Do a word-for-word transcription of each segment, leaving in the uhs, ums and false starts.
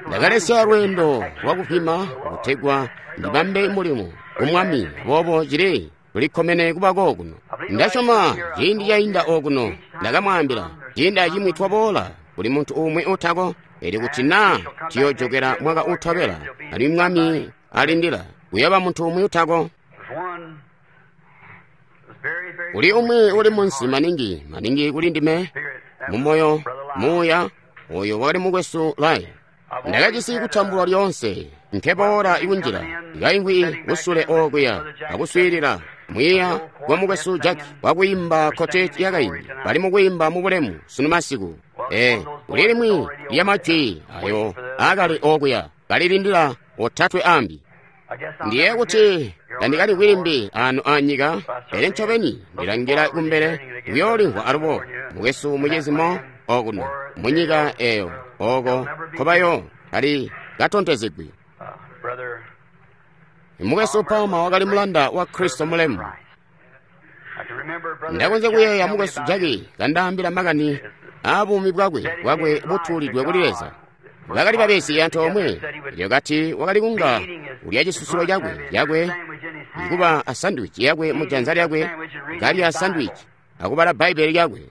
Ndakalesya lweendo lwakupima kutegwa ndibambe mulimo ku Mwami, aboobo cili tulikkomene kuba kookuno. Ndasyoma ciindi cainda okuno ndakamwaambila, ciindi acimwi twaboola kuli muntu umwi utako, elyo kuti naa tuyoojokela mwaka utobela, alimwi Mwami alindila, kuyooba muntu umwi utako. Kuli umwi uli munsi maningi, maningi kuli ndime, mumoyo, muuya, oyo wakali mukwesu Lyle. Ndakajisi kutambulwa lyoonse, nkeboola ikunjila, kaimvwi kusule okuya, akuswiilila mwiiya wa mukwesu Jack wakwiimba quartet yakaindi, bali mukwiimba mubulemu sunu masiku. Ee, kuli limwi lya majwi ayo akali okuya, kalilindila otatwe ambi. Ndiye kuti tandikalimvwi limbi ano anyika, pele ncobeni ndilangila kumbele kuyoolimvwa alubo mukwesu mucizimo okuno munyika eyo oko nkobayo kali katontezegwi. Mukwesu Palmer wakali mulanda wa Kristo mulemu. Ndakonzya kuyeeya mukwesu Jackie kandaambila makani aabuumi bwakwe bwakwe butuulidwe kuli Leza. Bakali babezi antoomwe, elyo kati wakali kunga ulya cisusulo cakwe cakwe kuba a sandwich yakwe mu janza lyakwe, kalya sandwich akubala Bbaibbele lyakwe.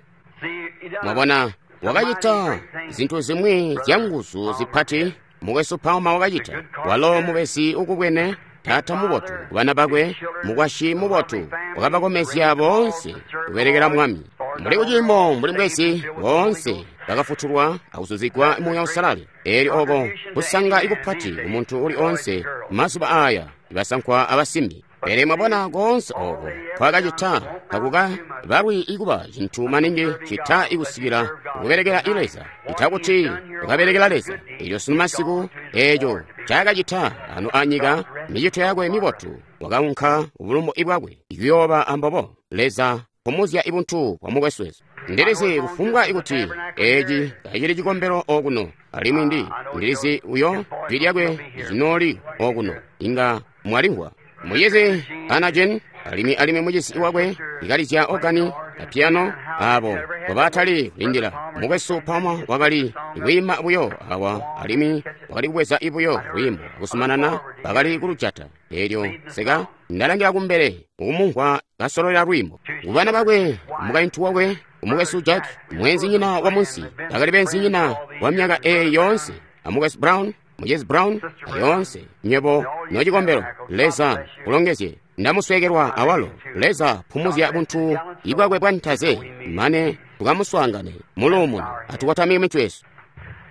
Mwabona, wakacita zintu zimwi zyanguzu zipati. Mukwesu Palmer wakacita. Walo mubezi ukubwene, taata mubotu kubana bakwe, mukwasyi mubotu, wakabakomezya boonse kubelekela Mwami. Mbuli kuciimo mbuli mbwezi, boonse bakafutulwa akuzuzigwa Muuya Uusalala. Eelyo oko kusanga ikupati kumuntu uli onse mazuba aya, basankwa abasimbi. Pele mwabona koonse oko kwakacita takuka balwi ikuba cintu maningi cita ikusikila kubelekela Leza, cita kuti ukabelekela Leza. Elyo sunu masiku eeco ncaakacita ano anyika, micito yakwe mibotu, wakaunka ubulumbu bwakwe kuyooba ambobo. Leza pumuzya ibuntu bwa mukwesu wesu. Ndilizi kufumbwa ikuti eci kacili cikombelo okuno, alimwi ndi ndilizi uyo jwi lyakwe linooli okuno, inga mwalimvwa. Mucizi Anna Jean, alimwi alimwi mucizi wakwe ikalizya organi na piano, abo mbobatali kulindila. Mukwesu Palmer wakali kwiima buyo awa, alimwi wakali kubweza buyo lwiimbo akuzumanana, bakali kulujata. Elyo seka ndalangila kumbele ukumumvwa kasololela lwiimbo. Kubana bakwe, mukaintu wakwe, umukwesu Jack, mweenzinyina wa munsi, bakali beenzinyina wa myaka eyi yoonse, amukwesu Brown, mucizi Brown, ayoonse nywebo nocikombelo. Leza kulongezye. Ndamusweekelwa awalo. Leza pumuzya buntu ibwakwe bwantaze, mane tukamuswaangane muluumuno. Atukotamike mitwe yesu.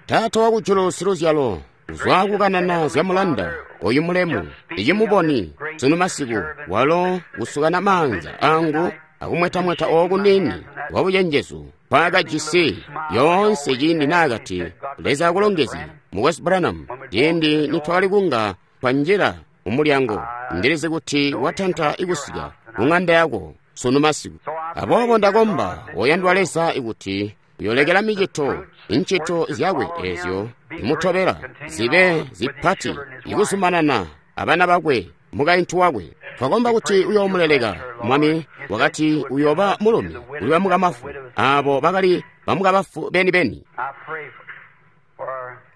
Taata wakujulu siluzyalo, kuzwa kukanana zya mulanda oyu mulemu, icimuboni sunu masiku, walo kusukana maanza angu akumwetamweta oku nini kwa bucenjezu nkwakajisi yoonse ciindi naakati, Leza akulongezye, mukwesu Branham, ciindi nitwakali kunga twanjila mumulyango, ndilizi kuti watanta ikusika kuŋanda yako sunu masiku. Aboobo ndakomba, oyandwa Leza, ikuti uyolekela micito, incito zyakwe ezyo zimutobela zibe zipati ikuzumanana abana bakwe, mukaintu wakwe. Twakomba kuti uyoomuleleka Mwami. Wakati uyooba mulumi kuli bamukamafu, abo bakali bamukabafu beni-beni.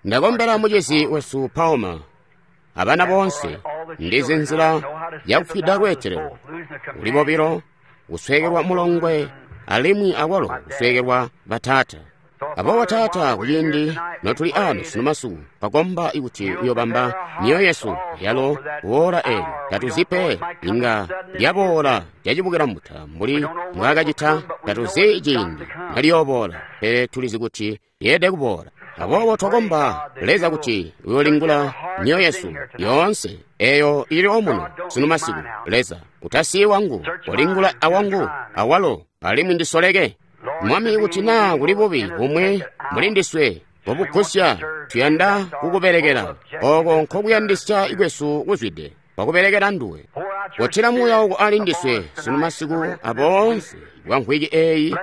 Ndakombela mucizi wesu Palmer abana boonse. Ndizi nzila yakufwida lweetelelo kuli bobilo, kusweekelwa mulongwe alimwi akwalo kusweekelwa bataata. Aboobo Taata, kuciindi notuli ano sunu masiku, twakomba ikuti uyobamba myoyo yesu yalo kuwoola eelyo. Tatuzi pe, inga lyaboola lyacibukila mbuta mbuli mbwaakacita. Tatuzi ciindi naliyooboola, pele tulizi kuti lyeelede kuboola. Aboobo twakomba Leza kuti uyoolingula myoyo yesu yoonse eyo ili omuno sunu masiku. Leza, utasiyi wangu, olingula awangu awalo, alimwi ndisoleke. Mwami, kuti naa kuli bubi bumwi muli ndiswe bobugusya, tuyanda kukubelekela. Oko nkokuyandisya kwesu kuzwide, kwakubelekela nduwe. Kotila Muuya wako ali ndiswe sunu masiku aboonse bwa mvwiki eyi.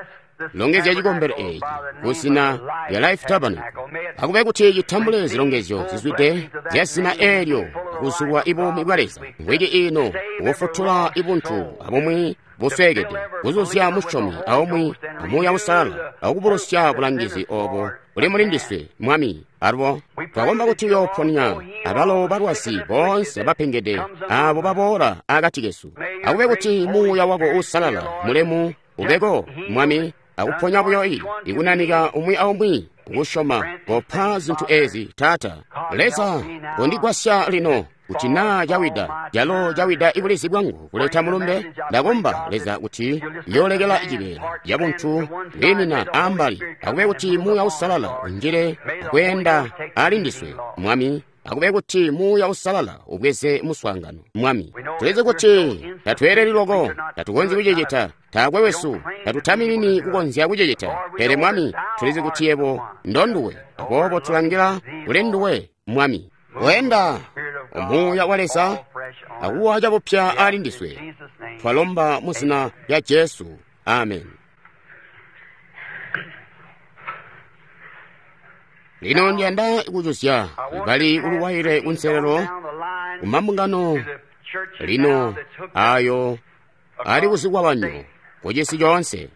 Longezya cikombelo eci kuzina lya Life Tabernacle. Akube kuti citambule zilongezyo zizwide zya zina eelyo, kuzulwa ibuumi bwa Leza mvwiki ino kufutula ibuntu abumwi busweekede kuzuzya musyomi aumwi amuuya usalala akubulusya bulangizi obo buli muli ndiswe Mwami. Alubo twakomba kuti uyooponya abalo balwazi boonse abapengede abo baboola akati kesu. Akube kuti muuya wako uusalala mulemu ubeko Mwami, akuponya buyo i ikunanika umwi aumwi kusyoma. Kopa zintu ezi Taata Leza, kondigwasya lino kuti naa cawida calo cawida ibulizi bwangu kuleta mulumbe. Ndakomba Leza kuti yoolekela cibeela cabuntu bwiimina ambali. Akube kuti muuya usalala unjile akweenda ali ndiswe Mwami. Akube kuti muuya usalala ubweze muswaangano Mwami. Tulizi kuti tatweeleli loko, tatukonzyi kucicita, taakwe wesu tatutaminini kukonzya kucicita, pele Mwami tulizi kuti yebo ndonduwe, aboobo tulangila kuli nduwe Mwami. Wenda muuya wa Leza akuwa cabupya ali ndiswe. Twalomba mu zina lya Jesu, amen. Lino ndiyanda kujuzya bali kuluwaile kunselelo kumambungano lino ayo ali kuzikwabanyo kucisi coonse.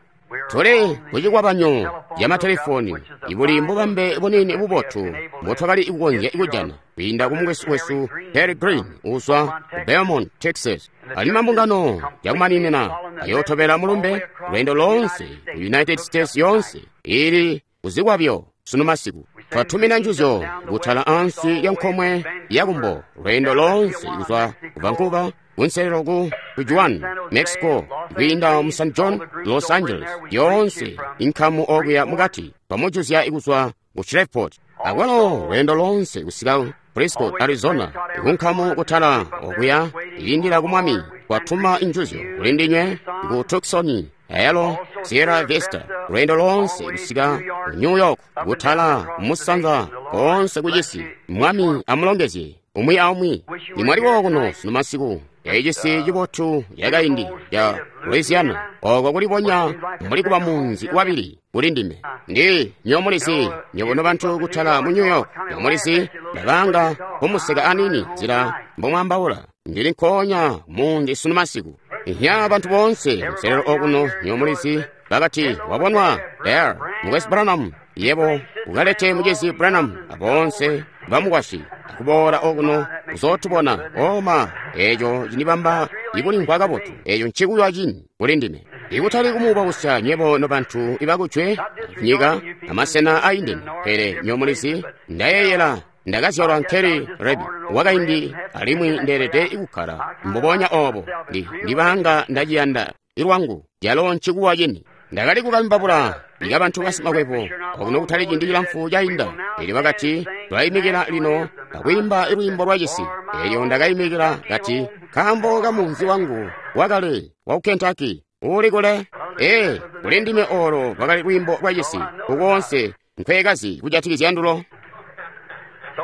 Tuli kucikwabanyo ca matelefoni ibuli mbubambe bunini bubotu mbotwakali kukonzya kujana kwiinda ku mukwesu wesu Harry Green uzwa ku Beaumont, Texas. Ali mambungano yakumaninina ayootobela mulumbe lweendo loonse ku United States yonse ili kuzikwabyo sunu masiku. Twatumina njuzyo kutala ansi lya nkomwe yakumbo lweendo loonse kuzwa ku Vancouver kunselelo ku Tijuana, Mexico, kwiinda mu San John, Los Angeles, yonse inkamu okuya mukati pamujuzya ikuzwa ku Shreveport. Akwalo lweendo lonse kusika Frisco, Arizona, kunkamu kutala okuya ilindila ku Mwami. Kwatuma injuzyo kuli ndinywe ku Tucson, ayalo Sierra Vista, lweendo lonse kusika ku New York, kutala musanza konse kucisi. Mwami amulongezye umwi aumwi. Nimwaliwo kuno sunu masiku ecisi cibotu yakaindi ya Louisiana, oko kulibonya muli kuba munzi wabili kuli ndime. Ndi nyomulizi nyobono bantu kutala mu New York, nyomulizi ndabanga kumuseka anini nzila mbomwambaula. Ndili nkonya mundi sunu masiku. Nya bantu bonse nselelo okuno nyomulizi bakati wabonwa there mukwesu Branham, yebo ukalete mugezi Branham abonse bamukwasyi akuboola okuno uzotubona. Oma eco cinibamba ikulimvwa kabotu, eco ncikuywa cini kuli ndime. Ikutali kumuubausya nyebo nobantu ibakujwe nyika amasena aindene, pele nyomulizi ndayeeyela ndakazyalwa nkeli Rebi wakaindi alimwi ndeelede ikukkala mbubonya obo. Ndi ndibanga ndaciyanda ilwangu calo ncikuwa cini. Ndakali kukambabula ikabantu basimakwebo okuno kutali ciindi cilamfu cainda, elyo bakati tulayimikila lino akwiimba ilwiimbo lwa cisi. Elyo ndakayimikila kati nkaambo ka munzi wangu wakale wa ku Kentucky uli kule. Ee, kuli ndime olo lwakali lwiimbo lwa cisi kukoonse nkwekazi kujatikizya ndulo.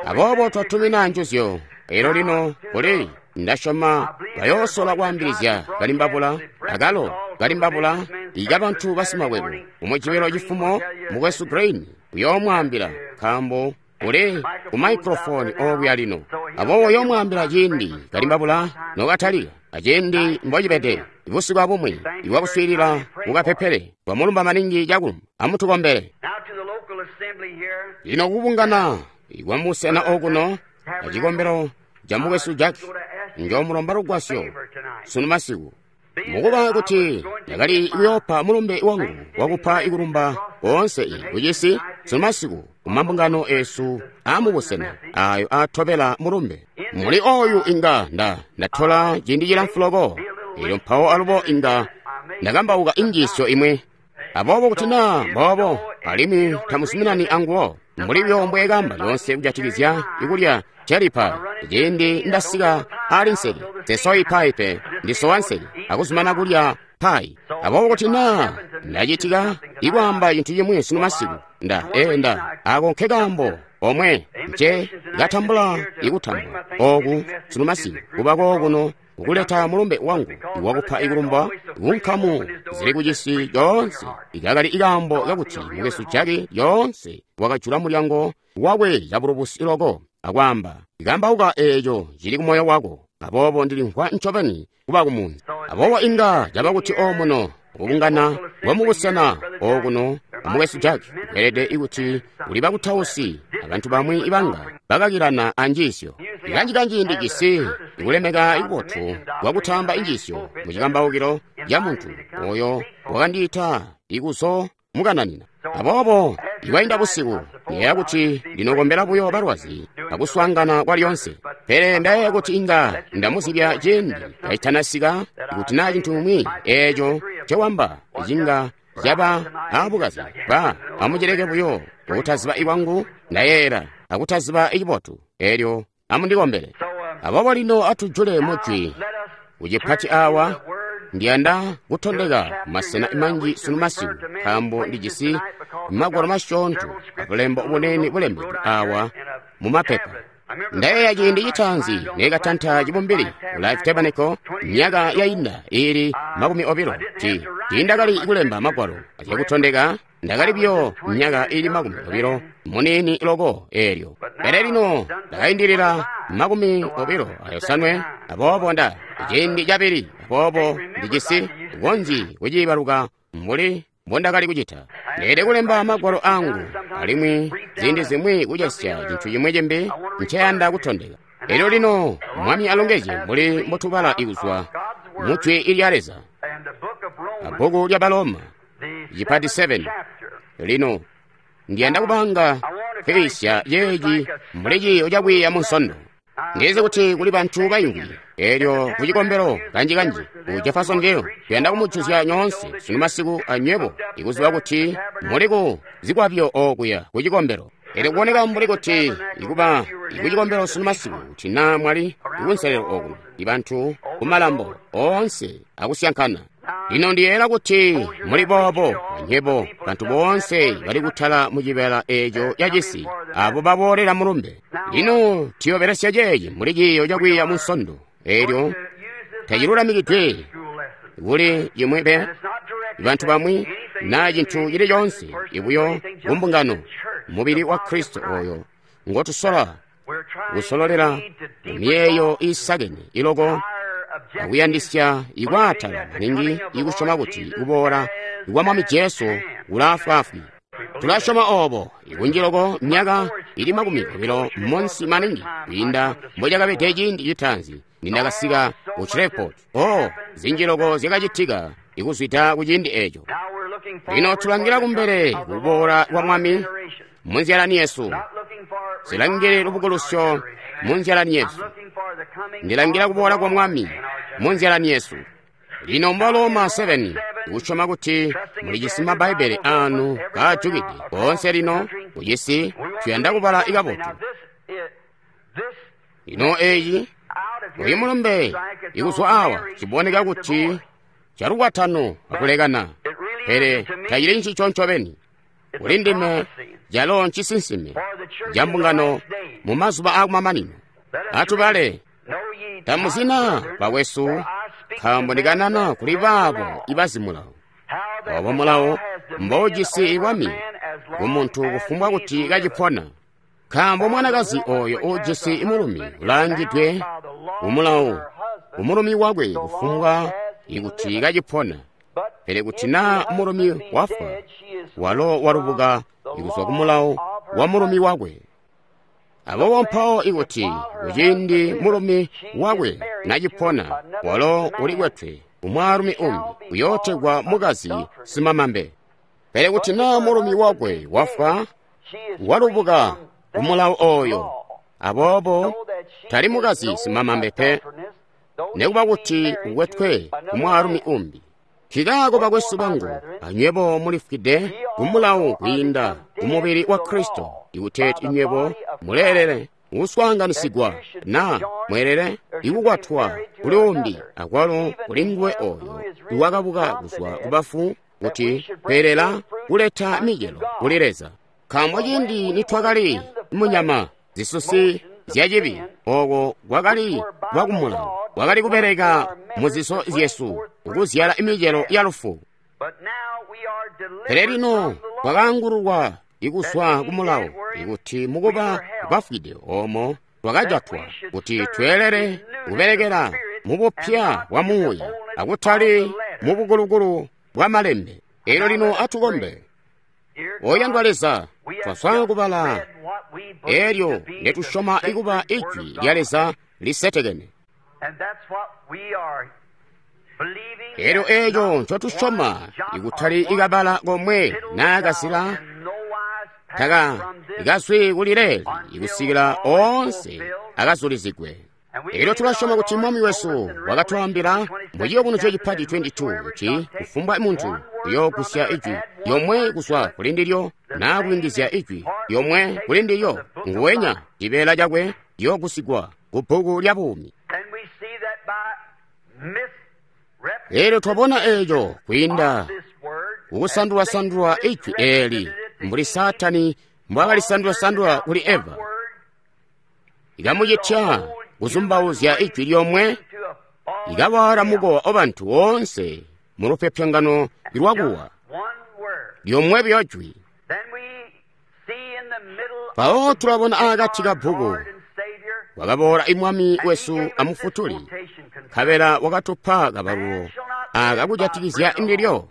Aboobo twatumina njuzyo elo lino kuli ndasyoma bayoosola kwaambilizya kalimbabula akalo kalimbabula ikabantu basimakwebo. Umujibelo cifumo mukwesu Green uyoomwaambila nkaambo uli ku microphone okuya lino. Aboobo uyoomwaambila ciindi kalimbabula nokatalika aciindi mbocibede busiku abumwi ibwakuswiilila mukapepele. Twamulumba maningi cakulumba, amutukombele. Lino kubungana ikwamusena okuno acikombelo ca mukwesu Jack, njoomulomba lugwasyo sunu masiku. Mukuba kuti ndakali kuyoopa mulumbe wangu wakupa ikulumba koonse kucisi sunu masiku kumambungano esu amubusena ayo atobela mulumbe. Muli oyu inga nda ndatola ciindi cilamfu loko, elyo mpawo alubo inga ndakambauka injiisyo imwe. Aboobo kuti naa mboobo alimwi tamuzuminani anguwo, mbuli buyo mbweekamba lyoonse kujatikizya ikulya cherry pie, ciindi ndasika ali nseke nsesoyi pie pe, ndisowa nseke akuzumana kulya pie. Aboobo kuti naa ndacitika ikwaamba cintu cimwi sunu masiku, nda ee nda ako nkekaambo omwe nce katambula ikutambula oku sunu masiku kuba kookuno kukuleta mulumbe wangu iwakupa ikulumba kunkamu zili kucisi coonse. Ikakali ikaambo kakuti mukwesu Jack lyoonse wakajula mulyango wakwe cabulubusi loko akwaamba, kambauka eeco cili kumoyo wako. Aboobo ndilimvwa ncobeni kuba kumunzi. Aboobo inga caba kuti omuno kubungana kwamubusena okuno amukwesu Jack kweelede kuti kuli bakutausi abantu bamwi ibanga bakakilana anjiisyo. Kanji-kanji ndijisi kulemeka ikubotu kwakutamba injiisyo mucikambaukilo ca muntu oyo wakandiita ikuzo mukananina. Aboobo ikwainda busiku ndiyeeya kuti ndinokombela buyo balwazi akuswaangana kwa lyoonse. Pele ndayeeya kuti inga ndamuzibya ciindi kacitanasika kuti naa cintu cimwi eeco ncewamba cinga caba aabukazi ba amucileke buyo kutaziba ikwangu ndayeeyela akutaziba icibotu eelyo amundikombele. Aboobo lino atujule mujwi kucipati awa. Ndiyanda kutondeka masena manji sunu masiku nkaambo ndijisi magwalo masyoonto abulembo bunene bulembedwe awa mumapepa. Ndayeeya ciindi citaanzi neekatanta cibumbili ku Life Tabernacle myaka yainda iili makumi obilo ti tiindakali kulemba magwalo azyakutondeka. Ndakali buyo myaka iili makumi obilo muniini loko eelyo. Pele lino ndakaindilila makumi obilo ayosanwe, aboobo nda ciindi cabili, aboobo ndijisi konzyi kuciibaluka mbuli mbondakali kucita. Ndeelede kulemba magwalo angu alimwi ziindi zimwi kucesya cintu cimwi cimbi nceyanda kutondeka. Elyo lino Mwami alongezye mbuli mbotubala ikuzwa mu Jwi lya Leza, abbuku lya Baloma cipati seven. Lino ndiyanda kubanga kwiisya yeeci mbuli ciiyo cakwiiya munsondo. Ndizi kuti kuli bantu bayungi eelyo kucikombelo kanji-kanji ku Jeffersonville. Tuyanda kumujuzya nyoonse sunu masiku anywebo ikuziba kuti muli ku zikwabyo okuya kucikombelo. Eelyo kuboneka mbuli kuti ikuba ikucikombelo sunu masiku kuti naa mwali ikunselelo okuno ibantu kumalambo oonse akusyankana. Lino ndiyeeyela kuti muli boobo anywebo bantu boonse bali kutala mucibeela eeco cacisi abo baboolela mulumbe. Lino tuyobelesya ceeci mbuli ciiyo cakwiiya munsondo. Eelyo tacilulamikidwe kuli cimwi pe bantu bamwi naa cintu cili coonse ibuyo kumbungano mubili wa Kristo oyo ngotusola kusololela mumiyeeyo iisakene iloko akuyandisya ikwaatala maningi ikusyoma kuti kuboola kwa Mwami Jesu kulaafwaafwi. Tulasyoma oobo ikunji loko myaka ili makumi obilo munsi maningi kwiinda mbocakabede ciindi citaanzi nindakasika ku Shreveport. Oh, zinji loko zyakacitika ikuzwida ku ciindi eeco. Lino tulangila kumbele kuboola kwa Mwami munzyalani yesu. Silangile lubukulusyo munzyalani yesu. Ndilangila kuboola kwa Mwami munzyalani yesu. Lino mba Roma seven kusyoma kuti mulijisi Mabbaibbele anu kaajukide koonse lino kucisi tuyanda kubala ikabotu. Lino eeyi uyu mulumbe ikuzwa awa ciboneka kuti calukwatano akulekana, pele tacili ncico ncobeni. Kuli ndime calo ncisinsime ca mbungano mu mazuba aakumamanino. Atubale. Tamuzina bakwesu, nkaambo ndikanana kuli baabo ibazi mulawo. Obo mulawo mboujisi bwami kumuntu kufumbwa kuti kacipona. Nkaambo mwanakazi oyo uujisi mulumi ulaangidwe kumulawo kumulumi wakwe kufumbwa ikuti kacipona. Pele kuti naa mulumi wafwa, walo walubuka ikuzwa kumulawo wa mulumi wakwe. Aboobo mpawo ikuti kuciindi mulumi wakwe nacipona, walo ulikwetwe kumwaalumi umbi uyootegwa mukazi simamambe. Pele kuti naa mulumi wakwe wafwa, walubuka kumulawo oyo, aboobo tali mukazi simamambe pe, nekuba kuti ukwetwe kumwaalumi umbi. Nkikaako bakwesu bangu, anywebo mulifwide kumulawo kwiinda kumubili wa Kristo, ikuteeti inywebo muleelele kuswaanganisigwa naa mweelele ikukwatwa kuli umbi akwalo kuli nguwe oyo iwakabuka kuzwa kubafu, kuti kweelela kuleta micelo kuli Leza. Nkaambo ciindi nitwakali munyama zisusi zyacibi, ooko kwakali kwakumulawo, kwakali kubeleka muziso zyesu kuzyala micelo ya lufu. Pele lino twakaangululwa ikuzwa ku mulawo, ikuti mukuba bafwide omo twakajatwa kuti tweelele kubelekela mubupya bwa muuya akutali mubukulukulu bwa malembe. Elyo lino atukombe. Oyandwa Leza, twaswaa kubala elyo netusyoma ikuba ijwi lya Leza lisetekene. Elyo eeco ncotusyoma ikutali ikabala komwe naa kasila taka ikazwi kuli leeli ikusikila oonse akazulizigwe. Elyo tulasyoma kuti Mwami wesu wakatwaambila mu Ciyubunuzyo cipati makumi aali abili kuti kufumbwa muntu uyoogusya ijwi lyomwe kuzwa kuli ndilyo naa kuyungizya ijwi lyomwe kuli ndilyo, nguwenya cibeela cakwe ciyoogusigwa ku bbuku lya buumi. Elyo twabona eeco kwiinda kukusandula-sandula ijwi eeli mbuli Saatani mbwaakalisandula-sandula kuli Eva, ikamucitya kuzumbauzya ijwi lyomwe, ikawaala mukowa wabantu woonse mu lupyopyongano lwakuwa lyomwe buyo jwi. Mpawo tulabona akati ka bbuku wakaboola imwami wesu amufutuli, nkabela wakatupa kabalulo aka kujatikizya ndilyo.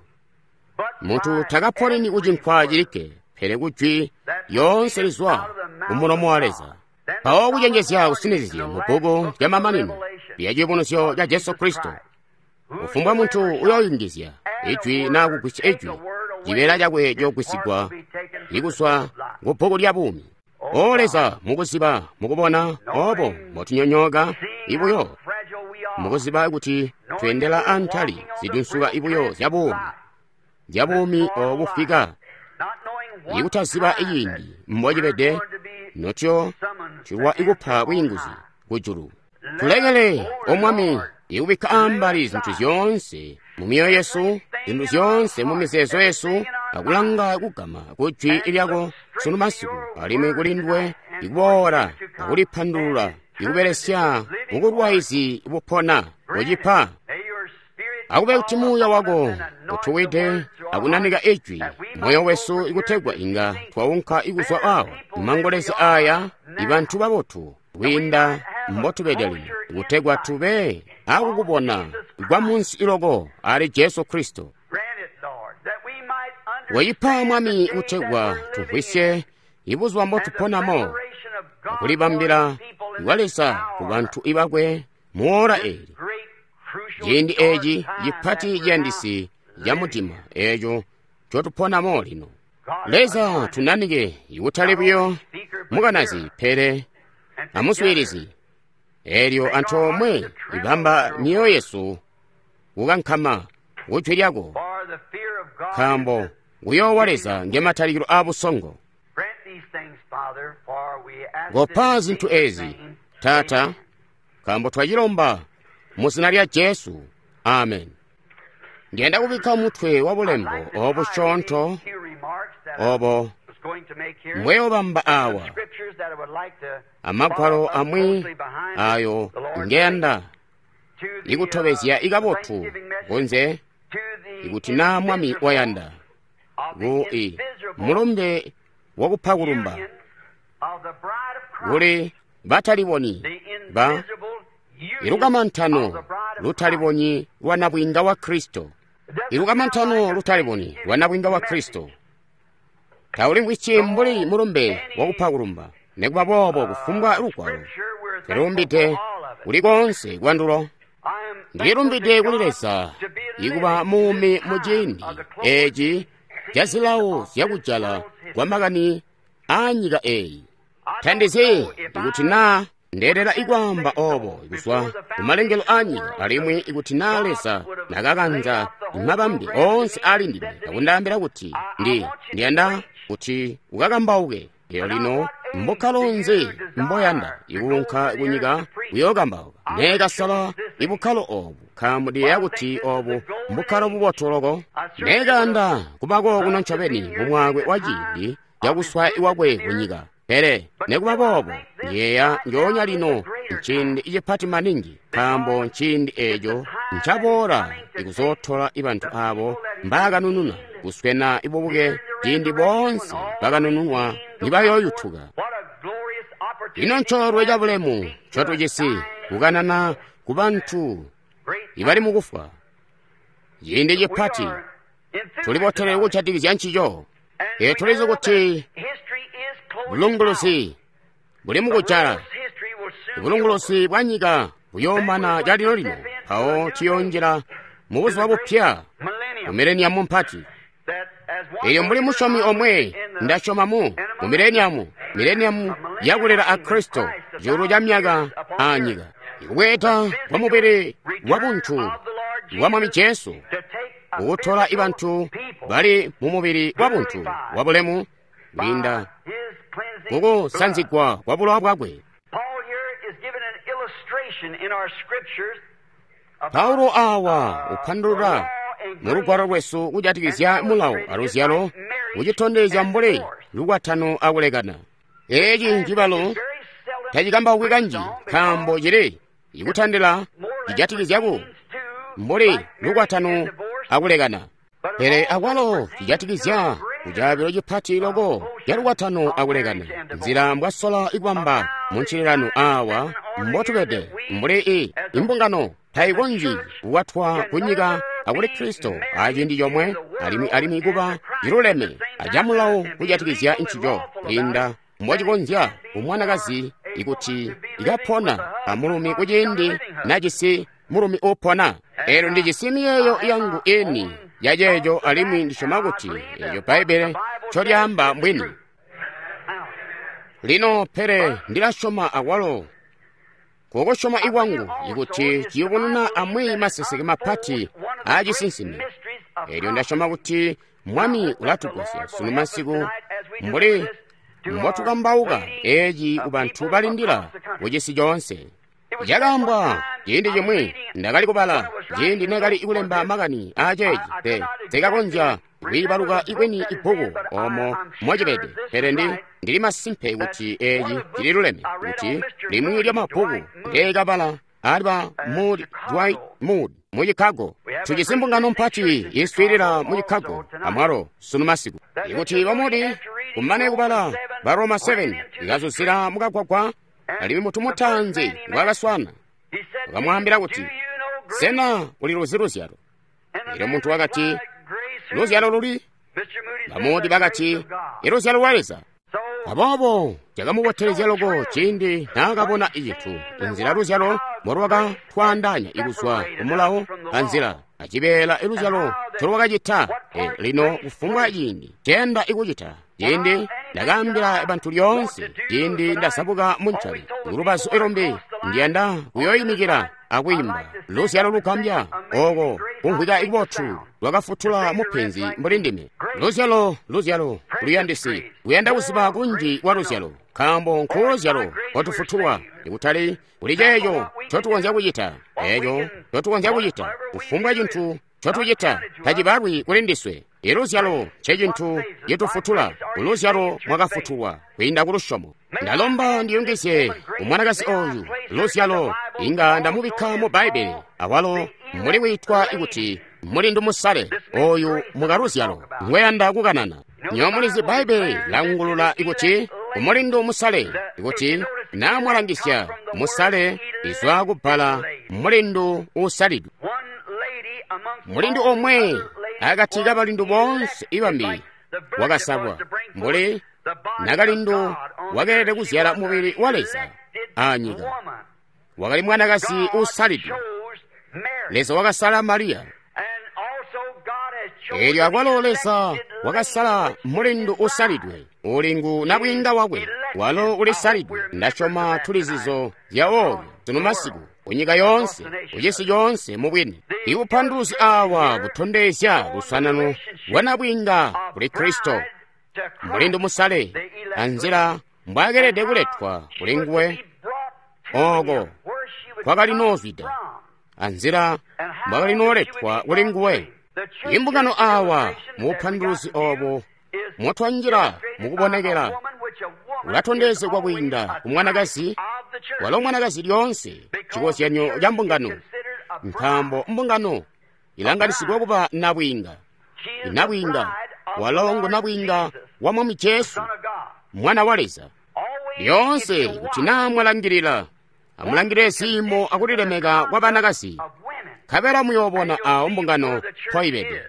Muntu takaponeni kucinkwa cilikke, pele kujwi lyoonse lizwa kumulomo wa Leza. Mpawo kucenjezya kusinizizye mu bbuku lya mamanino lya Ciyubunuzyo ca Jesu Kristo, kufumbwa muntu uyooyungizya ijwi naa kugwisya ijwi, cibeela cakwe ciyogwisigwa ikuzwa ku bbuku lya buumi. O Leza, mukuziba mukubona obo mbotunyonyooka ibuyo, mukuziba kuti tweendela antali zidunsuka ibuyo zya buumi, zya buumi obufika, ikutaziba iciindi mbocibede notyo cilwa ikupa bwiinguzi kujulu. Tulekele, O Mwami, ikubikka ambali zintu zyoonse mu myoyo yesu, zintu zyoonse mu mizeezo yesu, akulanga kugama ku jwi lyako sunu masiku, alimwi kuli nduwe ikuboola akulipandulula ikubelesya bukulwaizi bupona kucipa. Akube kuti muuya wako utuwide akunanika ijwi moyo wesu ikutegwa inga twaunka ikuzwa awa mumangolezi aya ibantu babotu kwiinda mbotubede lino, kutegwa tube akukubona kwa munsi iloko ali Jesu Kristo. Wayipa Mwami kutegwa tumvwisye ibuzuba mbotuponamo akulibambila kwa Leza ku bantu ibakwe muora eli, ciindi eeci cipati ciyandisi ca mudima eeco ncotuponamo lino. Leza tunanike ikutali buyo mukanazi pele amuswiilizi, eelyo antoomwe ibamba myoyo yesu kukankama kujwi lyako, nkaambo kuyoowa Leza ngematalikilo aabusongo. Kopa zintu ezi, Taata, nkaambo twacilomba mu zina lya Jesu. Amen. Ndiyanda kubikka mutwe wa bulembo obusyoonto obo mbweyobamba awa, amagwalo amwi ayo ngeyanda ikutobezya ikabotu kunze ikuti naa Mwami wayanda ku i mulumbe wakupa kulumba kuli batalibonyi ba ilukamantano lutalibonyi lwa nabwiinga wa Kristo. Ilukamantano lutalibonyi lwa nabwiinga wa Kristo taulimvwisyi mbuli mulumbe wakupa kulumba. Nikuba boobo kufumbwa lugwalo twilumbide kuli koonse kwandulo. Ndilumbide kuli Leza ikuba muumi mu ciindi eeci ca zilawo zyakujala kwa makani aanyika eeyi. Tandizi ikuti naa ndeelela ikwaamba obo kuzwa kumalengelo aanyika, alimwi ikuti naa Leza nakakanza mabambe oonse ali ndime akundaambila kuti ndi ndiyanda kuti ukakambauke. Lero lino mbukkalo nzi mboyanda ikuunka kunyika kuyookambauka? Neekasala ibukkalo obu, nkaambo ndiyeeya kuti obu mbukkalo bubotu loko. Neekayanda kubako kuno ncobeni mumwaakwe wa ciindi cakuswaya iwakwe kunyika. Pele nikuba boobo ndiyeeya njoonya lino nciindi cipati maningi, nkaambo nciindi eeco ncaboola ikuzootola ibantu aabo mbaakanununa kuswena ibubuke ciindi boonse bakanununwa nibayooyutuka. Ino ncoolwe cabulemu ncotujisi kukanana ku bantu ibali mukufwa. Ciindi cipati tulibotelele kujatikizya ncico. Ee, tulizi kuti bulunguluzi buli mukujala. Bulunguluzi bwa nyika buyoomana calino-lino, mpawo ciyoonjila mu buzuba bupya, mu mileniamu mpati. Elyo mbuli musyomi omwe, ndasyoma mu mu mileniamu, mileniamu yakulela a Kristo, cuulu ca myaka aa nyika. Ikubweeda kwa mubili wa buntu wa Mwami Jesu, kukutola ibantu bali mu mubili wa buntu wa bulemu kwiinda kukusanzigwa kwa bulowa bwakwe. Paulo awa upandulula mu lugwalo lwesu kujatikizya mulawo aluzyalo, kucitondezya mbuli lukwatano akulekana. Eeci ncibalo tacikambaukwi kanji nkaambo cili ikutandila cijatikizya ku mbuli lukwatano akulekana, pele akwalo cijatikizya kucaabilo cipati loko ca lukwatano akulekana. Nzila mbwasola ikubamba muncililano awa mbotubede mbuli i imbungano taikonzyi kukwatwa kunyika akuli Kristo aciindi comwe, alimwi alimwi kuba ciluleme acamulawo kujatikizya ncico kwiinda mbocikonzya kumwanakazi ikuti ikapona amulumi kuciindi najisi mulumi uupona. Eelyo ndijisi miyeeyo yangu ini ya ceeco, alimwi ndisyoma kuti eeco Bbaibbele ncolyaamba mbwini. Lino pele ndilasyoma akwalo kukusyoma ikwangu ikuti ciyubununa amwi maseseke mapati aacisinsimi. Eelyo ndasyoma kuti Mwami ulatugwasya sunu masiku mbuli mbotukambauka eeci kubantu balindila kucisi coonse. Cakaambwa ciindi cimwi ndakali kubala ciindi nekali kulemba makani aaceeci, pe sikakonzya kwiibaluka ikweni ibbuku omo mocibede, pele ndi ndili masimpe kuti eeci cililuleme, kuti limwi lya mabbuku ndeekabala ali ba Moody, Dwight Moody mu Chicago. Tujisi mbungano mpati iswiilila mu Chicago amwalo sunu masiku. Ikuti ba Moody kumane kubala ba Roma seven ikazuzila mukagwagwa, alimwi mutu mutaanzi ngwaakaswana wakamwaambila kuti, "Sena uli luzi luzyalo?" Elyo muntu wakati, "Luzyalo luli?" Ba Moody bakati, "Iluzyalo lwa Leza." Aboobo cakamubotelezya loko ciindi naakabona icintu inzila luzyalo mbolwakatwaandaanya ikuzwa kumulawo anzila acibeela iluzyalo ncolwakacita. E, lino kufumbwa ciindi cenda ikucita ciindi ndakaambila bantu lyoonse ciindi ndasabuka muncali kulubazu ilumbi ndiyanda kuyoyimikila akwiimba luzyalo lugambya oko kumvwika ikubotu lwakafutula mupenzi mbuli ndime. Luzyalo, luzyalo luyandisi kuyanda kuziba kunji kwa luzyalo, nkaambo nkuuluzyalo kwatufutulwa, ikutali kuli ceeco ncotukonzya kucita, eeco ncotukonzya kucita kufumbwa cintu ncotucita tacibalwi kuli ndiswe. Iluzyalo ncecintu citufutula, uluzyalo mwakafutulwa kwiinda kulusyomo. Ndalomba ndiyungizye kumwanakazi oyu luzyalo, inga ndamubikka mu Bbaibbele awalo muli witwa kuti mulindu musale oyu mukaluzyalo ngweyanda kukanana. Nyo mulizi Bbaibbele langulula ikuti kumulindu musale, ikuti namwalangisya musale izwa kubbala mulindu uusalidwe. Mulindu omwe akati kabalindu boonse ibambi wakasalwa, mbuli nakalindu wakeelede kuzyala mubili wa Leza aanyika. Wakali mwanakazi uusalidwe. Leza wakasala Mariya. Eelyo akwalo Leza wakasala mulindu uusalidwe, uli ngu nabwiinga wakwe, walo ulisalidwe. Ndasyoma tulizizo zya oyo sunu masiku kunyika yoonse, kucisi coonse mubwini. Ibupanduluzi awa butondezya lusanano lwa nabwiinga kuli Kristo, mulindu musale, anzila mbwaakelede kuletwa kuli nguwe oko kwakali noozwida, anzila mbwakali nooletwa kuli nguwe. Imbungano awa mubupanduluzi obo motwanjila mukubonekela ulatondezegwa kwiinda ku mwanakazi, walo mwanakazi lyoonse cikozyanyo ca mbungano, nkaambo mbungano ilanganisigwa kuba nabwiinga. Nabwiinga walo ngu nabwiinga wa Mwami Jesu, Mwana wa Leza. Lyoonse kuti naa mwalangilila, amulangilile ziimo akulilemeka kwa banakazi, nkabela muyoobona awo mbungano mpoibede.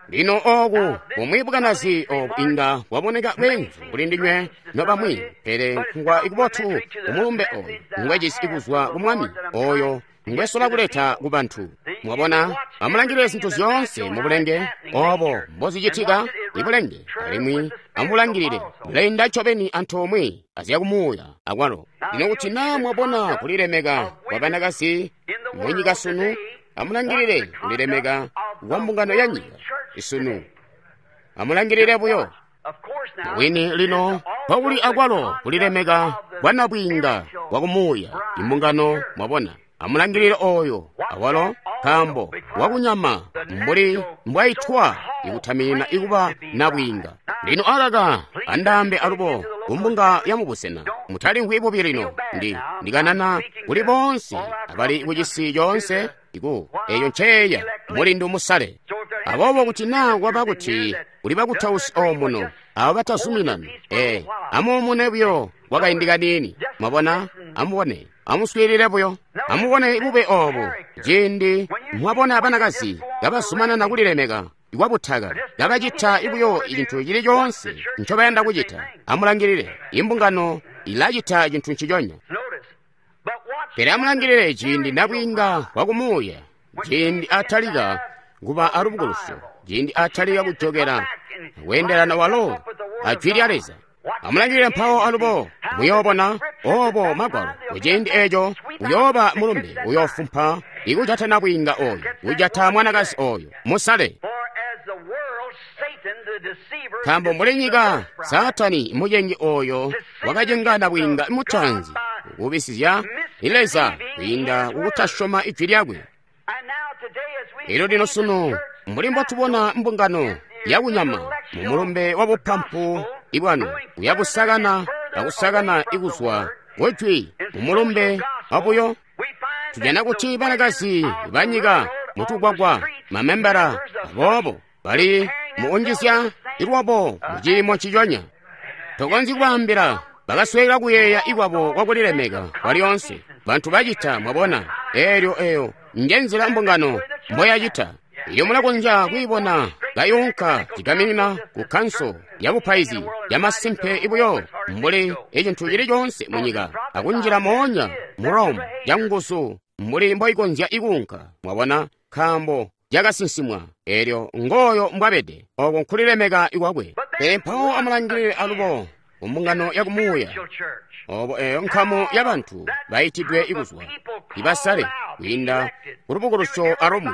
Lino oku bumwi bukanazi obu inga bwaboneka bweenzu kuli ndinywe nobamwi, pele nkungwa ikubotu kumulumbe oyu ngwejisi kuzwa ku Mwami oyo ngwesola kuleta ku bantu. Mwabona, amulangilile zintu zyoonse mu bulenge obo mbozicitika ibulenge, alimwi amulangilile bulainda ncobeni antoomwe azyakumuuya akwalo. Lino kuti naa mwabona kulilemeka kwa banakazi mu nyika sunu, amulangilile kulilemeka kwa mbungano ya nyika sunu. Amulangilile buyo wini lino mpokuli akwalo kulilemeka kwa nabwiinga kwa kumuuya imbungano. Mwabona, amulangilile oyo awalo, nkaambo wakunyama mbuli mbwaitwa ikutaminina ikuba nabwiinga. Lino akaka andaambe alubo kumbunga ya mubusena, mutalimvwi bubi lino, ndi ndikanana kuli boonse abali kucisi coonse iku eyo nceeya mulindu musale. Aboobo kuti naa kwaba kuti kuli bakutausi omuno abo batazuminani, ee, amuumune buyo kwakaindi kaniini. Mwabona, amubone, amuswiilile buyo, amubone bube obu. Ciindi mwabona banakazi kabazumanana kulilemeka kwabutaka, kabacita buyo cintu cili coonse ncobayanda kucita, amulangilile imbungano ilacita cintu nciconya. Pele amulangilile ciindi nabwiinga wakumuuya, ciindi atalika kuba alubukulusyo, ciindi atalika kujokela kweendelana walo ajwi lya Leza. Amulangilile mpawo alubo muyoobona obo magwalo. Kuciindi eco uyooba mulumbe uyoofumpa ikujata nabwiinga oyo, kujata mwanakazi oyo musale. Nkaambo mbuli nyika, Saatani mucengi oyo wakacenga nabwiinga mutaanzi kubisizya Leza kwiinda kukutasyoma ijwi lyakwe. Elyo lino sunu mbuli mbotubona mbungano yakunyama mu mulumbe wa bupampu ibwanu uyabusakana akusakana ikuzwa kujwi mu mulumbe wabuyo, tujana kuti banakazi banyika mutugwagwa mamembala aboobo bali mukunjizya ilwabo muciimo nciconya. Tokonzyi kubaambila, bakasweka kuyeeya ikwabo kwakulilemeka kwalyoonse. Bantu bacita, mwabona, eelyo eyo njenzila mbungano mboyacita. Iyo mulakonzya kwiibona kayunka cigaminina ku kanso ya bupaizi yamasimpe ibuyo mbuli icintu cili coonse munyika, akunjila moonya mu Rome canguzu mbuli mboikonzya ikuunka. Mwabona, nkaambo yakasinsimwa, eelyo ngooyo mbwabede, oko nkulilemeka ikwakwe. Pele mpawo amulangilile alubo kumbungano ya kumuuya, obo eyo nkamu ya bantu baitidwe ikuzwa ibasale kwiinda kulubukulusyo alumwi.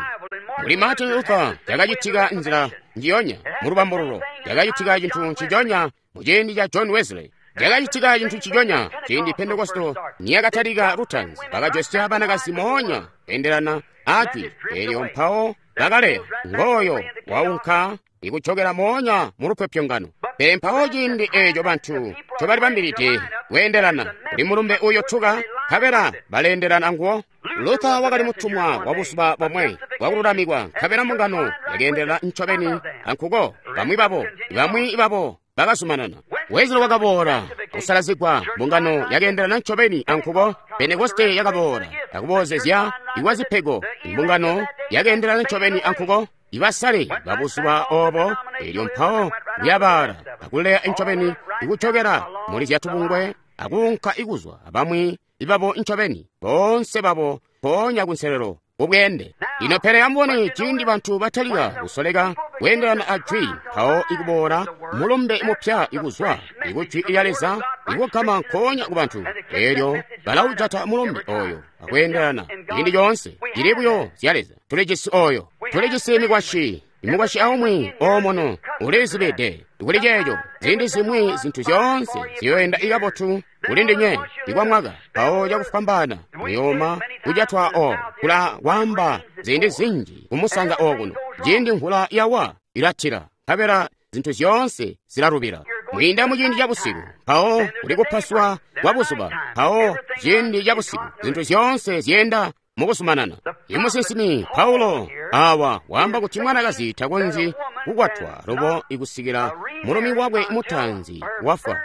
Mbuli Martin Luther yakacitika nzila njiyonya mu lubambululo, yakacitika cintu nciconya mu ciindi ca John Wesley, yakacitika cintu nciconya ciindi Pentekosto niyakatalika lutaanzi. Bakajosya banakazi moonya kweendelana ajwi, eelyo mpawo bakaleya. Ngooyo waunka ikujokela moonya mu lupyopyongano. Pele mpawo ciindi eeco bantu ncobalibambilide kweendelana kuli mulumbe uyotuka, nkabela baleendelana anguwo. Luther wakali mutumwa wa buzuba bomwe bwakululamikwa, nkabela mbungano yakeendelana ncobeni ankuko. Bamwi babo, bamwi babo bakazumanana. Wesley wakaboola kusalazigwa, mbungano yakeendelana ncobeni ankuko. Pentekoste yakaboola akuboozezya ikwa zipego, imbungano yakeendelana ncobeni ankuko. Ibasale babuzuba obo, elyo mpawo kuyabaala akuleya ncobeni ikujokela muli zyatubungwe akuunka ikuzwa abamwi ibabo ncobeni boonse babo mpoonya kunselelo kubweende. Lino pele amubone ciindi bantu batalika kusoleka kweendelana ajwi, mpawo ikuboola mulumbe mupya ikuzwa ikujwi lya Leza ikugama nkoonya ku bantu, eelyo balaujata mulumbe oyo akweendelana ciindi coonse. Cili buyo zya Leza. Tulijisi oyo, tulijisi mikwasyi, imukwasyi aumwi oomono ulizibide kuli ceeco. Ziindi zimwi zintu zyoonse ziyoenda ikabotu kuli ndinywe ikwa mwaka, mpawo cakufwambaana muyooma kujatwa oo kula kwaamba ziindi zinji kumusanza okuno. Ciindi mvula yawa ilatila, nkabela zintu zyoonse zilalubila. Mwiinda muciindi ca busiku, mpawo kuli kupaswa kwa buzuba, mpawo ciindi ca busiku zintu zyoonse zyeenda mukuzumanana. Imusinsimi Paulo awa waamba kuti mwanakazi takonzyi kukwatwa lubo ikusikila mulumi wakwe mutaanzi wafwa.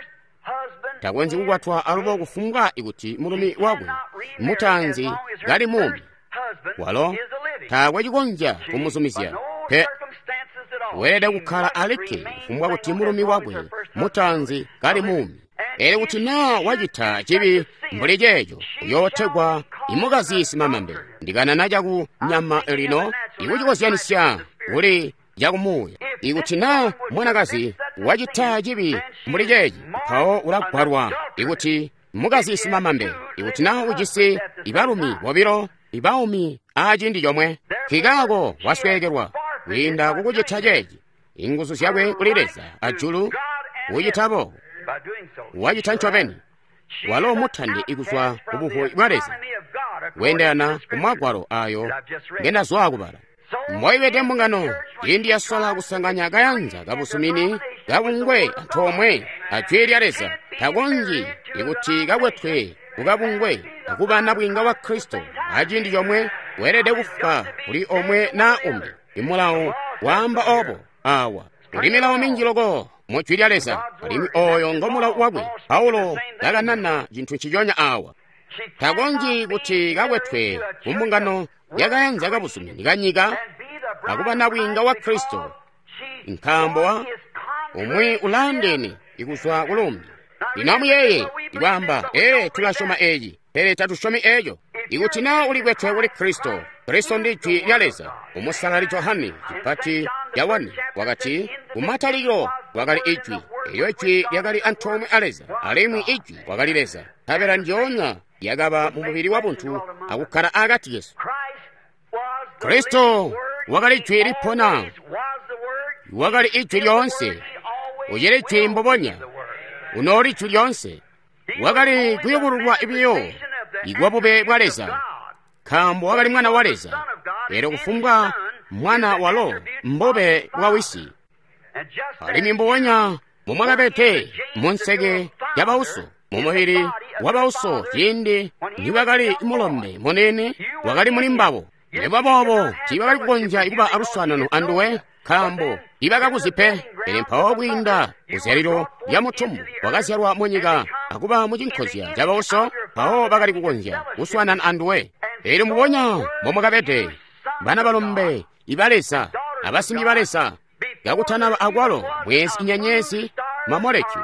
Takonzyi kukwatwa alubo kufumbwa ikuti mulumi wakwe mutaanzi kali muumi. Walo taakwe cikonzya kumuzumizya pe. Weelede kukkala alikke kufumbwa kuti mulumi wakwe mutaanzi kali muumi. Elyo kuti naa wacita cibi mbuli ceeco, uyootegwa imukazi simamambe. Ndikanana caku nyama lino ikucikozyanisya kuli cakumuuya. Ikuti naa mwanakazi wacita cibi mbuli ceeci, mpawo ulagwalwa ikuti mukazi simamambe. Ikuti naa ujisi ibalumi bobilo ibaumi aciindi comwe, nkikaako wasweekelwa kwiinda kukucita ceeci. Inguzu zyakwe kuli Leza ajulu kucita boobo. Wacita ncobeni. Walo mutandi ikuzwa ku buvubi bwa Leza, kweendelana ku magwalo ayo ngendazwaa kubala. Mboibede mbungano ciindi yasola kusanganya kayanza kabuzumini kabungwe antoomwe a Jwi lya Leza, takonzyi ikuti kakwetwe kukabungwe akuba nabwiinga wa Kristo aciindi comwe. Weelede kufwa kuli omwe naa umbi. Imulawo waamba obo awa. Kuli milawo minji loko mu Jwi lya Leza, alimwi oyo ngo mulawo wakwe. Paulo kakanana cintu nciconya awa. Takonzyi kuti kakwetwe ku mbungano yakayanza kabuzumini kanyika akuba nabwiinga wa Kristo, nkaambo wa umwi ulaandeene ikuzwa kulumbi. Lino amuyeeye ikwaamba, ee, tulasyoma eci, pele tatusyomi eco. Ikuti naa ulikwetwe kuli Kristo, Kristo ndi Jwi lya Leza. Umusalali Johane cipati ca wakati, kumatalikilo kwakali Ijwi, elyo Ijwi lyakali antoomwe a Leza, alimwi Ijwi wakali Leza. Nkabela ndyoonya lyakaba mu mubili wabuntu akukkala akati kesu. Kristo wakali Jwi lipona, wakali Ijwi lyoonse, ucili Jwi mbubonya, unooli Jwi lyoonse. Wakali kuyubululwa biyo ikwa bube bwa Leza, nkaambo wakali Mwana wa Leza. Elyo kufumbwa mwana walo mbube bwa wisi. Alimwi mbubonya mumwakabede munseke ya bauso, mumubili wa bauso ciindi niwakali mulombe munene, wakali muli mbabo. Nikuba boobo tiibakali kukonzya kuba aluswaanano anduwe, nkaambo tiibakakuzi pe. Pele mpawo kwiinda kuzyalilo lya mutumbu wakazyalwa munyika akuba mucinkozya ca bauso, mpawo bakali kukonzya kuswaanana anduwe. Elyo mbubonya mbomwakabede bana balombe iba Leza abasimbi ba Leza, kakutanaba akwalo mwezi, inyenyezi, mamolekyu,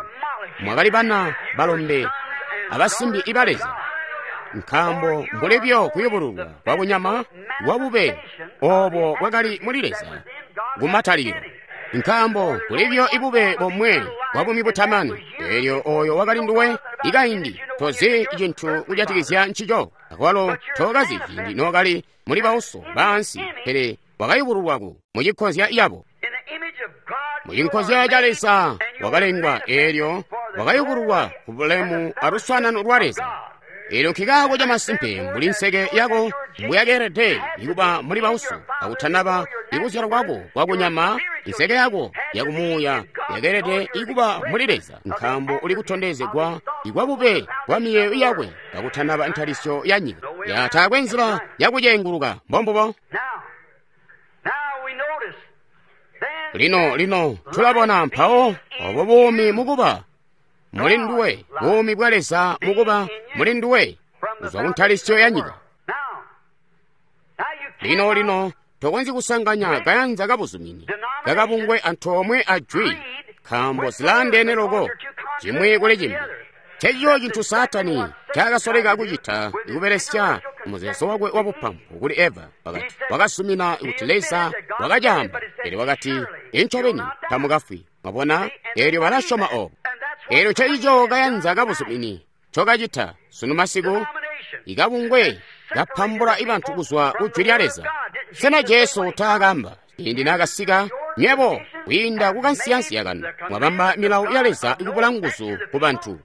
mwakali bana balombe abasimbi iba Leza. Nkaambo mbulibyo kuyubululwa kwa kunyama kwa bube obo bwakali muli Leza kumatalikilo. Nkaambo kulibyo ibube bomwe bwa bumi butamani, elyo oyo wakali nduwe ikaindi tozi cintu kujatikizya ncico, akwalo tokazi ciindi nookali muli bauso baansi, pele wakayubululwaku mucinkozya yabo. Mucinkozya ca Leza wakalengwa, elyo wakayubululwa ku bulemu aluswaanano lwa Leza. Elyo nkikaako camasimpe mbuli nseke yako mbuyakeelede ikuba muli bauso akutanaba ikuzyalwa kwako kwakunyama, inseke yako yakumuuya yakeelede ikuba muli Leza, nkaambo uli kutondezegwa ikwa bube bwa miyeeyo yakwe kakutanaba ntalisyo ya nyika. Ya taakwe nzila yakucenguluka, mbombubo. Lino lino tulabona mpawo obo buumi mukuba muli nduwe, buumi bwa Leza mukuba muli nduwe kuzwa kuntalisyo ya nyika. Lino lino tokonzyi kusanganya kayanza kabuzumini kakabungwe antoomwe a Jwi, nkaambo zilaandeene loko cimwi kuli cimbi. Ncencico cintu Saatani ncaakasoleka kucita ikubelesya muzeezo wakwe wabupampu kuli Eva. Wakati wakasumina kuti Leza wakacaamba, pele wakati incobeni tamukafwi. Mwabona, elyo balasyoma obo. Elyo ncencico kayanza kabuzumini ncokacita sunu masiku, ikabungwe kapambula ibantu kuzwa ku Jwi lya Leza. Sena Jesu taakamba ciindi naakasika, nywebo kwiinda kukansiyansiya kanu mwabamba milawo ya Leza ikubula nguzu ku bantu.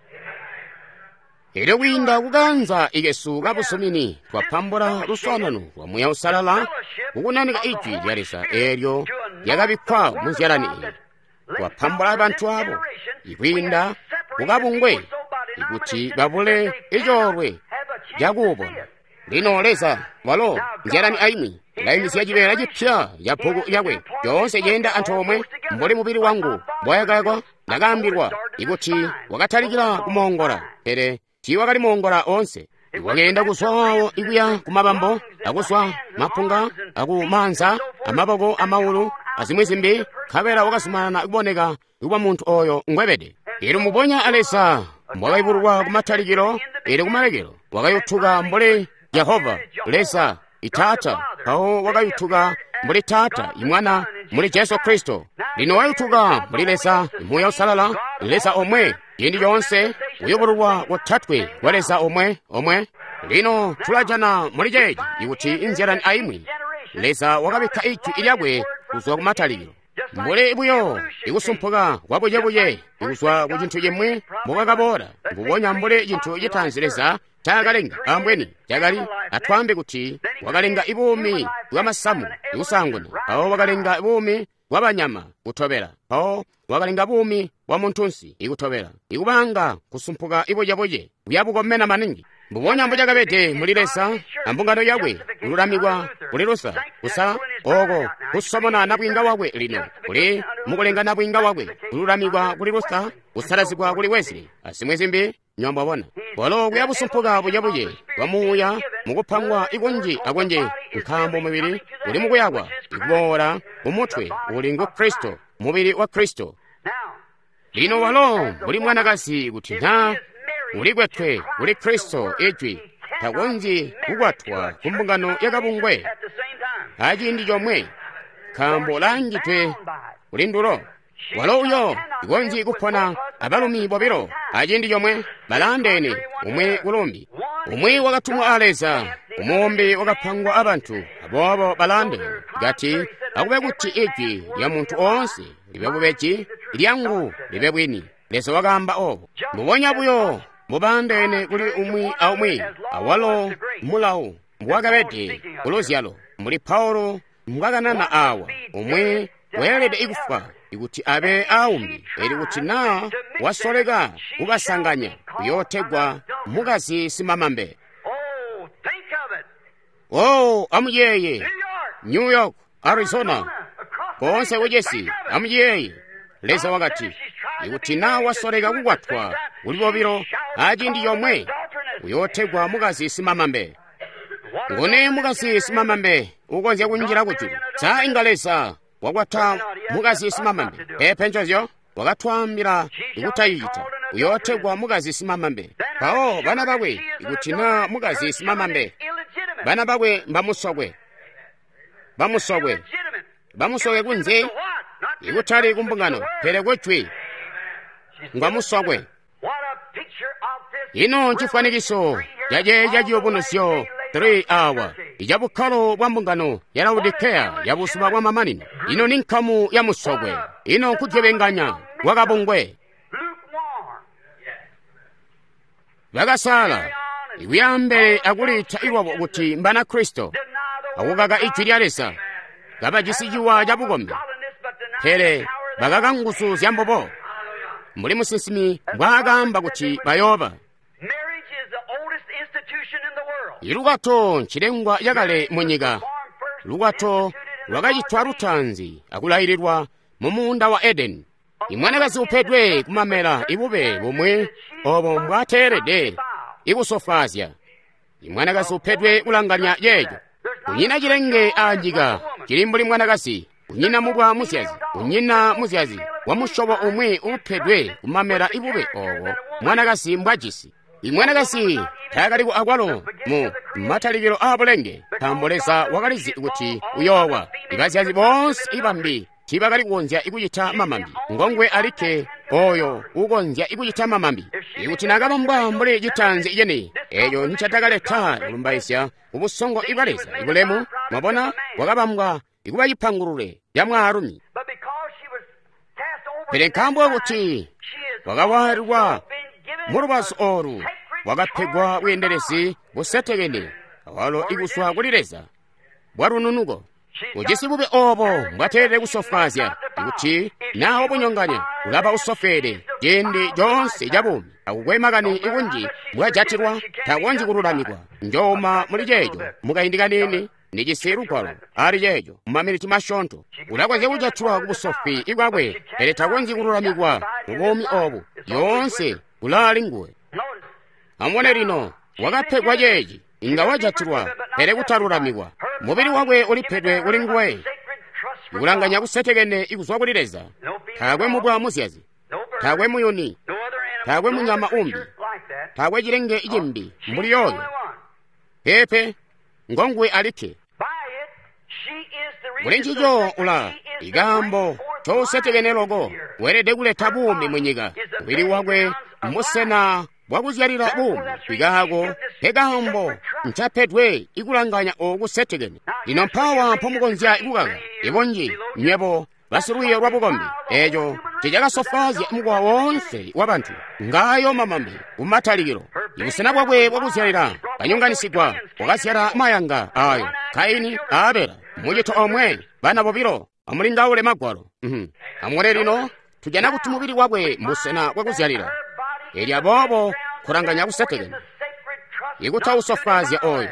Elyo kwiinda kukayanza ikesu kabuzumini twapambula luswaanano lwa Muuya Uusalala kukunanika Ijwi lya Leza eelyo lyakabikkwa mu nzyalani eyi. Twapambula bantu abo ikwiinda kukabungwe ikuti babule icoolwe cakuubona. Lino Leza walo nzyalani aimwi ulaimizya cibeela cipya ca bbuku lyakwe. Coonse ceenda antoomwe mbuli mubili wangu mbwayakakwa. Ndakaambilwa ikuti wakatalikila kumoongola, pele tiiwakali moongola oonse. Wakeenda kuzwa waawo ikuya kumabambo, akuzwa mapunga, akumaanza, amaboko, amaulu, azimwi zimbi, nkabela wakazumanana kuboneka kuba muntu oyo ngwebede. Elyo mubonya a Leza mbwakayubululwa kumatalikilo, elyo kumalekelo wakayutuka mbuli Jehova Leza Itaata, mpawo wakayutuka mbuli Taata Imwana muli Jesu Kristo. Lino wayutuka mbuli Leza Muuya Uusalala, Leza omwe, ciindi coonse kuyubululwa kotatwe kwa Leza omwe omwe. Lino tulajana muli ceeci ikuti inzyalani aimwi Leza wakabikka ijwi lyakwe kuzwa kumatalikilo. Mbuli buyo ikusumpuka kwabucebuce kuzwa ku cintu cimwi mbokakaboola, mbubonya mbuli cintu citaanzi Leza ncaakalenga ambweni cakali atwaambe kuti wakalenga buumi bwa masamu kusaanguna, mpawo wakalenga buumi bwa banyama kutobela, mpawo wakalenga buumi bwa muntunsi ikutobela, ikubanga kusumpuka ibucebuce buyabukomena maningi. Mbubonya mbucakabede muli Leza ambungano yakwe kululamikwa kuli Lusa kusa oko kusomona nabwiinga wakwe lino kuli mukulenga nabwiinga wakwe kululamikwa kuli Lusa kusalazigwa kuli Wesley azimwi zimbi. Nywambwabona walo kuyabusumpuka bucebuce bwa muuya mukupangwa ikunji akunji, nkaambo mubili uli mukuyakwa ikuboola kumutwe uli ngu Kristo, mubili wa Kristo. Lino walo mbuli mwanakazi kuti naa ulikwetwe kuli Kristo ijwi takonzyi kukwatwa ku mbungano yakabungwe aciindi comwe, nkaambo laangidwe kuli ndulo. Walo uyo ikonzyi kupona abalumi bobilo aciindi comwe, balaandeene umwi kulumbi. Umwi wakatumwa a Leza, umumbi wakapangwa abantu, aboobo balaandeene. Kati akube kuti ijwi lya muntu oonse libe bubeji, lyangu libe bwini. Leza wakaamba obo. Mbubonya buyo mubaandeene kuli umwi aumwi, awalo mulawu mbwakabede kuluzyalo, mbuli Paulo mbwakanana awa, umwi weelede ikufwa ikuti abe aumbi, eli kuti naa wasoleka kubasanganya uyootegwa mukazi simamambe. Oh, amuyeeye New York, Arizona, koonse kucesi, amuyeeye. Leza wakati ikuti naa wasoleka kukwatwa kuli bobilo aciindi comwe uyootegwa mukazi simamambe. Nguni mukazi simamambe ukonzya kunjila kujulu? Sa inga Leza wakwata mukazi simamambe? Peepe ncozyo, wakatwaambila ikutayicita. Uyootegwa mukazi simamambe. Mpawo bana bakwe ikuti naa mukazi simamambe, bana bakwe mbamusokwe, bamusokwe, bamusokwe kunze, ikutali kumbungano, pele kujwi ngwamusokwe. Ino ncifwanikiso caceeca ciyubunuzyo three awa icabukkalo bwa mbungano ya Laodikeya ya buzuba bwa mamanino. Ino ni nkamu ya musokwe, ino nkudyebenganya kwakabungwe. Bakasala ikuyambele akuliita ilwabo kuti mbana Kristo, akukaka ijwi lya Leza, kabajisi ciwa cabukombi, pele bakaka nguzu zya mbubo, mbuli musinsimi mbwaakaamba kuti bayooba. Ilukwato ncilengwa cakale munyika. Lukwato lwakacitwa lutaanzi akulaililwa mu muunda wa Edeni. Imwanakazi upedwe kumamela ibube bumwi obo mbwateelede ikusofwaazya. Imwanakazi upedwe kulanganya ceeco. Kunyina cilenge anyika cili mbuli mwanakazi, kunyina mubwa muzyazi, kunyina muzyazi wa musyobo umwi upedwe kumamela ibube obo mwanakazi mbwajisi. Imwanakazi taakaliko akwalo mu matalikilo aabulenge, nkaambo Leza wakalizi kuti uyoowa. Ibazyazi boonse ibambi tiibakali kukonzya ikucita mamambi, ngongwe alikke oyo ukonzya ikucita mamambi. Ikuti naakabambwa mbuli citaanzi ceni, eeco nicatakaleta kulumbaizya kubusongo ibwa Leza ibulemu. Mwabona, wakabambwa ikuba cipangulule ca mwaalumi. Pele nkaambo kuti wakawaalilwa mulubazu oolu, wakapegwa bweendelezi busetekene awalo ikuswa kuli Leza bwa lununuko. Ujisi bube obo mbwateelede kusofwaazya, kuti naa wabunyonganya ulaba usofweede ciindi coonse ca buumi. Akukwe makani ikunji mbwajatilwa, takonzyi kululamikwa. Njooma muli ceeco mukaindi kaniini. Ndijisi lugwalo ali ceeco mumaminiti masyoonto. Ulakonzya kujatilwa ku busofwi bwakwe, pele takonzyi kululamikwa mu buumi obu. Lyoonse kulaali nguwe. Amubone lino, wakapegwa ceeci, inga wajatilwa, pele kutalulamikwa. Mubili wakwe ulipedwe kuli nguwe, ikulanganya kusetekene ikuzwa kuli Leza. Taakwe mubwa muzyazi, taakwe muyuni, taakwe munyama umbi, taakwe cilenge cimbi mbuli yooyo. Peepe, ngonguwe alikke. Kuli ncico ula ikaambo cousetekene loko, weelede kuleta buumi munyika. Mubili wakwe mbusena bwakuzyalila buumi, ikaako nkekaambo ncapedwe ikulanganya oku setekene. Lino mpawa mpomukonzya kukaka ibunji nywebo basilwiiyo lwa bukombi, eeco ncecakasofwaazya mukowa woonse wabantu. Ngayo mamambe kumatalikilo. Ibusena bwakwe bwakuzyalila kanyonganisigwa, wakazyala mayanga ayo Kaini a Abela, mucito omwe, bana bobilo. Amulingaule magwalo. Mm-hmm. Amubone lino, tujana kuti mubili wakwe mbusena bwakuzyalila. Elyo aboobo kulanganya kusetekene ikutausofwaazya oyo.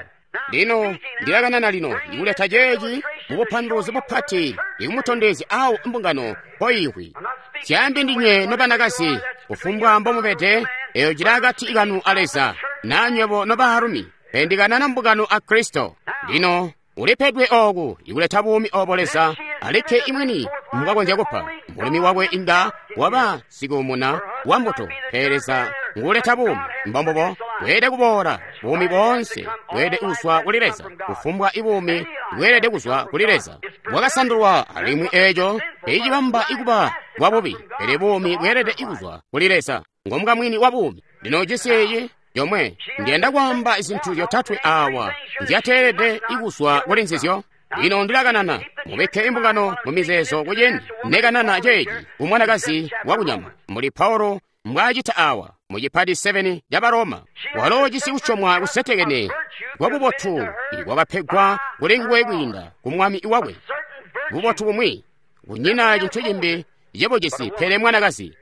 Lino ndilakanana lino ikuleta ceeci mubupanduluzi bupati, ikumutondezya awo mbungano mpoiihwi. Syaambi ndinywe nobanakazi, kufumbwa mbomubede, eyo cili akati kanu a Leza, naa nywebo nobaalumi, pele ndikanana mbungano a Kristo. Lino ulipedwe ooku ikuleta buumi obo Leza alikke imwini mbwakonzya kupa. Mulumi wakwe inga waba sikuumuna wa mbuto, pele Leza nguuleta buumi. Mbombubo bweelede kuboola. Buumi boonse bweelede kuzwa kuli Leza. Kufumbwa ibuumi bweelede kuzwa kuli Leza. Bwakasandulwa, alimwi eeco teicibamba ikuba bwa bubi, pele buumi bweelede kuzwa kuli Leza. Ngomukamwini wa buumi. Lino ujisi eeci yomwe. Ndiyanda kwaamba zintu zyotatwe awa nzyateelede ikuzwa kuli nzizyo. Lino ndilakanana, mubikke imbungano mu mizeezo kuciindi nekanana ceeci ku mwanakazi wakunyama, mbuli Paulo mbwaacita awa mu cipati seven ca Baroma. Walo ujisi kusyomwa kusetekene kwa bubotu ikwakapegwa kuli nguwe kwiinda ku mwami wakwe. Bubotu bumwi, kunyina cintu cimbi cebujisi pele mwanakazi.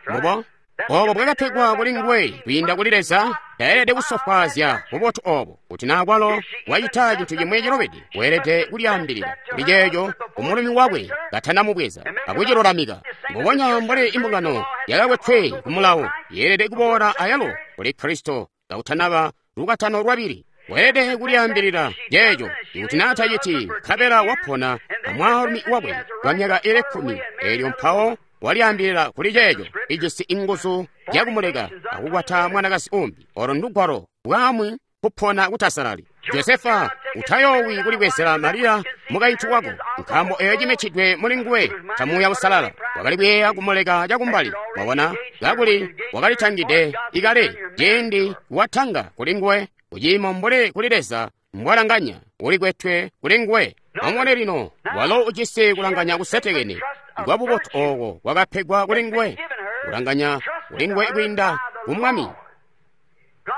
Mubo obo bwakapegwa kuli nguwe kwiinda kuli Leza, taelede kusofwaazya bubotu obo. Kuti naa kwalo wacita cintu cimwi cilubide, weelede kulyaambilila kuli ceeco kumulumi wakwe katanamubweza akucilulamika. Mbubonya mbuli imbungano yakakwetwe ku mulawo, yeelede kuboola ayalo kuli Kristo kakutanaba lukwatano lwabili. Weelede kulyaambilila ceeco. Ikuti naa taciti, nkabela wapona amwaalumi wakwe kwa myaka ili kkumi, eelyo mpawo walyaambilila kuli ceeco, ijisi inguzu zyakumuleka akukwata mwanakazi umbi. Olo ndugwalo bwamwi kupona kutasalali. Josefa, utayoowi kulibwezela Mariya mukaintu wako, nkaambo eyo cimitidwe muli nguwe ca Muuya Uusalala. Wakali kuyeeya kumuleka cakumbali, mwabona, kakuli wakalitangide ikale ciindi watanga kuli nguwe, kuciimo mbuli kuli Leza mbwalanganya, ulikwetwe kuli nguwe. Amubone lino, walo ujisi kulanganya kusetekene kwa bubotu ooko kwakapegwa kuli nguwe, kulanganya kuli nguwe kwiinda ku Mwami.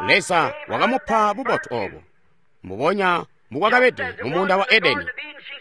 Leza wakamupa bubotu obo, mbubonya mbukwakabede mu muunda wa Edeni.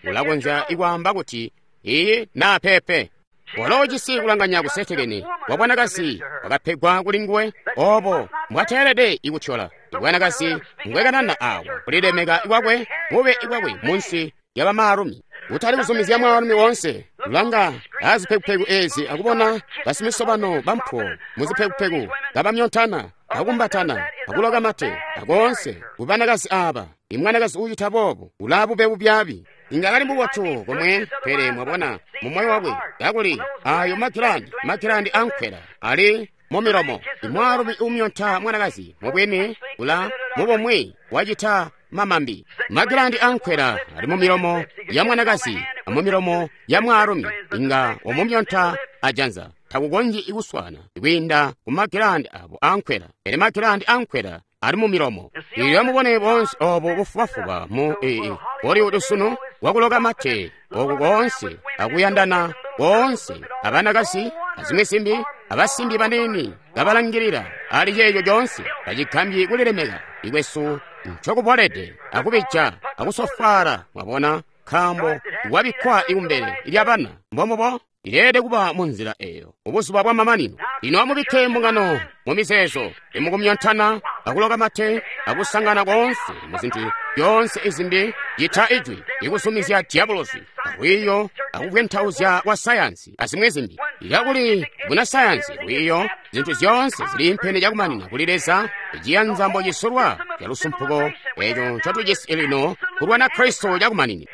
Ulakonzya ikwaamba kuti iyi naa peepe. Walo ujisi kulanganya kusetekene kwa bwanakazi kwakapegwa kuli nguwe, obo mbwateelede ikutyola. Ibwanakazi mbwekanana awa kulilemeka kwakwe, bube bwakwe munsi lya bamaalumi. Kutali kuzumizya mwaalumi woonse kulanga azipekupeku ezi akubona basimisobano bampuwo muzipekupeku kabamyontana, akumbatana, akuloka mate, akoonse kubanakazi aba. Imwanakazi uucita boobo ulaa bube bubyaabi. Inga kali mubotu komwe, pele mwabona mu moyo wakwe kakuli ayo magilandi, magilandi ankwela ali mu milomo. Imwaalumi uumyonta mwanakazi mubwini ula mubomwe wacita mamambi. Magilandi ankwela ali mu milomo ya mwanakazi amu milomo ya mwaalumi. Inga wamumyonta ajanza, takukonzyi kuswana kwiinda ku magilandi abo ankwela, pele magilandi ankwela ali mu milomo. Ilyo mubone bonse obo bufubafuba mu ee Hollywood sunu wakuloka mate oku koonse akuyandana koonse abanakazi azimwi zimbi abasimbi baniini kabalangilila ali ceeco coonse tacigambyi kulilemeka ikwesu ncokubolede akubija akusofwaala. Mwabona, nkaambo wabikkwa ikumbele lya bana. Mbombubo ileelede kuba mu nzila eyo mubuzuba bwa mamanino. Lino amubikke mbungano mu mizeezo, imukumyontana akuloka mate akusangana koonse mu zintu zyoonse izimbi cita ijwi ikuzumizya diabolosi alwiiyo akuvwentauzya kwa sayansi azimwi zimbi. Kakuli buna sayansi, lwiiyo, zintu zyoonse ziliimpene cakumanina kuli Leza, iciyanza mbocisulwa ca lusumpuko eco ncotujisi lino kulwana Kristo cakumanina.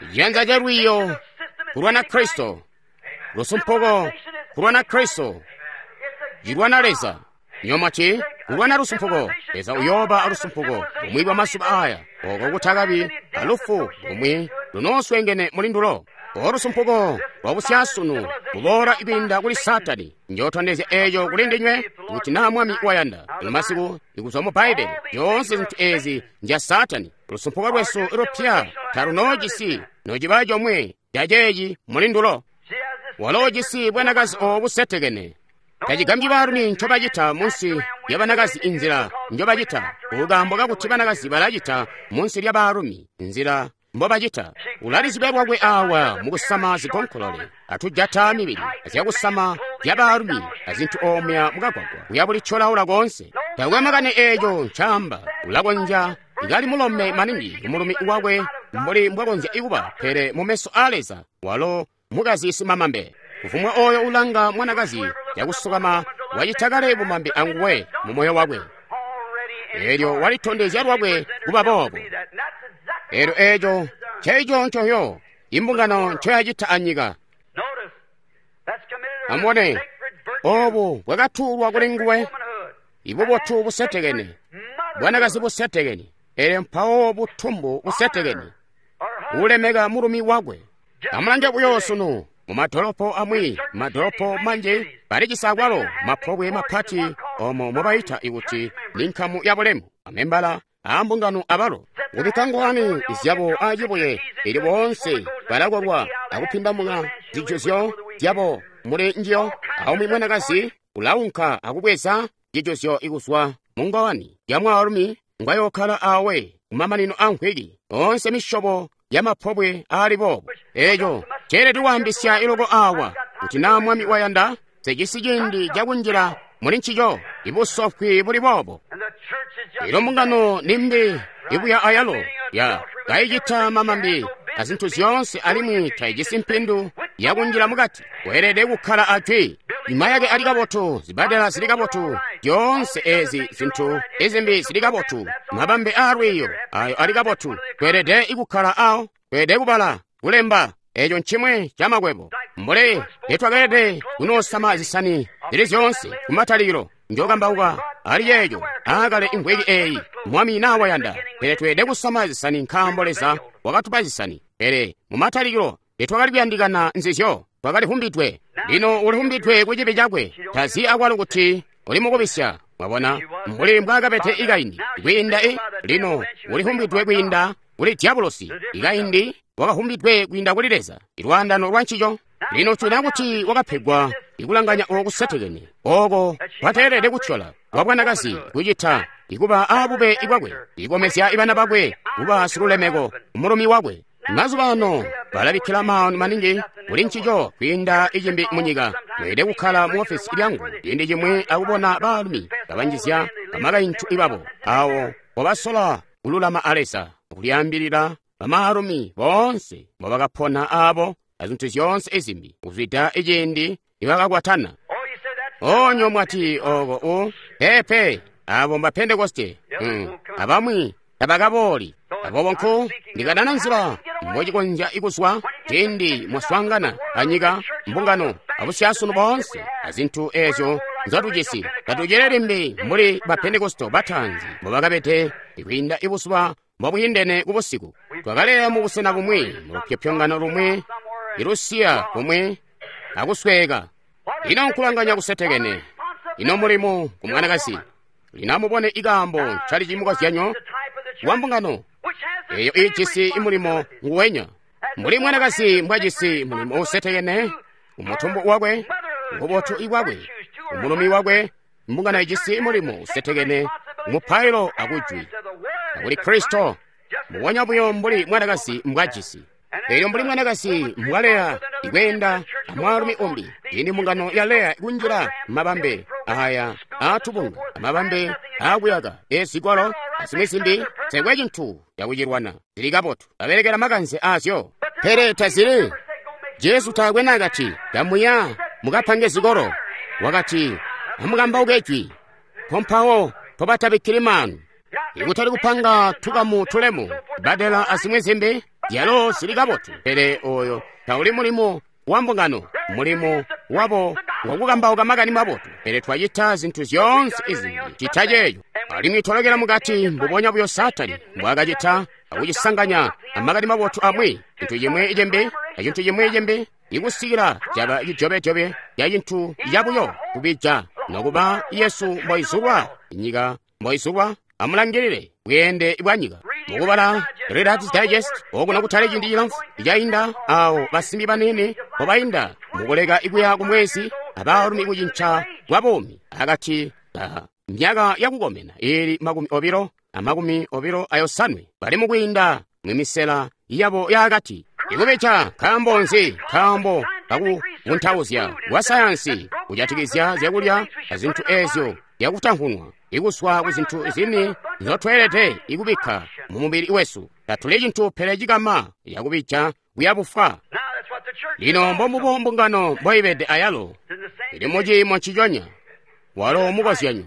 Iciyanza ca lwiiyo kulwana Kristo, lusumpuko kulwana Kristo, cilwana Leza. Nyomati kulwana lusumpuko, Leza uyooba alusumpuko bumwi bwa masuba aya, oko kutakabi alufu bumwi lunooswengene muli ndulo. Olusumpuko lwa busyasunu buboola kwiinda kuli Saatani. Njootondezya eeco kuli ndinywe kuti naa Mwami wayanda. Lino masiku ikuzwa mu Bbaibbele, zyoonse zintu eezi nzya Saatani. Lusumpuko lwesu lupya talunoojisi nociba comwe caceeci muli ndulo. Waloojisi bwanakazi oobu busetekene. Tacigambyi baalumi ncobacita munsi lya banakazi inzila njobacita, kukaambo kakuti banakazi balacita munsi lya baalumi nzila mbobacita. Ulalizibya lwakwe awa mukusama zigonkolole atujata mibili azyakusama zya baalumi azintu omuya mukagwagwa kuya bulityolaula koonse. Takwe makani eeco ncaamba, ulakonzya kali mulome maningi kumulumi wakwe mbuli mbwakonzya ikuba, pele mumeso a Leza walo mukazi simamambe. Kufumbwa oyo ulanga mwanakazi cakusukama wacita kale bumambe anguwe mu moyo wakwe. Eelyo walitondezya lwakwe kuba boobo. Eelyo eeco nceeco ncoyo imbungano ncoyacita anyika. Amubone, oobu bwakatuulwa kuli nguwe, ibubotu busetekene, bwanakazi busetekene, eelyo mpawo butumbu busetekene, ulemeka mulumi wakwe. Amulange buyo sunu mumadolopo amwi, madolopo manji balijisi akwalo mapobwe mapati omo mobayita ikuti ni nkamu ya bulemu, amembala aambungano abalo kubikka ngowani zyabo acibuye, ili boonse balakolwa akupindamuka zijuzyo zyabo muli njiyo. Aumwi mwanakazi ulaunka akubweza cijuzyo ikuzwa mu ngowani ya mwaalumi ngwayookkala awe kumamanino a nkwiki. Oonse misyobo ya mapobwe aali boobo. Eeco ceelede kwaambisya iloko awa kuti naa Mwami wayanda, sejisi ciindi cakunjila muli ncico ibusofwi buli boobo. Ilo mbungano nimbi ibuya ayalo ya kayicita mamambi azintu zyoonse, alimwi tayijisi mpindu yakunjila mukati. Weelede kukkala ajwi. Mayake ali kabotu, zibadela zili kabotu, zyoonse ezi zintu izimbi zili kabotu, mabambe aalwiiyo ayo ali kabotu. Tweelede ikukkala awo, tweelede kubala, kulemba. Eco ncimwe camakwebo. Mbuli nitwakeelede kunoosama zisani zili zyoonse kumatalikilo, njokambauka ali yeeyo aakale imvwiki eeyi, Mwami naa wayanda. Pele tweelede kusama zisani nkaambo Leza wakatupa zisani. Pele mumatalikilo nitwakali kuyandikana nzizyo, twakalivumbidwe. Lino ulivumbidwe ku cibi cakwe, tazi akwalo kuti uli mukubisya. Mwabona mbuli mbwaakabede ikaindi kwiinda i lino ulivumbidwe kwiinda kuli diabolosi. Ikaindi wakavumbidwe kwiinda kuli Leza, ilwaandano lwa ncico. Lino tuna kuti wakapegwa ikulanganya oko kusetekene oko kwateelede kutyola kwa bwanakazi kucita ikuba aabube bwakwe, ikomezya ibana bakwe kuba silulemeko mulumi wakwe. Mazuba ano balabikkila maanu maningi kuli ncico kwiinda icimbi munyika. Mweelede kukkala mu ofesi lyangu ciindi cimwi akubona baalumi kabanjizya bamakaintu ibabo awo mbobasola kululama a Leza, kulyaambilila bamaalumi boonse mbobakapona aabo azintu zyoonse izimbi kuzwida iciindi nibakakwatana. Onyo mwati oko u pepe abo mba Pentekoste mm. abamwi tabakabooli. Aboobo nku ndikadana nzila mbocikonzya ikuzwa ciindi mwaswaangana anyika, mbungano abusyasunu boonse azintu eezyo nzotujisi. Tatucele limbi mbuli ba Pentekoste bataanzi mbobakabede kwiinda ibuzuba mbobwiindene kubusiku. Twakaleya mu busena bumwi, mu lupyopyongano lumwi, ilusiya kumwi akusweeka. Ino nkulanganya kusetekene, ino mulimo ku mwanakazi. Lino amubone ikaambo ncali cimukozyanyo wa mbungano eyo iijisi mulimo nguwenya. Mbuli mwanakazi mbwajisi mulimo usetekene umutumbu wakwe, ububotu ibwakwe, umulumi wakwe, mbungano ijisi mulimo usetekene umupailo akujwi akuli Kristo, mbubonya buyo mbuli mwanakazi mbwajisi. Elyo mbuli mwanakazi mbwaleya ikweenda amwaalumi umbi, ini mbungano ya leya ikunjila mabambe aya aatubunga, amabambe aakuyaka ezikwalo azimwi zimbi, tekwe cintu cakucilwana. Zili kabotu, babelekela makanze aazyo, pele tazili. Jesu taakwe naakati, kamuya mukapange zikolo. Wakati, amukambauke jwi, pompawo pobatabikkili maanu. Ikutali kupanga tukamu tulemu, badela azimwi zimbi, zyalo zili kabotu, pele oyo tauli mulimo wa mbungano. Mulimo wabo wakukambauka makani mabotu, pele twacita zintu zyoonse izimbi cita ceeco. Alimwi twalokela mukati mbubonya buyo Saatani mbwaakacita akucisanganya amakani mabotu amwi, cintu cimwi cimbi acintu cimwi cimbi, ikusikila caba cijobejobe ca cintu cabuyo kubija. Nokuba Yesu mboizulwa nyika mboizulwa, amulangilile bweende bwa nyika. Mukubala Reader's Digest okuno kutali ciindi cilamfu cainda, awo basimbi banene mbobainda mukuleka ikuya kumwezi abaalumi kucinca kwa buumi akati ka myaka yakukomena ili makumi obilo amakumi obilo ayosanwe, bali mukwiinda mwimisela yabo yaakati. Ikubeja nkaambo nzi? Nkaambo kakuvuntauzya kwa sayansi kujatikizya zyakulya azintu ezyo zyakutankunwa, ikuswa ku zintu zini nzotweelede ikubikka mu mubili wesu. Tatuli cintu pele cikama yakubija kuya bufwa. Lino mbombubo mbungano mboibede ayalo, ili muciimo nciconya. Walo mukozyanyo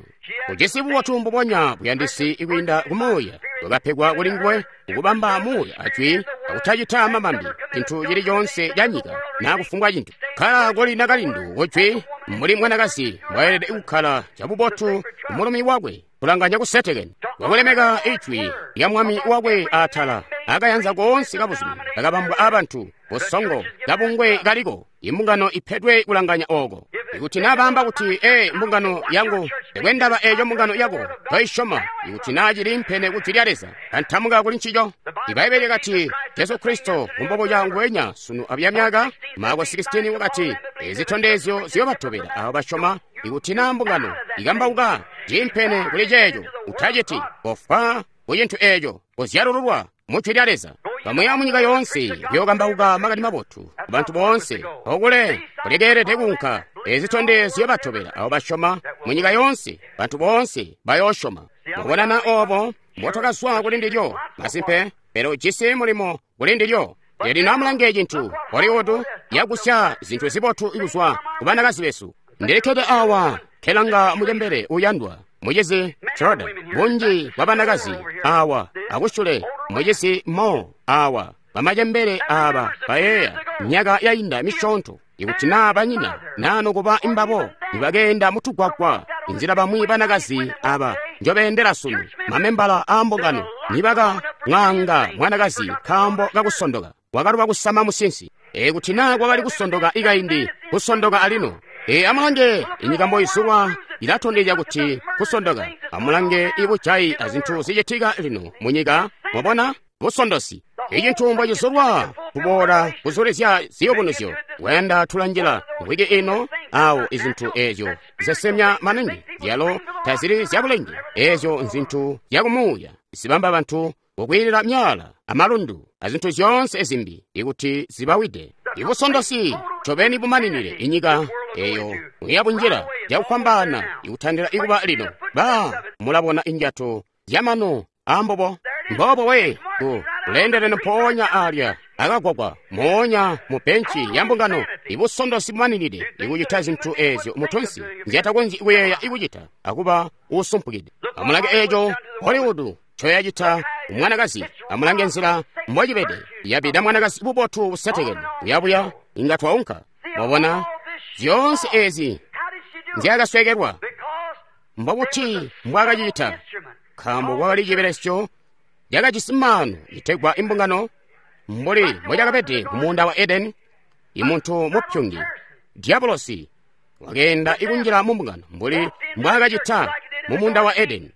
ujisi bubotu mbubonya buyandisi ikwiinda kumuuya bwakapegwa kuli nguwe ukubamba muuya ajwi akutacita mabambi cintu cili coonse ca nyika naa kufumbwa cintu. Kkala koli nakalindu kujwi mbuli mwanakazi mbwaelede kukkala cabubotu kumulumi wakwe, kulanganya kusetekene, wakulemeka ijwi lya mwami wakwe atala akayanza koonse kabuzumi kakabambwa abantu busongo kabungwe kaliko. Imbungano ipedwe kulanganya oko. Ikuti nabaamba kuti, ee, mbungano yangu tekwendaba eco mbungano yako toisyoma, ikuti naa cili mpene ku jwi lya Leza, kantamuka kuli ncico. Ibaibbele lyakati Jesu Kristo mbubonya nguwenya sunu abuya myaka. Marko sixteen wakati ezitondezyo ziyobatobela abo basyoma. Ikuti naa mbungano ikambauka cimpene kuli ceeco, utaciti kofwa ku cintu eeco, kuzyalululwa mu jwi lya Leza. Kamuya munyika yoonse kuyokambauka makani mabotu kubantu boonse, okule kulekeelede kuunka. Ezitondezyo batobela abo basyoma munyika yoonse, bantu boonse bayoosyoma. Mubonana obo mbotwakazwa kuli ndilyo, masimpe, pele ujisi mulimo kuli ndilyo. Lino amulange cintu Hollywood yakusya zintu zibotu kuzwa ku banakazi besu. Ndilikkede awa kelanga mucembele uyandwa mucizi Schroeder, bunji bwa banakazi awa akusyule mucizi Mo awa, bamacembele aba bayeeya myaka yainda misyoonto, ikuti naa banyina naa nokuba imbabo nibakeenda mutugwagwa inzila bamwi banakazi aba njobeendela sunu, mamembala aambungano nibaka mwaanga mwanakazi nkaambo kakusondoka, wakaluba kusama musinsi. Ikuti naa kwakali kusondoka ikaindi, kusondoka alino. E, amulange inyika mboizulwa ilatondezya kuti kusondoka. Amulange ibujayi azintu zicitika lino munyika, mwabona busondosi. Icintu mbocizulwa kuboola kuzulizya ziyubunuzyo. Wenda tulanjila wiki ino awo izintu ezyo zisemya maningi zyalo tazili zyabulenge. Ezyo nzintu zyakumuuya zibamba bantu kukwiilila myala amalundu azintu zyoonse ezimbi ikuti zibawide. Ibusondosi ncobeni bumaninile inyika eyo muyabunjila cakufwambaana ikutandila ikuba lino. Ba mulabona injato zyamano ambobo mbobo we ku kulendeleno mpoonya alya akagwagwa moonya mu benchi ya mbungano. Ibusondosi bumaninide ikucita zintu ezyo mutunsi nzyatakonzyi kuyeeya ikucita akuba usumpukide. Amulange eco Hollywood ncoyacita umwanakazi. Amulange nzila mbocibede yabida mwanakazi bubotu busetekene buyabuya inga twaunka. Mwabona zyoonse ezi nzyakaswekelwa. Mbobuti mbwakacita? Nkaambo kwakali cibelesyo cakajisi maanu itegwa imbungano, mbuli mbocakabede mumuunda wa Edeni. Imuntu mupyungi Diabolosi wakeenda ikunjila mumbungano mbuli mbwaakacita mumuunda wa Edeni,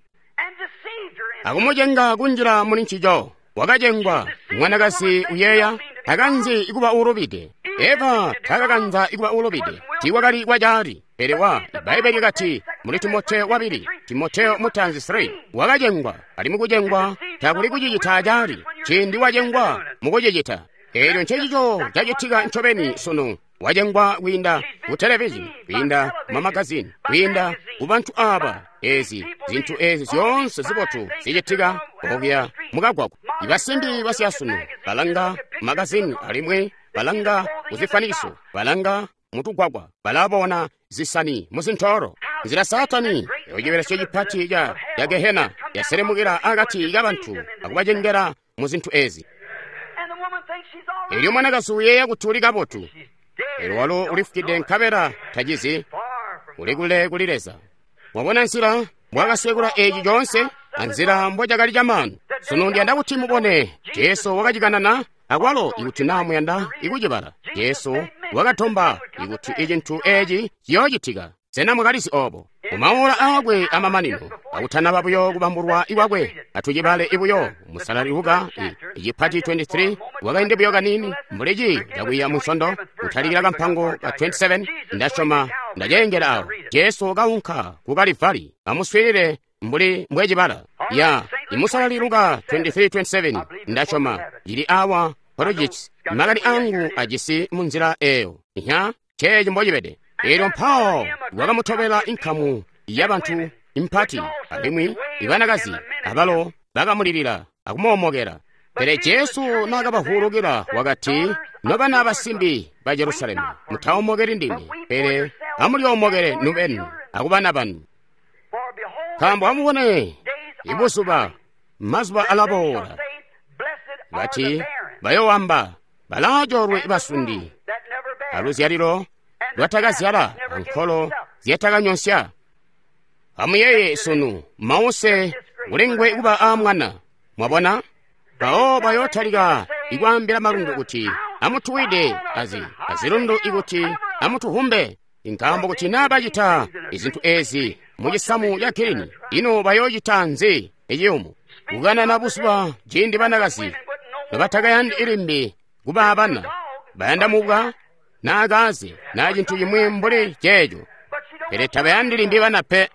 akumucenga kunjila muli ncico. Wakacengwa mwanakazi uyeeya takanzi ikuba uulubide. Eva takakanza ikuba uulubide, tiikwakali kwacaali. Pele wa Ibaibbele lyakati muli Timoteo wabili, Timoteo mutanzi three, wakacengwa alimwi kucengwa Takuli kucicita acaali, ciindi wacengwa mukucicita. Eelyo ncencico cacitika ncobeni sunu. Wacengwa kwiinda ku televizhini, kwiinda mu magazini, kwiinda ku bantu aba. Ezi zintu ezi zyoonse zibotu zicitika okuya mukagwagwa. Ibasimbi basyasunu balanga magazini alimwi balanga kuzifanikiso, balanga mutugwagwa, balabona zisani muzintoolo. Nzila Saatani ecibelesyo cipati ca ya Gehena yaselemukila akati kabantu akubacengela mu zintu ezi. Elyo mwanakazi uyeeya kuti uli kabotu, elyo walo ulifukide nkabela tacizi, uli kule kuli Leza. Mwabona nzila mbwakasekula eci coonse anzila mbocakali camaanu. Sunu ndiyanda kuti mubone Jesu wakacikanana akwalo ikuti naa muyanda ikucibala. Jesu wakatomba ikuti icintu eci ciyoocitika. Sena mwakalizi obo? Mumaola aakwe amamanino, akutanaba buyo kubambulwa ikwakwe, atucibale ibuyo musalali Luka icipati twenty-three, wakaindi buyo kanini mbuli ciiyo cakwiiya munsondo, kutalikila kampango ka twenty-seven, ndasyoma ndaceengela awo. Jesu kaunka ku Kalivali, amuswiilile mbuli mbwecibala. Ya imusalali Luka twenty-three twenty-seven, ndasyoma cili awa projects makani angu ajisi munzila eyo. Iha ceeci mbocibede. Elyo mpawo wakamutobela inkamu yabantu impati, alimwi ibanakazi abalo bakamulilila akumoomokela. Pele Jesu naakabavwulukila wakati, nobana basimbi ba Jerusalemu, mutaomokeli ndime, pele amulyoomokele nubeni akubana banu. Nkaambo amubone, ibuzuba mazuba alaboola, bati bayoowamba balaacoolwe basundi aluzyalilo lwatakazyala ankolo zyatakanyonsya. Amuyeeye sunu mause kulengwe kuba aamwana. Mwabona? Mpawo bayootalika ikwaambila malundu kuti amutuwide azi azilundu ikuti amutuhumbe. Nkaambo kuti naa bacita izintu ezi mucisamu ca girini, ino bayoocita nzi eciyumu? Kukanana buzuba ciindi banakazi nobatakayandi ilimbi kuba abana, bayanda mubwa naa kaaze naa cintu cimwi mbuli ceeco, pele tabayandi limbi bana pe.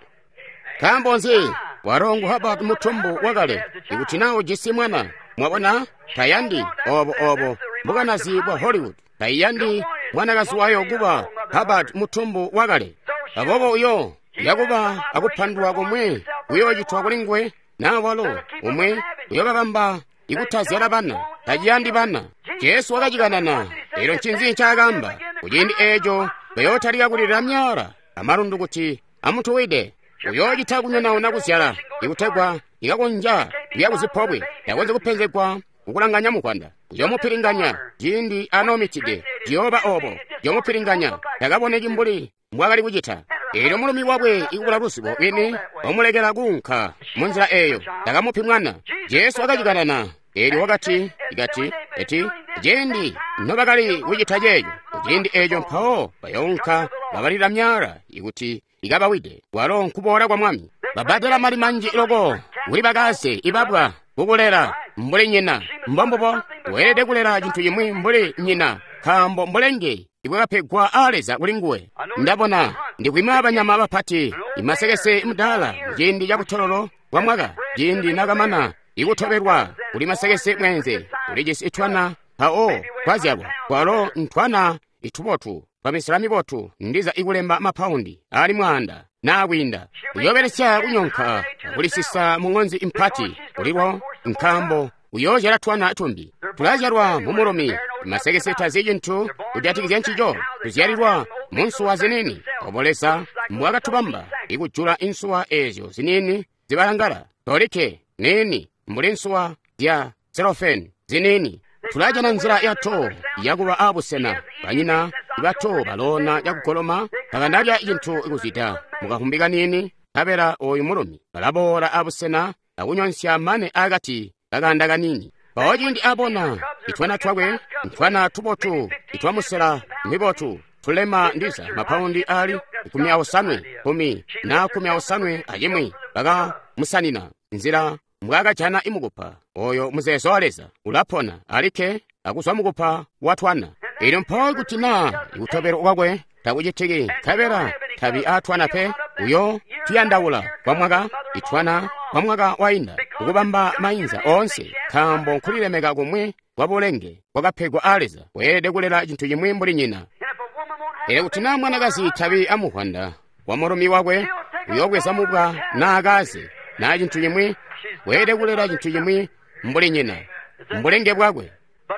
Nkaambo nzi? Walo ngu Hubbard mutumbu wakale, ikuti naa ujisi mwana. Mwabona? Tayandi obo obo mbukanazi bwa Hollywood. Tayandi mwanakazi wayo kuba Hubbard mutumbu wakale. Aboobo uyo yakuba akupandulwa komwe kuyoocitwa kuli nguwe, naa walo umwe uyobabamba ikutazyala bana, taciyandi bana. Jesu wakacikanana. Elyo ncinzi ncaakaamba? Kuciindi eeco bayootalika kulilila myala amalundu kuti amutuwide. Uyoocita kunyonauna kuzyala ikutegwa ikakonja kuya kuzipobwe, takonzyi kupenzegwa kukulanganya mukwanda. Uyoomupilinganya ciindi anoomitide, ciyooba obo. Uyoomupilinganya takaboneki mbuli mbwaakali kucita. Elyo mulumi wakwe ikubula luzibo lwini wamulekela kuunka munzila eyo, takamupi mwana. Jesu wakacikanana. Elyo wakati ikati eti ciindi nobakali kucita ceeco, kuciindi eeco mpawo bayounka babalila myala ikuti ikabawide. Walo nkuboola kwa Mwami. Babadela mali manji loko kuli bakaze ibabwa kukulela mbuli nyina. Mbombubo weelede kulela cintu cimwi mbuli nyina, nkaambo mbulenge ibwakapegwa a Leza kuli nguwe. Ndabona ndikwima banyama bapati imasekese mudaala ciindi cabutololo bwa mwaka, ciindi nakamana ikutobelwa kuli masekese mwenze ulijisi itwana mpawo twazyalwa kwalo ntwana itubotu twamisela mibotu ndiza ikulemba mapaundi ali mwaanda naa kwiinda. Uyoobelesya kunyonka akulisisa mu ŋonzi impati kulilwo, nkaambo uyoozyala twana tumbi. Tulazyalwa mu mulumi, masekese tazi cintu kujatikizya ncico. Tuzyalilwa mu nsuwa ziniini. Obo Leza mbwakatubamba ikujula insuwa eezyo ziniini zibalangala tolikke niini mbuli nsuwa zya selofeni ziniini. Tulajana nzila yato yakuba abusena. Banyina bato baloona cakugoloma tabanalya cintu kuzwida mukahumbi kaniini, nkabela oyu mulumi balaboola abusena akunyonsya mane akati kakanda kaniini. Mpawo ciindi abona itwana twakwe, ntwana tubotu itwamusela mibotu tulema ndiza mapaundi ali kumi aosanwe kumi na kumi aosanwe acimwi, bakamusanina nzila mbwaakajana imukupa. Oyo muzeezo wa Leza ulapona alikke akuzwa mukupa wa twana. Elyo mpawo kuti naa ikutobelwa kwakwe takucitiki, nkabela tabi aatwana pe, uyo tuyandaula kwa mwaka itwana kwa mwaka wainda, kukubamba mainza oonse, nkaambo nkulilemeka kumwi kwa bulenge kwakapegwa aa Leza. Weelede kulela cintu cimwi mbuli nyina. Pele kuti naa mwanakazi tabi amuvwanda wa mulumi wakwe, uyoobweza mubwa naa kaze naa cintu cimwi, weelede kulela cintu cimwi mbuli nyina, mbulenge bwakwe.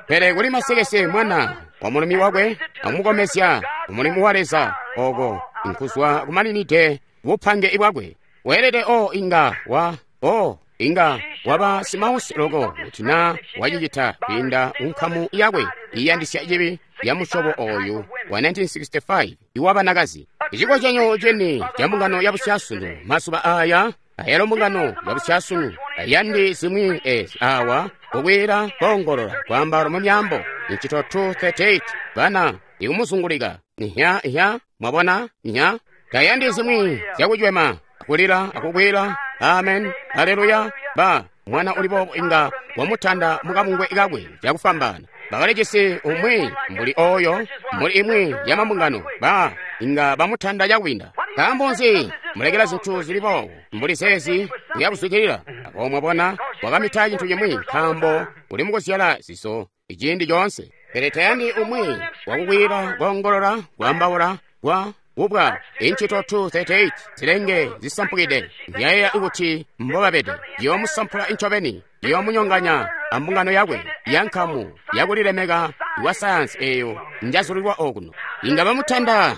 Pele kuli masekese mwana wa mulumi wakwe amukomezya kumulimu wa Leza, oko nkuzwa kumaninide bupange bwakwe. Weelede o inga wa o inga waba simausi loko kuti naa wacicita kwiinda kunkamu yakwe iyandisya cibi ya musyobo oyu wa nineteen sixty-five iwabanakazi. Icikozyanyo ceni ca mbungano ya busyasunu mazuba aya, ayalo mbungano ya busyasunu ayandi zimwi ezi awa kukwila koongolola kwaamba mu myambo incito two thirty-eight bana ikumuzungulika nya nya mwabona nya tayandi zimwi zyakucwema kulila akukwila amen haleluya ba mwana uli boobo inga wamutanda mukabungwe kakwe cakufwambaana. Bakalijisi umwi mbuli oyo mbuli imwi ya mambungano ba inga bamutanda cakwinda. Nkaambo nzi mulekela zintu zili boobo mbuli zeezi kuyakuzwidilila? Abo mwabona wakamita cintu cimwi nkaambo uli mukuzyala zizo iciindi coonse. Pele tayandi umwi wakukwila koongolola kwaambaula kwa kubwa incito two thirty-eight zilenge zisampukide ndyaya kuti mbobabede yoomusampula incobeni yoomunyonganya ambungano yakwe yankamu yakulilemeka wa sayansi eyo njazulilwa okuno. Inga bamutanda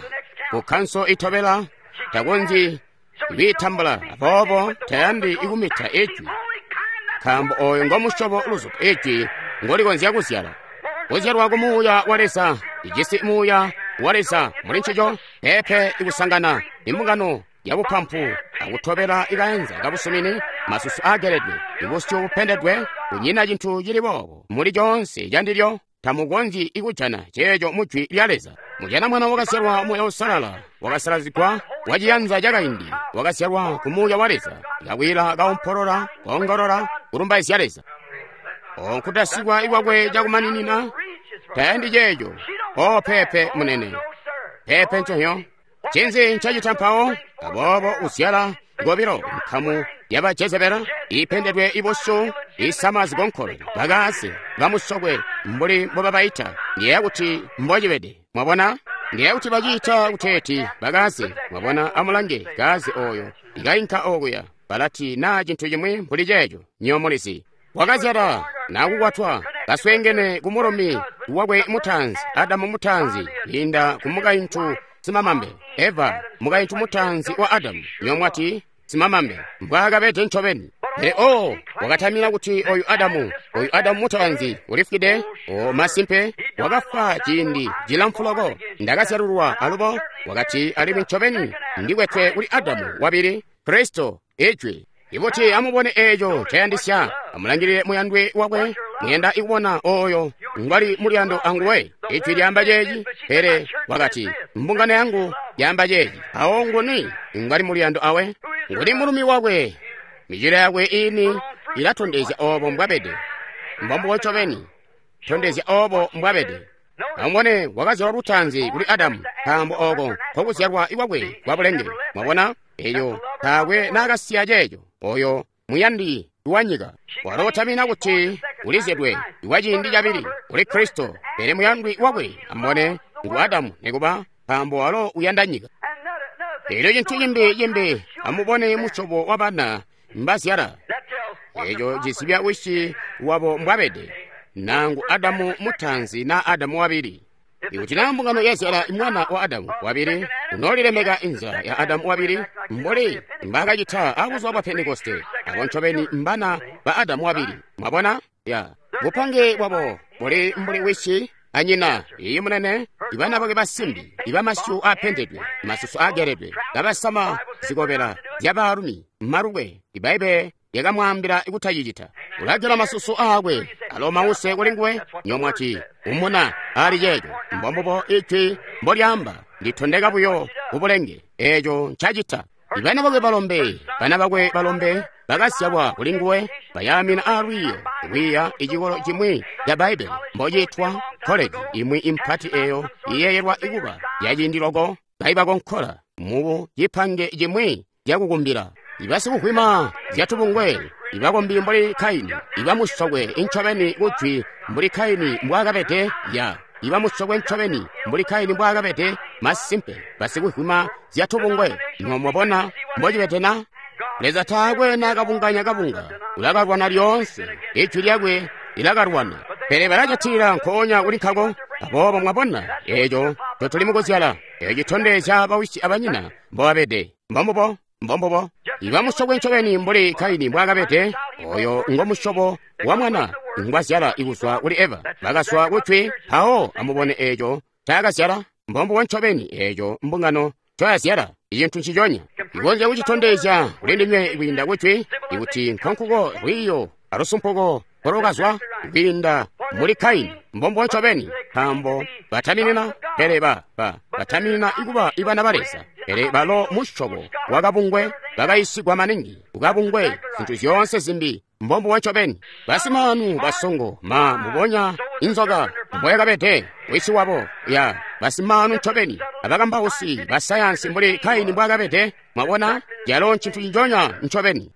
ku kanso itobela takonzyi kwiitambula, aboobo tayandi ikumita ijwi, nkaambo oyo ngomusyobo luzutu ijwi ngolikonzya kuzyala. Kuzyalwa ku Muuya wa Leza, ijisi Muuya wa Leza muli ncico, pepe ikusangana imbungano yabupampu akutobela ikaenza kabusumini, masusu ageledwe, ibusyu bupendedwe, kunyina cintu cili boobo muli coonse candilyo. Tamukonzyi ikujana ceeco mu jwi lya Leza. Mujana mwana wakazyalwa Muuya Uusalala, wakasalazigwa waciyanza cakaindi, wakazyalwa ku Muuya wa Leza, kakwila kaompolola, koongolola, kulumbaizya Leza. O nkutasikwa ikwakwe cakumaninina tayandi ceeco. O pepe munene, pepe nconyo. Ncinzi ncacita mpawo? Aboobo uzyala ngobilo nkamu yaba Jezebela ipendedwe ibusyu isama zikonkolo bakaase bamusokwe mbuli mbobabaita. Ndiyeeya kuti mbocibede, mwabona? Ndiyeeya kuti baciita kuteeti bakaase, mwabona? Amulange kaase oyo ikainka okuya balati naa cintu cimwi mbuli ceeco nyomulizi. Wakazyala nakukwatwa kaswengene ku mulumi wakwe mutaanzi Adamu mutaanzi kwiinda ku mukaintu simamambe Eva mukaintu mutaanzi wa Adamu. Nyomwati simamambe mbwaakabede ncobeni. Pele o wakatamina kuti oyu Adamu oyu Adamu mutaanzi ulifwide. O masimpe wakafwa ciindi cilamfu loko. Ndakazyalulwa alubo wakati alimwi ncobeni ndikwetwe kuli Adamu wabili Kristo ijwi. Ibuti amubone eeco cayandisya, amulangilile muyandwe wakwe, muyanda ikubona oyo ngwali muliyando anguwe. Ijwi lyaamba ceeci, pele wakati mbungano yangu yaamba ceeci. Awo nguni ngwali muliyando awe? Nguni mulumi wakwe? Micilo yakwe iini ilatondezya obo mbwabede. Mbombubo ncobeni, tondezya obo mbwabede. Amubone wakazyalwa lutaanzi kuli Adamu, nkaambo oko nkokuzyalwa ikwakwe kwa bulenge. Mwabona eyo taakwe naakasiya ceeco. Oyo muyandi wa nyika walotamina kuti ulizyedwe wa ciindi cabili kuli Kristo, pele muyandwi wakwe amubone ngu Adamu nikuba, nkaambo walo uyanda nyika. Elyo cintu cimbi cimbi, amubone musyobo wa bana mbazyala. Eco cizibya wisi wabo mbwabede, nangu Adamu mutaanzi na Adamu wabili. Ikuti naa mbungano yazyala mwana wa Adamu wabili, unoolilemeka inzala ya Adamu wabili mbuli mbakacita abuzuba bwa Pentekoste. Abo ncobeni mbana ba Adamu wabili. Mwabona? Ya bupange bwabo buli mbuli wisi anyina. Iyi munene, ibana bakwe basimbi, ibamasyu apendedwe, masusu ageledwe, kabasama zikobela zyabaalumi, malukwe. Ibaibe yakamwaambila kutacicita. Ulagela masusu aakwe alo mause kuli nguwe. Nyomwati umuna ali ceeco. Mbombubo ijwi mbolyaamba, nditondeka buyo kubulenge eeco ncacita. Ibana bakwe balombe, bana bakwe balombe bakazyalwa kuli nguwe, bayaamina aalwiiyo kwiiya icikolo cimwi ca Bbaibbele mbociitwa college imwi impati eyo iyeeyelwa ikuba yaciindi loko kaibakonkola mu cipange cimwi cakukumbila. Ibasikuhwima zyatubungwe, ibakombi mbuli Kaini, ibamusokwe incobeni kujwi mbuli Kaini mbwaakabede, ya ibamusokwe ncobeni mbuli Kaini mbwaakabede, masimpe basikuhwima zyatubungwe. Mwabona mbocibede na? Leza taakwe naakabunganya kabunga, ulakalwana lyoonse, ijwi lyakwe lilakalwana, pele balajatilila nkoonya kuli nkako. Aboobo mwabona eeco ncotuli mukuzyala, eeco citondezya bawisi abanyina mbobabede. Mbombubo, mbombubo. Ibamusokwe ncobeni mbuli Kaini mbwaakabede, oyo ngomusyobo wa mwana ngwazyala ikuzwa kuli Eva. Bakazwa kujwi, mpawo amubone eeco ncaakazyala. Mbombubo ncobeni eeco mbungano ncoyazyala, icintu nciconya. Ikonzya kucitondezya kuli ndinywe kwiinda kujwi, ikuti nkonkuko lwiiyo alusumpuko kolokazwa kwiinda muli Kaini. Mbombubo ncobeni, nkaambo bataminina, pele ba ba bataminina ikuba ibana ba Leza, pele balo musyobo wakabungwe bakayisigwa maningi kukabungwe zintu zyoonse zimbi. Mbombubo ncobeni, basimaanu basongo ma mbubonya inzoka mboyakabede wisi wabo, ya basimaanu ncobeni abakambausi basayansi mbuli Kaini mbwaakabede. Mwabona, calo ncintu cinjonya ncobeni.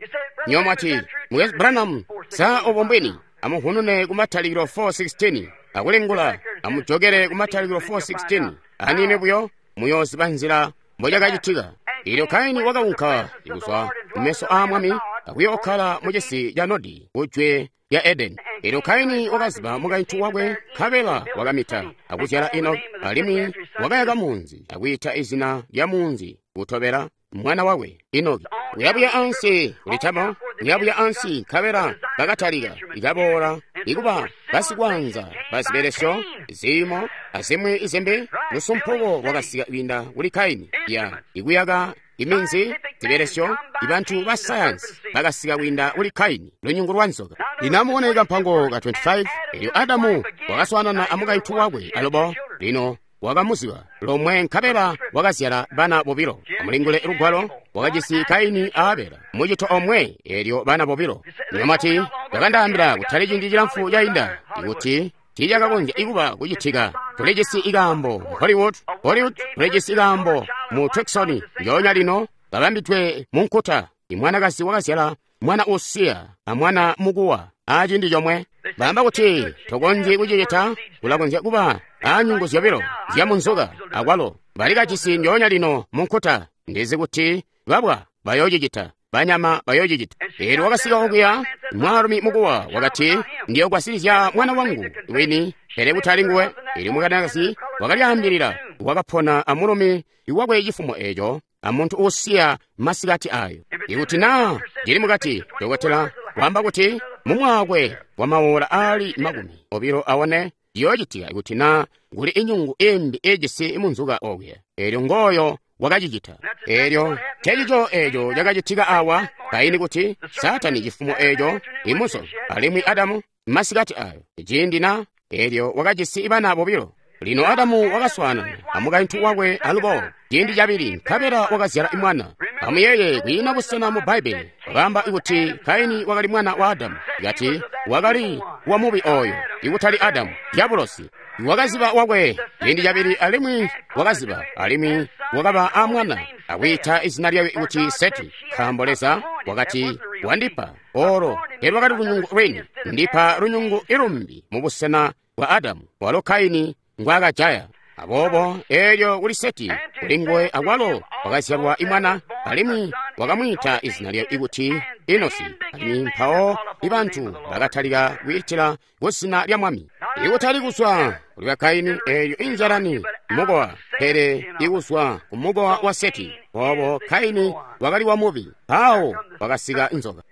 Nyo mwati, Mukwesu Branham, sa obo mbwini? Amuhunune ku Matalikilo four sixteen, akulingula, amujokele ku Matalikilo four sixteen, aniini buyo muyooziba nzila mbocakacitika. Eelyo Kaini wakaunka kuzwa kumeso aa Mwami akuyookkala mucisi ca Nodi kujwe lya Edeni. Eelyo Kaini wakaziba mukaintu wakwe, nkabela wakamita akuzyala Enoki, alimwi wakayaka munzi akwiita izina lya munzi kutobela mwana wakwe Enoki. Kuyabuya ansi kulitama, kuyabuya ansi, nkabela bakatalika ikaboola ikuba basikwanza bazibelesyo, ziimo azimwi izimbi. Lusumpuko lwakasika kwiinda kuli Kaini, ya ikuyaka iminzi, zibelesyo, ibantu ba sayansi bakasika kwiinda kuli Kaini, lunyungu lwa nzoka. Lino amubone kampango ka twenty-five. Eelyo Adamu wakaswaanana amukaintu wakwe alubo, lino wakamuziba lomwe, nkabela wakazyala bana bobilo. Amulingule lugwalo, wakajisi Kaini a Abela mucito omwe, eelyo bana bobilo. Nyomati yakandaambila kutali ciindi cilamfu cainda ikuti tiicakakonzya ikuba kucitika. Tulijisi ikaambo mu Hollywood, Hollywood tulijisi ikaambo mu Tucson njoonya lino kabambidwe mu nkuta. Imwanakazi wakazyala mwana usiya amwana mukuwa aciindi comwe. Baamba kuti tokonzyi kucicita, kulakonzya kuba anyungu zyobilo zya munzoka akwalo. Balikajisi njoonya lino mu nkuta. Ndizi kuti babwa bayoocicita, banyama bayoocicita. Eelyo wakasika okuya mwaalumi mukuwa wakati, ndiyogwasilizya mwana wangu wini, pele kutali nguwe. Eelyo mwanakazi wakalyaambilila, wakapona amulumi wakwe cifumo eeco, amuntu uusiya masikati ayo. Ikuti naa ndili mukati, dokotela waamba kuti mumwaakwe wa mawola aali makumi obilo awone ciyoocitika ikuti naa kuli inyungu imbi ijisi munzuka okuya. Eelyo ngooyo wakacicita. Eelyo ncecico eeco cakacitika awa Kaini, kuti Saatani cifumo eeco imuso, alimwi Adamu masikati ayo ciindi na eelyo wakajisi bana bobilo. Lino Adamu wakaswaanana amukaintu wakwe alubo ciindi cabili, nkabela wakazyala mwana. Amuyeeye, kwiina busena mu Bbaibbele wakaamba kuti Kaini wakali mwana wa Adamu, kati wakali wa mubi oyo, ikutali Adamu, dyabulosi. Wakaziba wakwe ciindi cabili, alimwi wakaziba, alimwi wakaba a mwana akwiita izina lyakwe kuti Seti, nkaambo Leza wakati, wandipa olo telwakali lunyungu lwini, ndipa lunyungu ilumbi mubusena bwa Adamu, walo Kaini ngwaakajaya. Aboobo eelyo kuli Seti, kuli nguwe akwalo wakazyalwa imwana, alimwi wakamwiita izina lye kuti Enosi. Alimwi mpawo ibantu bakatalika kwiitila kuzina lya Mwami, ikutali kuzwa kuli Bakaini, eelyo inzyalani mukowa, pele ikuzwa kumukowa wa Seti. Boobo Kaini wakali wa mubi, mpawo wakasika inzoka.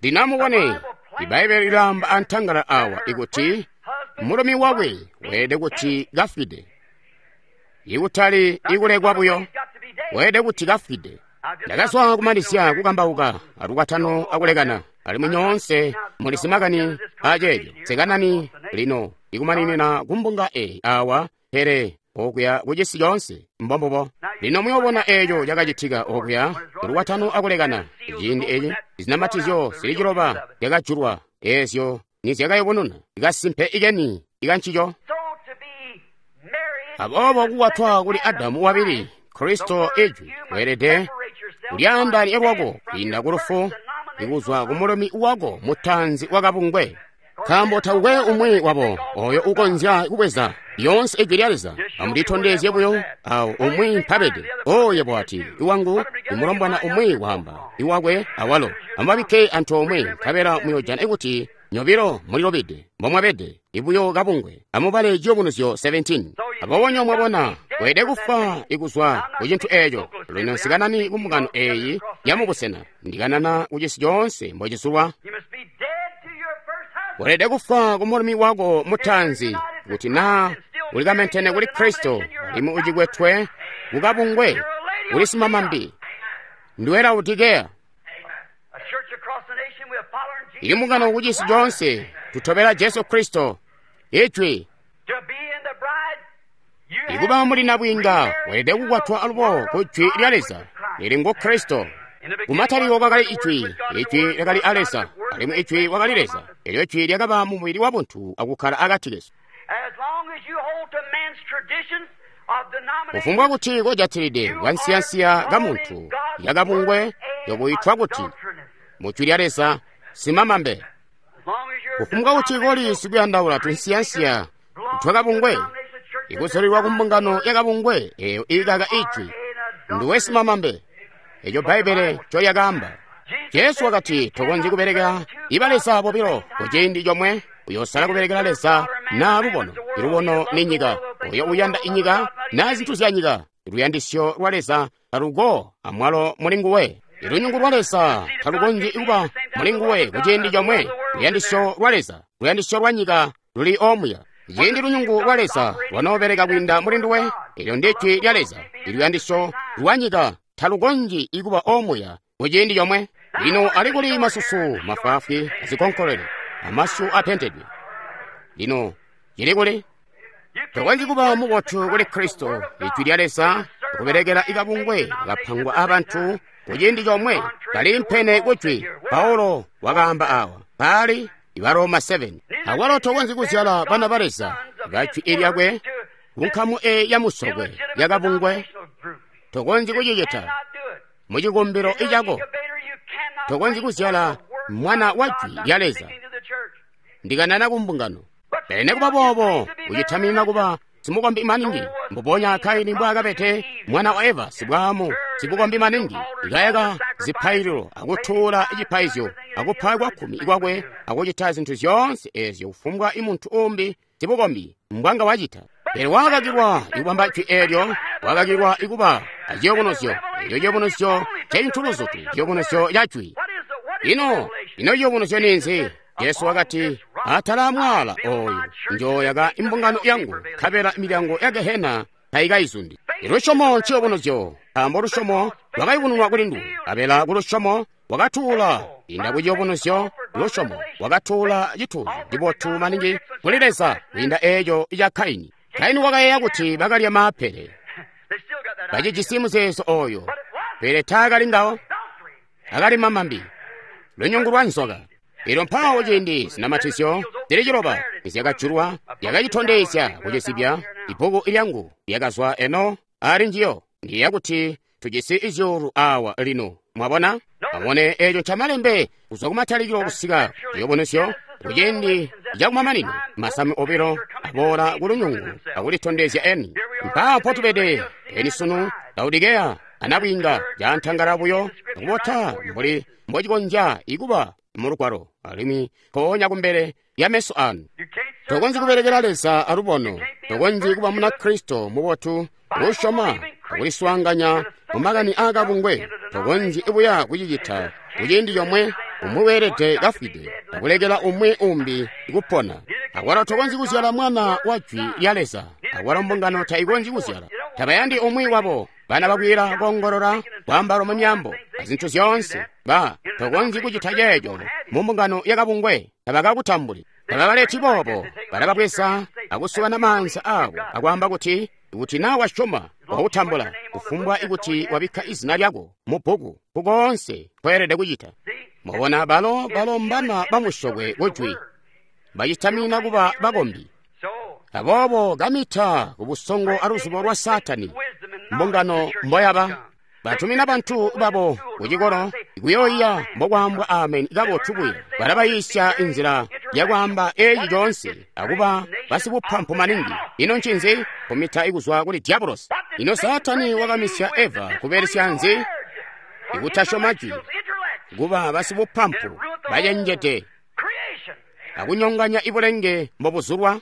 Lino amubone, Ibaibbele lilaamba antangala awa ikuti mulumi wakwe weelede kuti kafwide, ikutali ikulekwa buyo, weelede kuti kafwide. Ndakazwa kumalizya kukambauka alukwatano akulekana, alimwi nyoonse mulisi makani aceeco. Sekanani lino ikumaninina kumbunga eyi awa, pele okuya kucisi coonse. Mbombubo. Lino muyoobona eeco cakacitika okuya lukwatano akulekana. Ciindi eci zinamatizyo zili ciloba zyakajulwa, eezyo nizyakayubununa kasimpe ikeni ikancico. Aboobo kukwatwa kuli Adamu wabili, Kristo Ijwi, weelede Kulyaandaanya lwako kwiinda ku lufu, ikuzwa ku mulumi wako mutaanzi wakabungwe. Nkaambo takukwe umwi wabo oyo ukonzya kubweza lyoonse Ijwi lya Leza. Amulitondezye buyo awo umwi mpabede. Oyo bwati iwangu imulombwana umwi waamba iwakwe awalo. Amubabikke antoomwe nkabela muyojana kuti nyobilo mulilobede mbomwabede ibuyo kabungwe. Amubale Ciyubunuzyo seventeen. Aboobo mwabona weelede kufa ikuzwa ku cintu eeco. Lino nsikanani ku mbungano eeyi yamubusena, ndikanana ku cisi coonse mbocizulwa. Weelede kufwa ku mulumi wako mutaanzi kuti naa ulikamentene kuli Kristo alimwi ucikwetwe kukabungwe uli simamambi. Ndiwe Laodikeya. Ili mbungano ku cisi coonse tutobela Jesu Kristo Ijwi. Ikuba muli nabwiinga weelede kukwatwa alubo ku Jwi lya Leza lili ngu Kristo. Kumatalikilo kwakali Ijwi, Ijwi lyakali a Leza, alimwi Ijwi wakali Leza. Elyo Ijwi lyakaba mu mubili wa buntu akukkala akati kesu. Kufumbwa kuti kojatilide kansiyansiya ka muntu yakabungwe yokuyitwa kuti mu Jwi lya Leza simamambe. Kufumbwa kuti koli sikuyandaula tunsiyansiya twakabungwe ikuzulilwa ku mbungano yakabungwe eyo ikaka Ijwi, nduwe simamambe. Eco Bbaibbele ncolyakaamba. Jesu wakati tokonzyi kubelekela iba Leza bobilo ku ciindi comwe. Uyosala kubelekela Leza naa lubono. Ilubono ni nyika. Oyo uyanda inyika naa zintu zya nyika. Luyandisyo lwa Leza taluko amwalo muli nguwe. Ilunyungu lwa Leza talukonzyi kuba muli nguwe ku ciindi comwe. Luyandisyo lwa Leza, luyandisyo lwa nyika luli omuya. Ciindi lunyungu lwa Leza lwanoobeleka kwiinda muli nduwe, elyo ndi Ijwi lya Leza. Iluyandisyo lwa nyika talukonzyi ikuba omuya ku ciindi comwe. Lino ali kuli masusu mafwaafwi azikonkolele amasyu apentedwe. Lino cili kuli? Tokonzyi kuba mubotu kuli Kristo, Ijwi lya Leza, kubelekela ikabungwe kapangwa abantu ku ciindi comwe kali mpene ku Jwi. Paulo wakaamba awa pali Ibaroma seven. Awalo tokonzyi kuzyala bana ba Leza ba Jwi lyakwe ku nkamu e ya musokwe yakabungwe. Tokonzyi kucicita mu cikumbilo icako. Tokonzyi kuzyala mwana wa Jwi lya Leza. Ndikanana ku mbungano. Pele nekuba boobo ucitaminina kuba simukombi maningi, mbubonya Kaini mbwaakabede mwana wa Eva sibwaamu sibukombi maningi, ikayaka zipaililo akutuula cipaizyo akupa kwakkumi kwakwe akucita zintu zyoonse eezyo kufumbwa imuntu umbi sibukombi mbwanga wacita. Pele wakakilwa ikubamba Jwi eelyo, wakakilwa ikuba aciyubunuzyo. Elyo ciyubunuzyo ncecintu luzutu, ciyubunuzyo ca Jwi. Ino, ino ciyubunuzyo ninzi? Jesu wakati, atala mwaala oyu njoyaka imbungano yangu, nkabela milyango ya Gehena taikaizundi. Ilusyomo nciyubunuzyo, nkaambo lusyomo lwakayubununwa kuli nduwe, nkabela kulusyomo wakatuula. Inda ku ciyubunuzyo lusyomo wakatuula cituuzyo cibotu maningi kuli Leza kwiinda eeco ca Kaini. Kaini wakayeeya kuti bakalya maapele, bacijisi muzeezo oyo, pele taakali ngawo, akali mamambi, lunyungu lwa nzoka. Elyo mpawo ciindi zinamatizyo zili ciloba nizyakajulwa, lyakacitondezya kucizibya. Ibbuku lyangu lyakazwa eno ali njiyo. Ndiyeeya kuti tujisi izyuulu awa lino. Mwabona? Amubone eeco ncamalembe kuzwa kumatalikilo kusika ciyubunuzyo kuciindi cakumamanino. Masamu obilo aboola ku lunyungu akulitondezya eni. Mpaawo mpotubede eni sunu. Laodikeya anabwiinga cantangala buyo akubota mbuli mbocikonzya ikuba mu lugwalo, alimwi mpoonya kumbele lya meso anu. Tokonzyi kubelekela Leza alubono. Tokonzyi kuba muna Kristo mubotu usyoma akuliswaanganya mu makani aakabungwe. Tokonzyi buya kucicita kuciindi comwe. Umwi weelede kafwide akulekela umwi umbi kupona. Akwalo tokonzyi kuzyala mwana wa Jwi lya Leza. Akwalo mbungano taikonzyi kuzyala. Tabayandi umwi wabo. Bana bakwiila koongolola, kwaamba mu myaambo, azintu zyoonse. Ba tokonzyi kucita ceeco mu mbungano yakabungwe. Tabakakutambuli. Tababaleti boobo. Balababweza akusukana maanza aabo akwaamba kuti, kuti naa wasyoma wakutambula, kufumbwa ikuti wabikka izina lyako mu bbuku, kukoonse kweelede kucita. Mwabona, balo balo mbana bamusyokwe kujwi, bacitamina kuba bakombi. Aboobo kamita ku busongo aluzubo lwa Saatani mbungano mboyaba. Batumina bantu babo kucikolo kuyooyiya mbokwaambwa ameni kabotu buya. Balabayiisya inzila yakwaamba eeci coonse akuba basibupampu maningi. Ino ncinzi? Kumita ikuzwa kuli diabolosi. Ino Saatani wakamisya Eva kubelesya nzi? Ikutasyoma jwi, kuba basibupampu bacenjede akunyonganya ibulenge mbobuzulwa.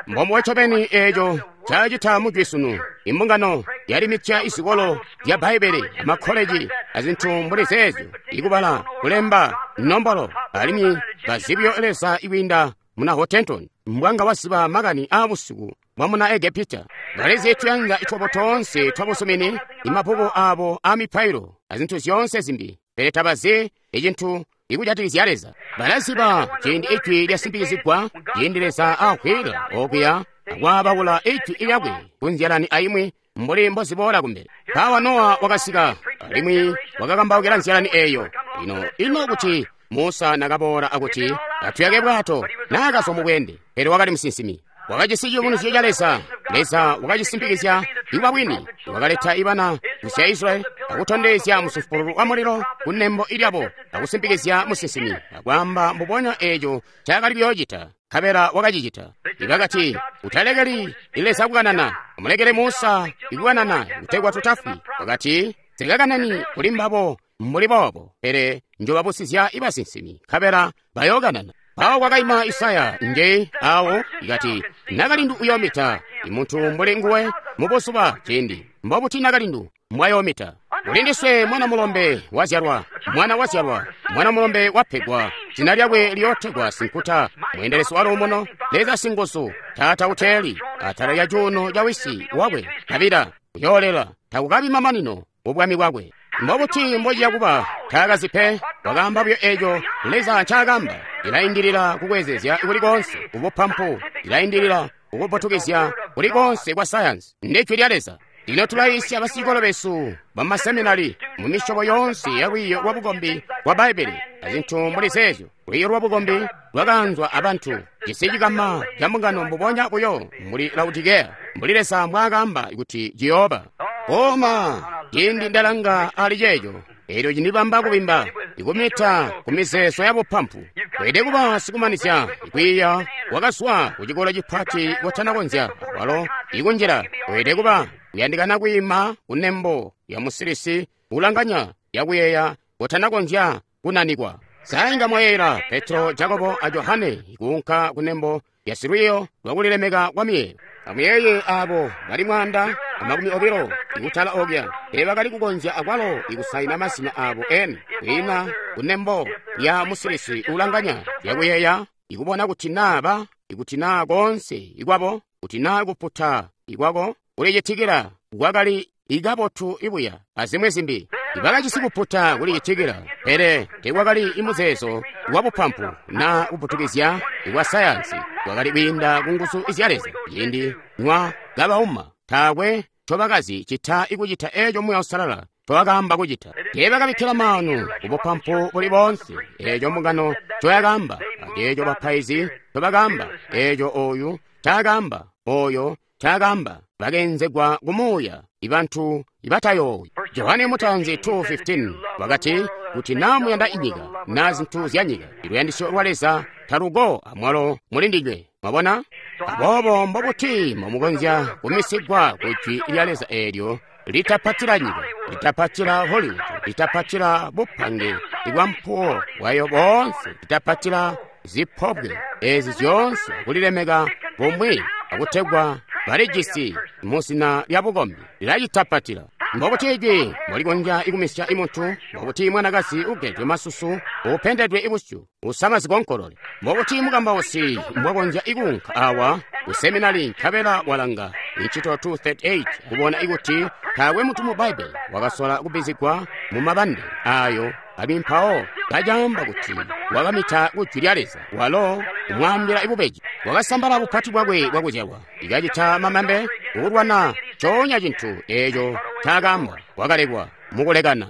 Mbombubo ncobeni eeco cacita mujwi sunu. Imbungano yalimitya izikolo zya Bbaibbele, amakkoleji azintu mbuli zeezyo, ikubala, kulemba, nombolo, alimwi bazibyo Leza ikwiinda muna Hottentot, mbwanga waziba makani aabusiku bwa muna Egepita. Balizi tuyanza twabo toonse twabusumini, imabbuku abo aamipailo, azintu zyoonse zimbi, pele tabazi icintu ikujatikizya Leza. Balaziba ciindi ijwi lyasimpikizigwa, ciindi Leza akhwila okuya akwaabaula ijwi lyakwe kunzyalani aimwi mbuli mboziboola kumbele. Mpawa Nowa wakasika alimwi wakakambaukila nzyalani eeyo. Ino ino kuti Musa nakaboola akuti atuyake bwato, naakazwa mubweende, pele wakali musinsimi. Wakajisi ciyubunuzyo ca Leza. Leza wakacisimpikizya ikuba bwini. Wakaleta ibana kusya Israyeli akutondezya musumpuululu wa mulilo kunembo ilyabo akusimpikizya musinsimi akwaamba mbubonya eeco ncaakali kuyoocita, nkabela wakacicita. Ibakati, utalekeli Leza kukanana, amulekele Musa ikukanana kutegwa tutafwi. Wakati, sikakanani kuli mbabo mbuli boobo, pele njobabusizya ibasinsimi, nkabela bayookanana. Mpawo kwakaima Isaya nje awo ikati, nakalindu uyoomita, imuntu mbuli nguwe mubuzuba ciindi. Mbobuti nakalindu mbwayoomita? Kuli ndiswe mwana mulombe wazyalwa, mwana wazyalwa, mwana mulombe wapegwa, zina lyakwe liyootegwa Sinkuta, mweendelezi wa luumuno, Leza Singuzu, Taata uteeli, atala lya cuuno ca wisi wakwe Davida, uyoolela, takukabi mamanino mubwami bwakwe. Mbobuti mbociya kuba? Taakazi pe. Wakaamba buyo eeco Leza ncaakamba. Ilaindilila kukwezezya kuli koonse kubupampu, ilaindilila kukuputukizya kuli koonse kwa sayansi. Ndijwi lya Leza. Lino tulayiisya basicikolo besu bamaseminari mu misyobo yoonse ya lwiiyo lwa bukombi bwa Bbaibbele azintu mbuli zeezyo. Lwiiyo lwa bukombi lwakaanzwa abantu, cisi cikama ca mbungano mbubonya buyo mbuli Laodikeya, mbuli Leza mbwaakaamba kuti ciyooba. Koma ciindi ndalanga ali ceeco, eelyo cindibamba kubimba, ikumita ku mizeezo ya bupampu. Weelede kuba sikumanizya kwiiya wakazwa ku cikolo cipati kotanakonzya walo ikunjila. Weelede kuba kuyandikana kwiima kunembo ya musilisi ulanganya yakuyeeya kotanakonzya kunanikwa. Sainga mwayeera Petro, Jakobo a Johane kuunka kunembo ya silwiyo lwakulilemeka kwa miyeeyo. Amuyeeye abo bali mwaanda amakumi obilo ikutala okya teebakali kukonzya akwalo ikusaina mazina abo eni kwiina kunembo ya musilisi ulanganya yakuyeeya ikubona kuti naaba ikuti naa koonse ikwabo kuti naa kuputa ikwako kulicitikila kwakali ikabotu ibuya azimwi zimbi. Ibakajisi kuputa kulicitikila, pele teekwakali imuzeezo wa bupampu naa kuputukizya ikwa sayansi kwakali kwiinda ku nguzu zya Leza. Ciindi nywa kabauma, taakwe ncobakazi cita ikucita eeco Muuya Uusalala ncowakaamba kucita. Teebakabikkila maanu kubupampu buli boonse eeco mbungano ncoyakaamba, aceeco bapaizi ncobakaamba, eeco oyu ncaakaamba, oyo ncaakaamba. Bakeenzegwa kumuuya ibantu ibatayoowi. Johane Mutanzi two fifteen wakati, kuti naa muyanda inyika naa zintu zya nyika, iluyandisyo lwa Leza taluko amwalo muli ndinywe. Mwabona? Aboobo mbobuti mbomukonzya kumisigwa ku jwi lya Leza eelyo litapatila nyika, litapatila Hollywood, litapatila bupange bwa mpuwo bwayo boonse, litapatila zipobwe ezi zyoonse kulilemeka bumwi akutegwa balijisi muzina lya bukombi, lilacitapatila. Mbobuti ijwi mbolikonzya ikumisya imuntu? Mbobuti mwanakazi ugedwe masusu, upendedwe ibusyu, usama zikonkolole? Mbobuti mukambausi mbwakonzya ikuunka awa ku seminari nkabela walanga Incito two thirty-eight kubona ikuti taakwe muntu mu Bbaibbele wakasola kubbizigwa mu mabande ayo alimwi mpawo kacaamba kuti wakamita ku jwi lya Leza, walo kumwaambila ibubeji, wakasambala bupati bwakwe bwakuzyalwa, ikacita mamambe kukulwana coonya cintu eeco ncaakaamba, wakalekwa mukulekana.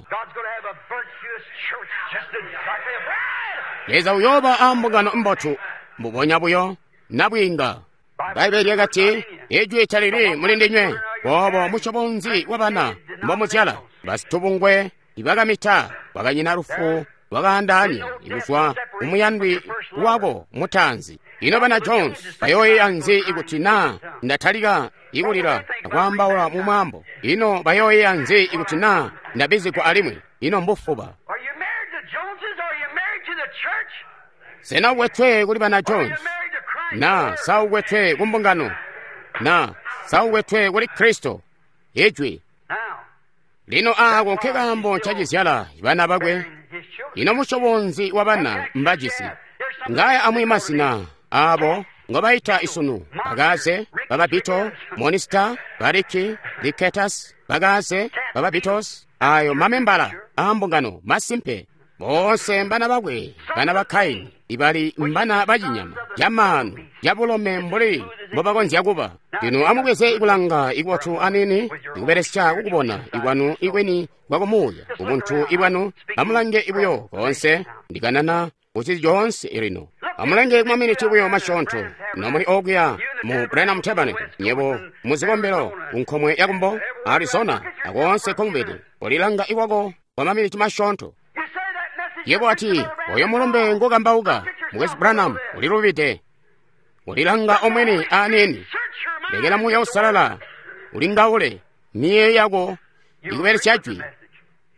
Leza uyooba ambungano mbotu mbubonya buyo nabwiinga. Bbaibbele lyakati, ijwi talili muli ndinywe, boobo musyobo nzi wabana mbomuzyala? Basitubungwe ibakamita kwakanyina lufu lwakaandaanya kuzwa kumuyandwi wako mutaanzi. Ino bana Jones bayooyeeya nzi ikuti naa ndatalika ikulila akwaambaula mu mwaambo? Ino bayooyeeya nzi ikuti naa ndabizigwa alimwi? Ino mbufuba. Sena ukwetwe kuli bana Jones? Na sa ukwetwe ku mbungano? Na sa ukwetwe kuli Kristo? Ijwi. Lino aako nke kaambo ncacizyala bana bakwe. Ino musyobo nzi wa bana mbajisi? Ngaya amwi masina aabo ngobaita isunu: Bakaze, Bababito, Monista, Bariki, Riketas, Bakaze, Bababitos. Ayo mamembala aambungano masimpe. Boonse mbana bakwe, bana ba Kaini, ibali mbana bacinyama, camaanu, cabulome mbuli mbobakonzya kuba. Lino amubweze kulanga ikubotu anini, ikubelesya kukubona ikwanu ikweni kwakumuuya, ubuntu ibwanu. Amulange ibuyo koonse, ndikanana kucili coonse lino. Amulange kumaminiti buyo masyoonto, nomuli okuya mu Branham Tabernacle, nyebo muzikombelo kunkomwe yakumbo, Arizona, akoonse komubede, kolilanga iwako kwa maminiti masyoonto. Yebo ati, oyo mulumbe ngokambauka, Mukwesu Branham, ulilubide. Ulilanga omwene aneni. Lekela Muuya Uusalala ulingaule miyeeyo yako ikubelesya jwi,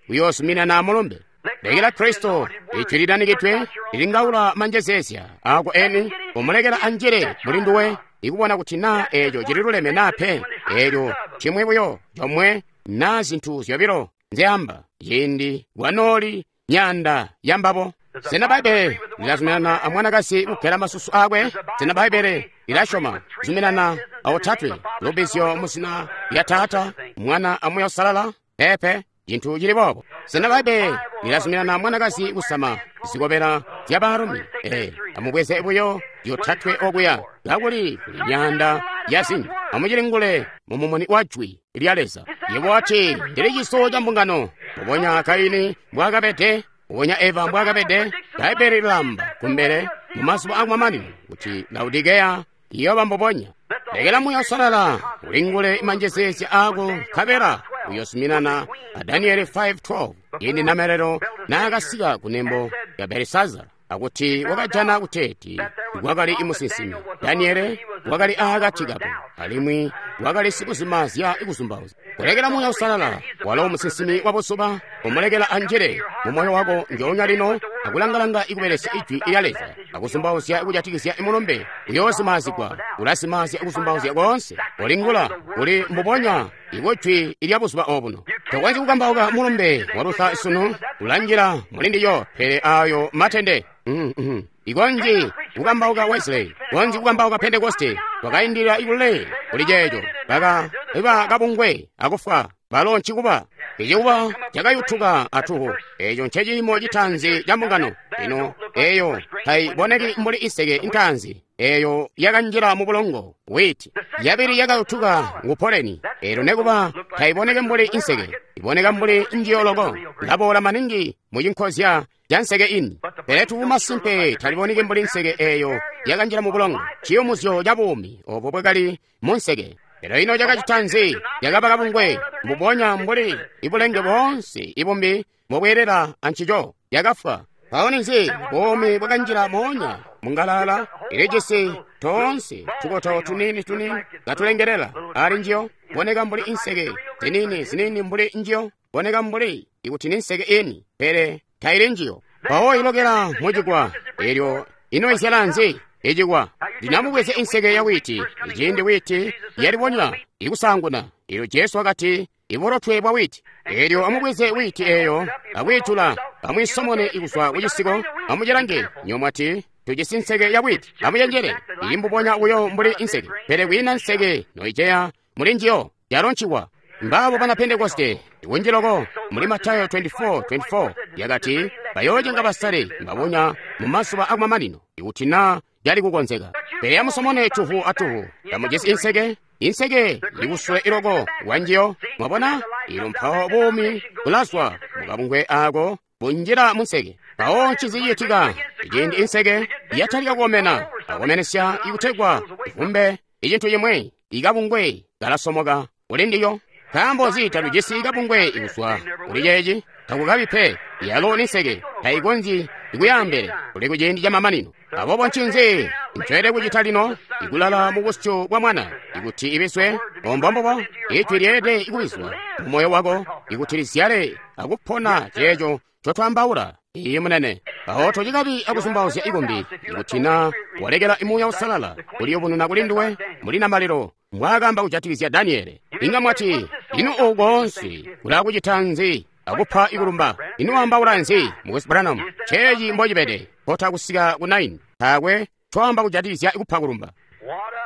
uyoozuminana mulumbe. Lekela Kristo ijwi lilanikidwe lilingaula manjezeezya ako eni, umulekela anjile muli nduwe ikubona kuti naa eeco cililuleme naa pe. Eelyo cimwi buyo comwe naa zintu zyobilo nzyaamba ciindi kwanooli myaanda yambabo. Sena Bbaibbele lilazuminana amwanakazi kugela masusu akwe? Sena Bbaibbele lilasyoma zuminana aotatwe lubizyo muzina lya Taata, Mwana aMuuya Uusalala? Peepe, cintu cili boobo. Sena Bbaibbele lilazuminana amwanakazi kusama zikobela zya baalumi? Ee, amubweze buyo zyotatwe okuya, kakuli kuli myaanda ya zinji. Amucilingule mumumuni wa Jwi lya Leza. Yebo wati, ndili ciso ca mbungano. Mbubonya Kaini mbwaakabede, mbubonya Eva mbwaakabede. Bbaibbele lilamba kumbele mumazuba akumamanino kuti Laodikeya iyooba mbubonya. Lekela Muuya Uusalala ulingule manjezeezya aako, nkabela uyoozuminana a Daniele five twelve, ciindi namalelo naakasika kunembo ya Belisazara akuti wakajana kuteeti kwakali musinsimi Daniele wakali aakati kabo, alimwi wakali sikuzimazya ikuzumbauzya. Kulekela Muuya Uusalala walo musinsimi wa buzuba umulekela anjile mu moyo wako njoonya lino akulangalanga ikubelesya ijwi lya Leza akuzumbauzya ikujatikizya imulumbe uyoozimazigwa. Ulazimazya ikuzumbauzya koonse. Ulingula uli mbubonya ikujwi lya buzuba obuno. Tokonzyi kukambauka mulumbe wa Luther sunu ulanjila mulindiyo, pele ayo matende. Mm -hmm. Ikonzi kukambauka Wesley, konzi kukambauka Pentecoste, wakaindilila ikule kuli ceeco, baka iba kabungwe akufwa balo ncikuba icikuba cakayutuka atuhu. Eeco nceciimo citaanzi ca mbungano. Lino eeyo taiboneki mbuli iseke intaanzi, eeyo yakanjila mu bulongo witi. Yabili yakayutuka ngu poleni, eelyo nekuba taiboneki mbuli inseke, iboneka mbuli njiyo loko, laboola maningi mu cinkozya ca nseke ini. Pele tubu masimpe taliboneki mbuli nseke eeyo yakanjila mu bulongo, ciyumuzyo ca buumi obo bwakali mu nseke. Pele ino cakacita nzi? Cakaba kabungwe mbubonya mbuli ibulenge boonse ibumbi mbobweelela ancico, yakafwa. Mpawo ninzi? Buumi bwakanjila moonya mungalala ilijisi toonse tukoto tuniini tuniini katulengelela ali njiyo, boneka mbuli inseke ziniini ziniini mbuli njiyo, boneka mbuli ikuti ni nseke ini, pele taili njiyo. Mpawo ilokela mucikwa, eelyo ino izyala nzi? Icikwa. Ndinamubweze inseke ya witi, iciindi witi yalibonya ikusaanguna. Eelyo Jesu wakati, iburotwe bwa witi. Eelyo amubweze witi eeyo akwiitula, amwiisomone ikuzwa kucisiko, amucilange. Nyomwati tujisi nseke ya witi, amucenjele, ili mbubonya buyo mbuli inseke, pele kwiina nseke noiceya muli njiyo, yalo ncikwa. Mbabo bana Pentekoste kunji loko muli Matayo twenty-four twenty-four yakati bayoocenga basale mbabonya mu mazuba akumamanino ikuti naa cali kukonzeka. Pele amusomone tuhu atuhu, tamujisi inseke, inseke ikusule iloko wanjiyo. Mwabona ilo mpawo buumi bulazwa mukabungwe ako bunjila munseke. Mpawo ncinzi ciitika? Iciindi inseke yatalika kukomena, akomenesya ikutegwa ivumbe icintu cimwe, ikabungwe kalasomoka kuli ndiyo. Nkaambo nzi tatujisi kabungwe kuzwa kuli ceeci? Takukabi pe. Yalo ni nseke, taikonzyi kuyaambele kuli kuciindi camamanino. Aboobo ncinzi ncoelede kucita lino? Ikulala mu busyu bwa Mwana, ikuti ibiswe, ombombobo, ijwi lyeelede kubizwa mu moyo wako, ikuti lizyale akupona ceeco ncotwaambaula. Iye munene. Aho tocikabi akuzumbauzya ikumbi, ikuti na walekela Muuya Uusalala kuliyubununa kuli nduwe muli namalelo mbwaakamba kujatikizya Daniele. Inga mwati, ino oku koonse kulakucita nzi akupa ikulumba? Ino waambaula nzi, Mukwesu Branham? Ceeci mbocibede, kota kusika ku nine, taakwe twaamba kujatikizya kupa kulumba.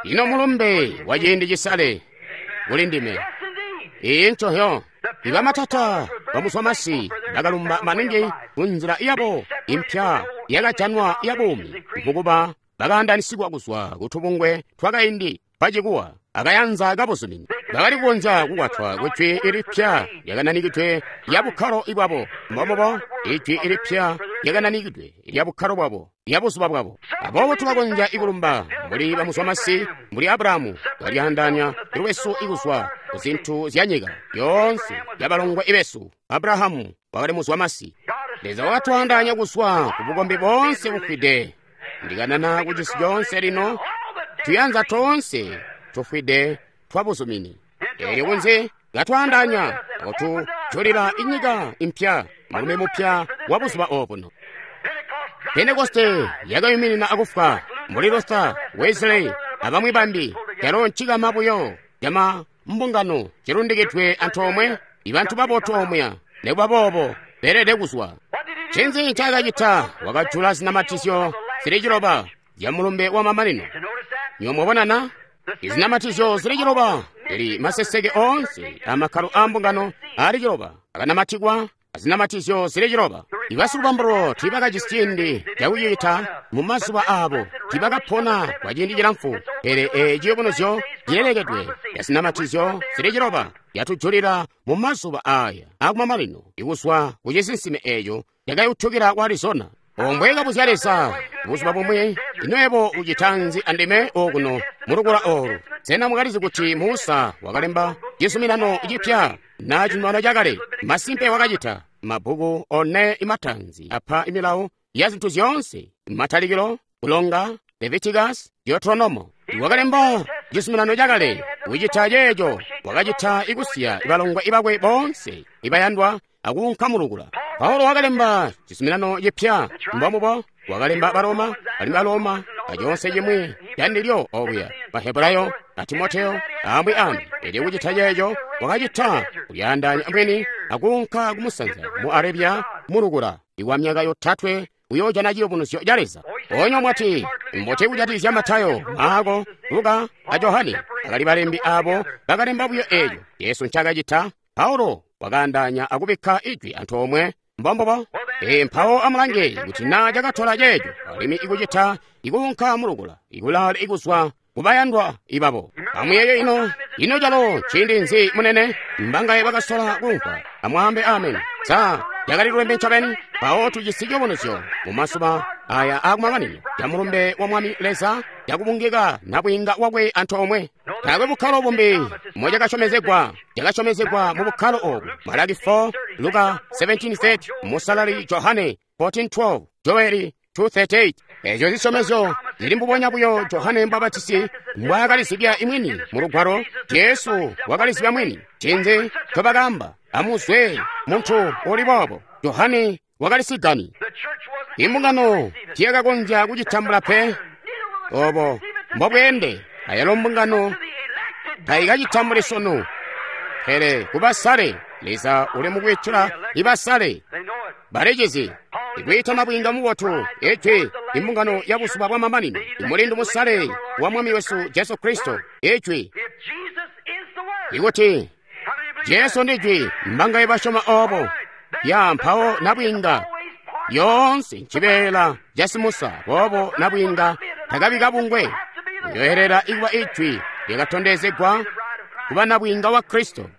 Ino mulumbe wa ciindi cisale kuli ndime. Iyi ncohyo. Ibamatata bamuzwamasi bakalumba maningi kunzila yabo impya yakajanwa ya buumi, mukuba bakaandanisigwa kuzwa kutubungwe twakaindi pacikuwa akayanza kabuzumini. Bakali kukonzya kukwatwa kujwi ilipya lyakananikidwe lya bukkalo bwabo. Mbombobo, ijwi ilipya lyakananikidwe lya bukkalo bwabo, lya buzuba bwabo. Aboobo tulakonzya ikulumba mbuli bamuzwamasi, mbuli Abrahamu, kalyaandanya lwesu ikuzwa ku zintu zya nyika yoonse yabalongwe besu. Abrahamu wakali muzwamasi. Leza wakatwaandaanya kuzwa ku bukombi boonse bufwide. Ndikanana ku cisi coonse lino, tuyanza toonse tufwide twabuzumini. Eelyo kunze katwaandaanya akutujulila inyika impya, mulumi mupya wa buzuba obuno. Pentekoste yakayuminina akufwa mbuli Luther, Wesley abamwi bambi. Calo ncikama buyo cama mbungano cilundikidwe antoomwe, ibantu babotu omuya. Nikuba boobo beelede kuzwa. Ncinzi ncaakacita? Wakajula zinamatizyo zili ciloba zya mulumbe wa mamanino. Nywebo Izinamatizyo zili ciloba zili maseseke oonse amakkalo a mbungano ali ciloba akanamatikwa azinamatizyo zili ciloba. Ibasikubambululo tiibakajisi ciindi cakucita mu mazuba aabo, tiibakapona kwa ciindi cilamfu. Pele eeci ciyubunuzyo cilelekedwe ya zinamatizyo zili ciloba yatujulila mu mazuba aaya akumamanino ikuzwa ku cisinsime eeco cakayutukila ku Arizona. Ombwe kabuzya Leza buzuba bumwi, ino yebo ucita nzi andime okuno mulukula oolu? Sena mwakalizi kuti Musa wakalemba cizuminano cipya na cizuminano cakale? Masimpe wakacita. Mabbuku one imatanzi apa imilawo ya zintu zyoonse: Matalikilo, Kulonga, Leviticus, Deuteronomo. Wakalemba cizuminano cakale, kucita ceeco wakacita ikusiya ibalongwe ibakwe boonse ibayandwa akuunka mulukula. Paulo wakalemba cizuminano cipya, mbomubo wakalemba Baroma, alimwi Baroma aconse cimwi candilyo okuya, Bahebulayo a Timoteo amwi ambi. Elyo kucita ceeco wakacita kulyaandaanya mwini akuunka kumusanza mu Arabia mulukula iwa myaka yotatwe uyoojana ciyubunuzyo ca Leza. Onyo mwati mbuti kujatikizya Matayo, Maako, Luka a Johane? Bakali balembi abo bakalemba buyo eeco Yesu ncaakacita. Paulo wakaandaanya akubikka ijwi antoomwe. Mbombobo. E mpawo amulange kuti na cakatola ceeco alimwi ikucita ikuunka mulukula ikulaale ikuzwa kubayandwa ibabo. Amuyeeye ino, ino calo ciindi nzi munene? Mbangaye bakasola kuumvwa? Amwaambe amen. Sa cakali lwembe ncobeni? Mpawo tujisi ciyubunuzyo mu mazuba aya akumamanino ca mulumbe wa Mwami Leza cakubungika nabwiinga wakwe antoomwe. Taakwe bukkalo bumbi mocakasyomezegwa, cakasyomezegwa mu bukkalo obu. Malaki four, Luka seventeen thirty, Musalali Johane fourteen twelve, Joeli two thirty-eight. Eezyo zisyomezyo zili mbubonya buyo Johane Mbabatisi mbwaakalizibya imwini mu lugwalo. Jesu wakalizibya mwini. Ncinzi ncobakaamba? Amuzwe muntu uli boobo. Johane wakalisigani. Imbungano tiyakakonzya kucitambula pe. Obo mbobweende ayalo mbungano taikacitambuli sunu. Pele kubasale, Leza uli mukwiitila ibasale. Balicizi ikwiita nabwiinga mubotu, ijwi imbungano ya buzuba bwa mamanino, imulindu musale wa Mwami wesu Jesu Kristo, ijwi. Ikuti Jesu ndijwi, mbangaye basyoma obo? Ya mpawo nabwiinga yoonse ncibeela ca Simusa, boobo nabwiinga takabi kabungwe. Uyoelela ikuba ijwi lyakatondezegwa kuba nabwiinga wa Kristo.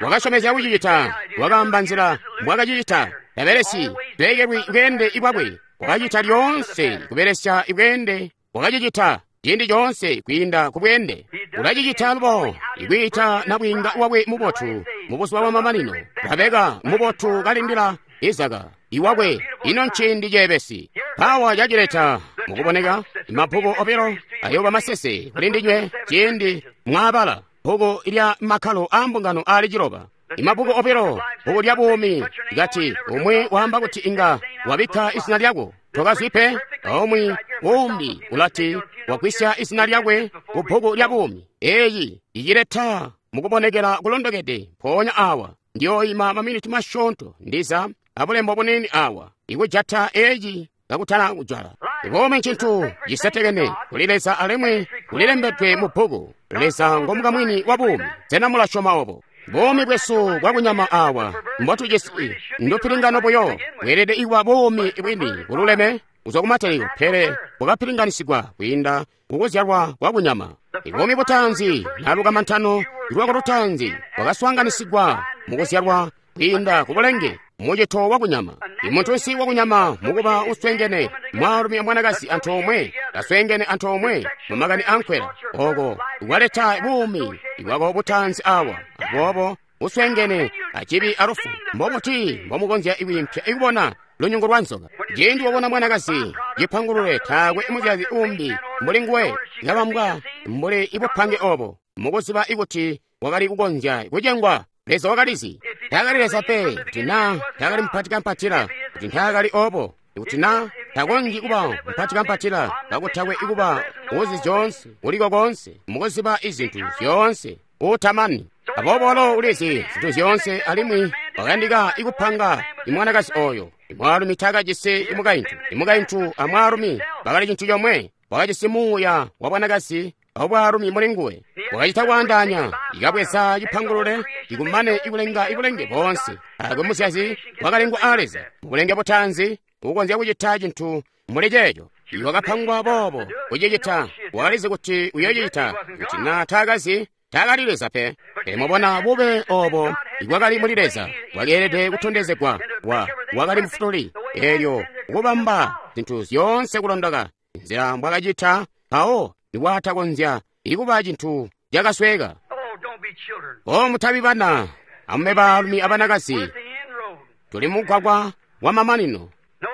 Wakasyomezya kucicita, wakaamba nzila mbwakacicita. Tabelesi beekelwi bweende ibwakwe, wakacita lyoonse kubelesya ibweende, wakacicita ciindi coonse kwiinda ku bweende. Ulacicita lubo Ikwiita nabwiinga wakwe mubotu mu buzuba bwamamanino. Rabeka mubotu kalindila Izaka iwakwe. Ino nciindi ceebesi. Mpawa cacileta mukuboneka mabbuku obilo ayooba masese kuli ndinywe ciindi mwaabala bbuku lya makkalo aa mbungano aali ciloba. Imabbuku obilo, bbuku lya buumi kati umwi waamba kuti inga wabikka izina lyako tokazwi pe, aumwi umbi ulati wagwisya izina lyakwe ku bbuku lya buumi. Eeyi icileta mukubonekela kulondokede. Mpoonya awa ndiyooima maminiti masyoonto ndiza abulembo buniini awa ikujata eeci kakutana kujala. Buumi ncintu cisetekene kuli Leza alimwi kulilembedwe mu bbuku. Leza ngomukamwini wa buumi. Sena mulasyoma obo? Buumi bwesu bwakunyama awa mbotujisi ndupilingano buyo. Bweelede ikuba buumi bwini bululeme kuzwa kumatalikilo, pele bwakapilinganisigwa kwiinda kukuzyalwa kwakunyama. Buumi butaanzi na lukamantano lwako lutaanzi bwakaswaanganisigwa mukuzyalwa kwiinda kubulenge mucito wakunyama. Imuntunsi wakunyama mukuba uswengene mwaalumi amwanakazi antoomwe, kaswengene antoomwe mumakani ankwela, oko kwaleta buumi bwako butaanzi awa. Aboobo uswengene acibi alufu. Mbobuti mbomukonzya kwiimpya ikubona lunyungu lwa nzoka? Ciindi wabona mwanakazi cipangulule, taakwe muzyazi umbi mbuli nguwe, kabambwa mbuli ibupange obo, mukuziba ikuti wakali kukonzya kucengwa. Leza wakalizi. Taakali Leza pe, kuti naa taakali mupatikampatila, kuti ntaakali obo, kuti naa takonzyi kuba mupatikampatila, kakutakwe ikuba uzi zyoonse, uliko konse, mukuziba izintu zyoonse, utamani. Aboobo walo ulizi zintu zyoonse, alimwi wakayandika ikupanga imwanakazi oyo. Imwaalumi taakajisi imukaintu, imukaintu amwaalumi bakali cintu comwe. Wakajisi muuya wa bwanakazi abwaalumi muli nguwe. Wakacita kwaandaanya, ikabweza cipangulule ikumane ikulenga ibulenge boonse. Aakwe muzyazi wakalengwa aa Leza mubulenge butaanzi ukonzya kucita cintu muli ceeco. Iwakapangwa boobo kucicita, wakalizi kuti uyoocicita. Kuti naa taakazi, taakali Leza pe. Pele mwabona bube obo ibwakali muli Leza bwakeelede kutondezegwa. Wa wakali mufutuli, eelyo kubamba zintu zyoonse kulondoka nzila mbwakacita, mpawo nikwatakonzya ikuba cintu cakasweka. O mutabi bana, amume baalumi abanakazi, tuli mugwagwa wa mamanino.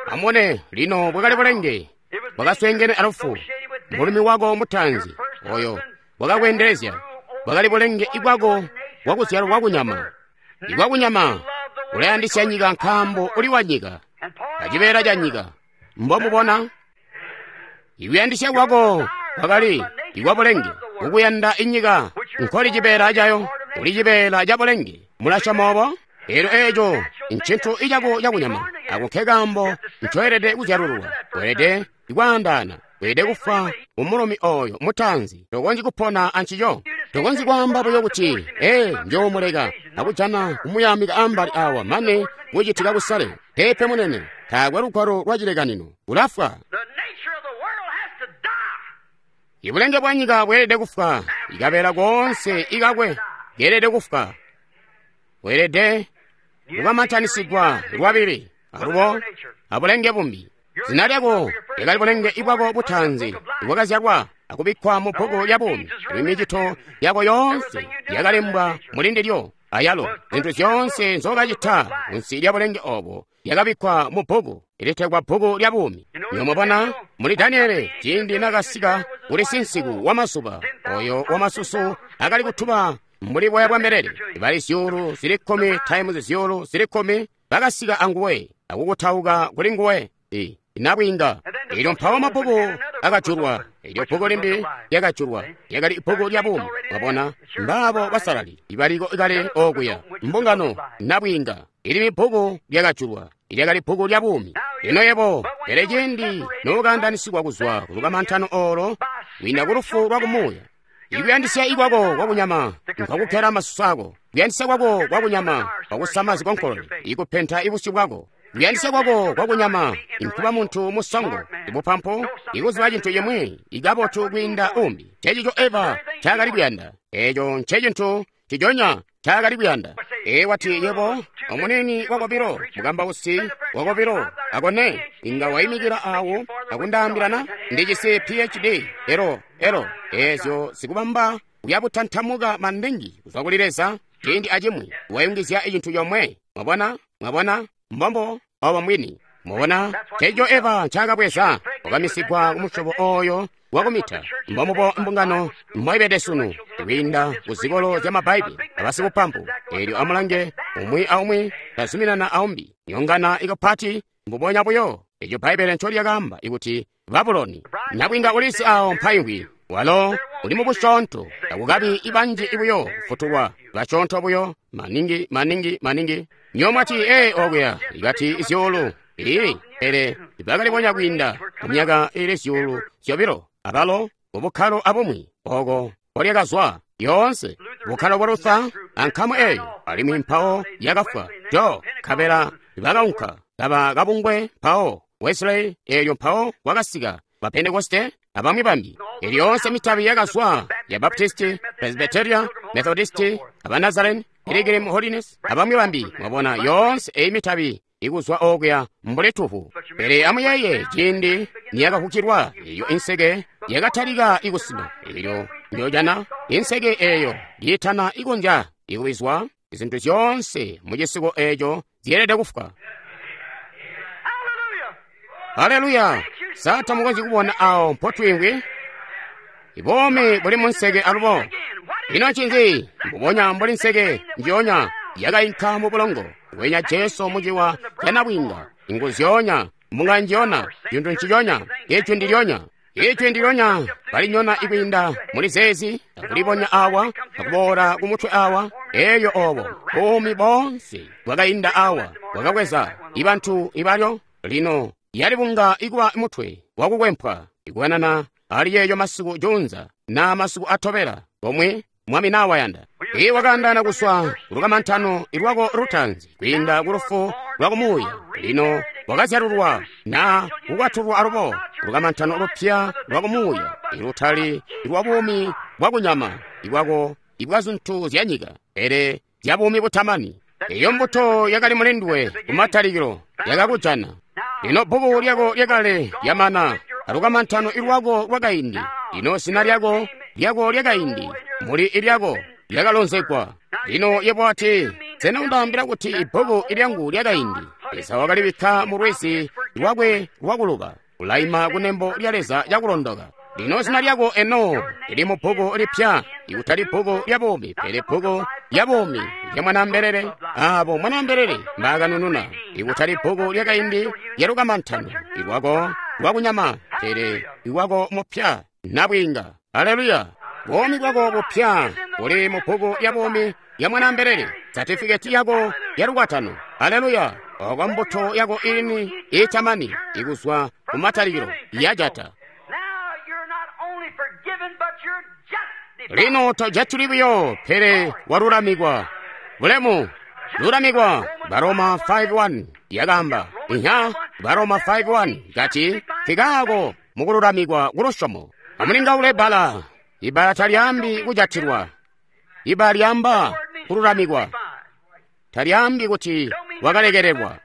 Amubone lino bwakali bulenge bwakaswengene alufu. Mulumi wako mutaanzi oyo wakakweendelezya bwakali bulenge ibwako bwakuzyalwa kwakunyama. Ibwakunyama ulayandisya nyika nkaambo uli wa nyika, acibeela ca nyika. Mbomubona ikuyandisya kwako kwakali ikwabulenge, ukuyanda inyika nkoli cibeela cayo, uli cibeela ca bulenge. Mulasyoma obo? Eelyo eeco ncintu icako cakunyama. Ako nke kaambo ncoelede kuzyalululwa. Weelede kwaandaana, weelede kufwa umulumi oyo mutaanzi. Tokonzyi kupona ancico. Tokonzyi kwaamba buyo kuti ee njoomuleka akujana kumuyamika ambali awa mane kucitika kusale. Peepe munene, taakwe lugwalo lwa cilekanino. Ulafwa. Ibulenge bwa nyika bweelede kufwa, ikabeela koonse ikakwe keelede kufwa. Weelede kukamantanisigwa lwabili alubo abulenge bumbi. Zina lyako lyakali bulenge ibwako butaanzi ibwakazyalwa akubikkwa mu bbuku lya buumi. Imicito yako yoonse yakalembwa muli ndilyo, ayalo zintu zyoonse nzokacita kunsi lya bulenge obo yakabikkwa mu bbuku ilitegwa bbuku lya buumi. Nyomubona muli Daniele ciindi nakasika kuli sinsiku wamazuba oyo wamasusu akali kutuba mbuli boya bwa mbelele, bali zyuulu zili kkumi times zyuulu zili kkumi bakasika anguwe akukutauka kuli nguwe inabwiinga. Elyo mpawo mabbuku akajulwa, elyo bbuku limbi lyakajulwa, lyakali bbuku lya buumi. Mwabona mbaabo basalali ibaliko kale okuya, mbungano nabwiinga. Ili mibbuku lyakajulwa, ilyakali bbuku lya buumi. Lino yebo, pele ciindi nokaandanisigwa kuzwa kulukamantano olo kwiinda kulufu lwa kumuuya, ikuyandisya ikwako kwakunyama nkakukela masusu ako, kuyandisya kwako kwakunyama kwakusama zikonkolole, ikupenta ibusyu bwako, kuyandisya kwako kwakunyama inkuba muntu musongo, ibupampu, ikuziba cintu cimwi ikabotu kwiinda umbi. Ncencico Eva ncaakali kuyanda. Eeco ncecintu ciconya ncaakali kuyanda. Ee wati yebo omunini wakobilo, mukambausi wakobilo akone inga waimikila awo akundaambilana ndijisi P H D elo elo eezyo zikubamba Uya butantamuka maningi kuzwa kuli Leza ciindi acimwi wayungizya cintu comwe. Mwabona? Mwabona? Mbombo obo mbwini. Mwabona? Ceeco Eva ncaakabweza wakamisigwa kumusyobo oyo wakumita. Mbombubo mbungano mboibede sunu kwiinda ku zikolo zya Mabaibbele abasikupampu. Eelyo amulange umwi aumwi tazuminana aumbi. Nyongana ikapati mbubonya buyo eco Bbaibbele ncolyakaamba ikuti Babuloni. Nabwiinga ulisi awo mpaimvwi walo uli mubusyoonto takukabi ibanji ibuyo kufutulwa basyoonto buyo maningi maningi maningi. Nyomwati ee okuya ikati zyuulu ii pele bakalibonya kwiinda mu myaka ili zyuulu zyobilo abalo mubukkalo abumwi oko kolyakazwa yoonse bukkalo bwa Luther ankamu eyo alimwi mpawo yakafwa jo nkabela bakaunka kaba kabungwe mpawo Wesley eelyo mpawo kwakasika ba Pentekoste abamwi bambi. Elyo yoonse mitabi yakazwa ya Baptisti, Presbyteria, Methodisti, aba Nazarene, Pilgrim Holiness abamwi bambi. Mwabona yoonse eyi mitabi ikuzwa okuya mbuli tuvu. Pele amuyeeye ciindi niyakavukilwa eyo inseke yakatalika ikusima. Elyo njojana inseke eyo yiitana ikonzya ikubizwa izintu zyoonse mu cisiko eco zyeelede kufwa. Haleluya! Sa tamukonzyi kubona awo mpotwiimvwi? Ibuumi buli mu nseke alubo. Ino ncinzi? Mbubonya mbuli nseke njionya yakainka mu bulongo wenya Jesu muciwa ca nabwiinga. Ingu zyoonya, mbunga njionya, cintu nciconya, ijwi ndilyonya. Ijwi ndilyonya balinyona ikwiinda muli zeezi, akulibonya awa, akuboola kumutwe awa, eyo obo buumi boonse bwakainda awa, bwakabweza ibantu ibalyo. Lino yalibunga ikuba mutwe wakukwempwa ikukanana ali yeeyo masiku junza na masiku atobela komwe mwami nawayanda. Iye wakaandana kuswa kulukamantano ilwako lutanzi kwiinda kulufu lwa kumuuya. Lino wakazyalulwa na kukwatulwa alubo kulukamantano lupya lwa kumuuya ilutali lwa buumi bwa kunyama ibwako ibwa zintu zya nyika pele zya buumi butamani. Eyo mbuto yakali mulindwe kumatalikilo yakakujana. Lino bbuku lyako lyakale lyamana alukamantano ilwako lwakaindi. Lino zina lyako lyako lyakaindi muli ilyako lyakalonzegwa. Lino yebo ati, sena undaambila kuti ibbuku ilyangu lyakaindi? Leza wakalibikka mu lwizi lwakwe lwakuluba, ulaima kunembo lya Leza cakulondoka. Lino zina lyako eno lili mu bbuku lipya, ikutali bbuku lya buumi, pele bbuku lya buumi lya Mwanaambelele, aabo Mwanaambelele mbaakanununa, ikutali bbuku lyakaindi lya lukamantano ilwako lwakunyama, pele iwako mupya nabwiinga. Haleluya! Buumi bwako bupya buli mu bbuku lya buumi lya Mwanaambelele, satifiketi yako ya lukwatano. Haleluya! Oko mbuto yako ini itamani ikuzwa kumatalikilo yajata. Lino tojatuli buyo pele walulamikwa. Bulemu lulamikwa. Baroma five one yakamba inya Baroma five one kati kikaako mukululamikwa kulusyomo. Amulingaule bbala. Ibbala talyaambi kujatilwa. Ibbala lyaamba kululamikwa. Talyaambi kuti wakalekelelwa.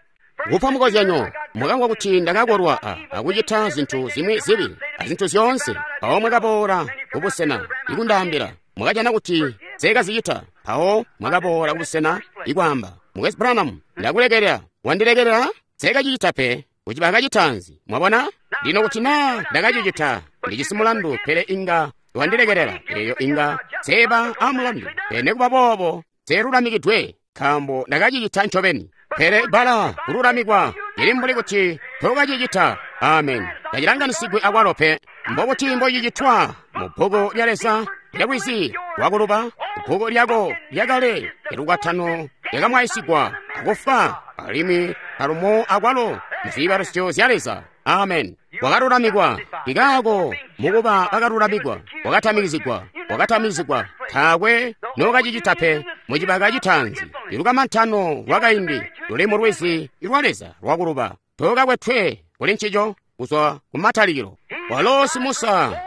Kupa mukozyanyo, mwakamvwa kuti ndakakolwa a akucita zintu zimwi zibi azintu zyoonse. Mpawo mwakaboola kubusena ikundaambila, mwakajana kuti nseekazicita. Mpawo mwakaboola kubusena ikwaamba, Mukwesu Branham, ndakulekelela. Wandilekelela? Nseekacicita pe. Kuciba kacitanzi, mwabona? Lino kuti naa ndakacicita, ndijisi mulandu, pele inga wandilekelela. Eyo inga nseeba amulandu. Pele nikuba boobo, nseelulamikidwe, nkaambo ndakacicita ncobeni. Pele bbala kululamikwa lili mbuli kuti tokacicita. Amen. Tacilanganisigwe akwalo pe. Mbobuti mbocicitwa mu bbuku lya Leza lya lwizi lwakuluba? Bbuku lyako lyakale lyalukwatano lyakamwaisigwa akufwa alimwi alumo akwalo muziibalusyo zya Leza. Amen. Wakalulamikwa ikaako mukuba bakalulamikwa, wakatamikizigwa, wakatamikizigwa. Taakwe nookacicita pe. Mucibaka citaanzi ilukamantano lwakaindi luli mu lwizi lwa Leza lwakuluba. Tookakwetwe kuli ncico kuzwa kumatalikilo. Walo si Musa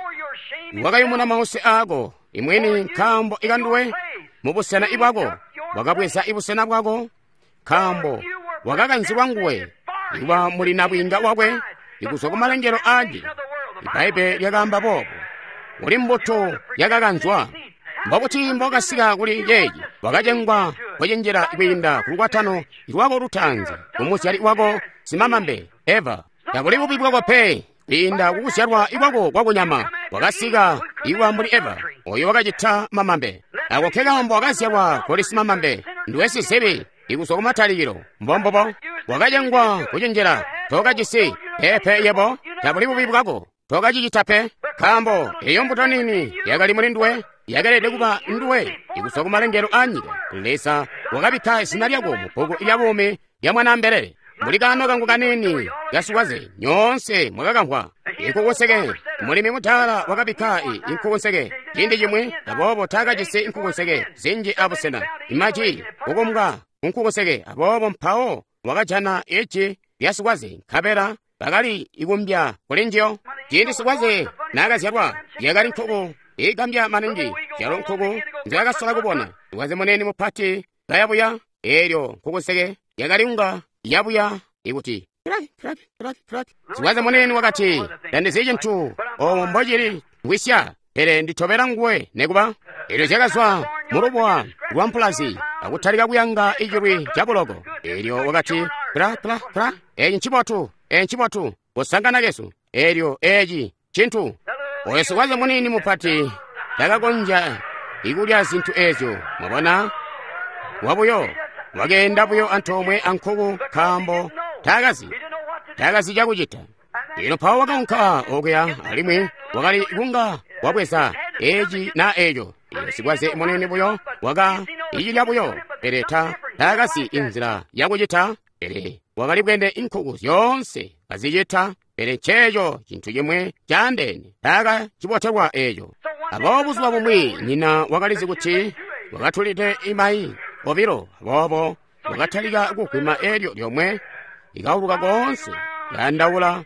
wakayumuna mause aako imwini nkaambo ikanduwe mubusena ibwako, wakabweza ibusena bwako nkaambo wakakanzilwa nguwe ikuba muli nabwiinga wakwe ikuzwa kumalengelo aje. Ibaibbele lyakaamba boobo. Uli mbuto yakakanzwa. Mbobuti mbokasika kuli ceeci? Wakacengwa kucenjela kwiinda ku lukwatano lwako lutaanzi, ku muzyali wako simamambe, Eva. Tabuli bubi bwako pe, kwiinda kukuzyalwa kwako kwakunyama, wakasika ikuba mbuli Eva, oyo wakacita mamambe. Ako nke kaambo wakazyalwa kuli simamambe, nduwe sizibi, ikuzwa kumatalikilo. Mbombubo. Wakacengwa kucenjela, tokajisi pepe yebo, tabuli bubi bwako, tokacicita pe, nkaambo eyo mbuto nini yakali muli nduwe, yakelede kuba nduwe ikuzwa kumalengelo a nyika. Leza wakabikka zina lyako mu bbuku lya buumi lya Mwanaambelele. Muli kaano kangu kanini kasikwaze, nyoonse mwakakamvwa. Inkukunseke, mulimi mudaala wakabikka inkukunseke ciindi cimwi, aboobo taakajisi inkukunseke zinji abusena. Imaji kukumbwa kunkukunseke, aboobo mpawo wakajana iji lya sikwaze, nkabela bakali ikumbya kuli njiyo. Ciindi sikwaze naakazyalwa, yakali nkuku igambya maningi, zyalo nkuku nzyaakasola kubona. Sikwaze munene mupati kayabuya, eelyo nkukunseke yakali unga yabuya ikuti sikwaze munene wakati, tandizi cintu omo mbocili ngwisya, pele nditobela nguwe nekuba. Eelyo zyakazwa mulubuwa lwa mpulazi akutalika kuyanga icilwi cabuloko. Eelyo wakati, kla kla kla, eeci ncibotu, eeci ncibotu, kusangana kesu. Eelyo eeci cintu. Oyo sikwaze munini mupati takakonzya ikulya zintu eezyo, mwabona, wabuyo. Wakeenda buyo antoomwe ankuku nkaambo taakazi, taakazi cakucita. Lino mpawo wakaunka okuya alimwi wakali kunga wabweza eci na eco. Iyo sikwaze munene buyo waka icilya buyo, pele ta taakazi inzila yakucita, pele wakali bwene inkuku zyoonse kazicita, pele nceeco cintu cimwe caandeene, taaka cibotelwa eco. Aboobo buzuba bumwi nyina wakalizi kuti wakatulide imayi obilo, aboobo wakatalika kugwima eelyo lyomwe likauluka koonse kayandaula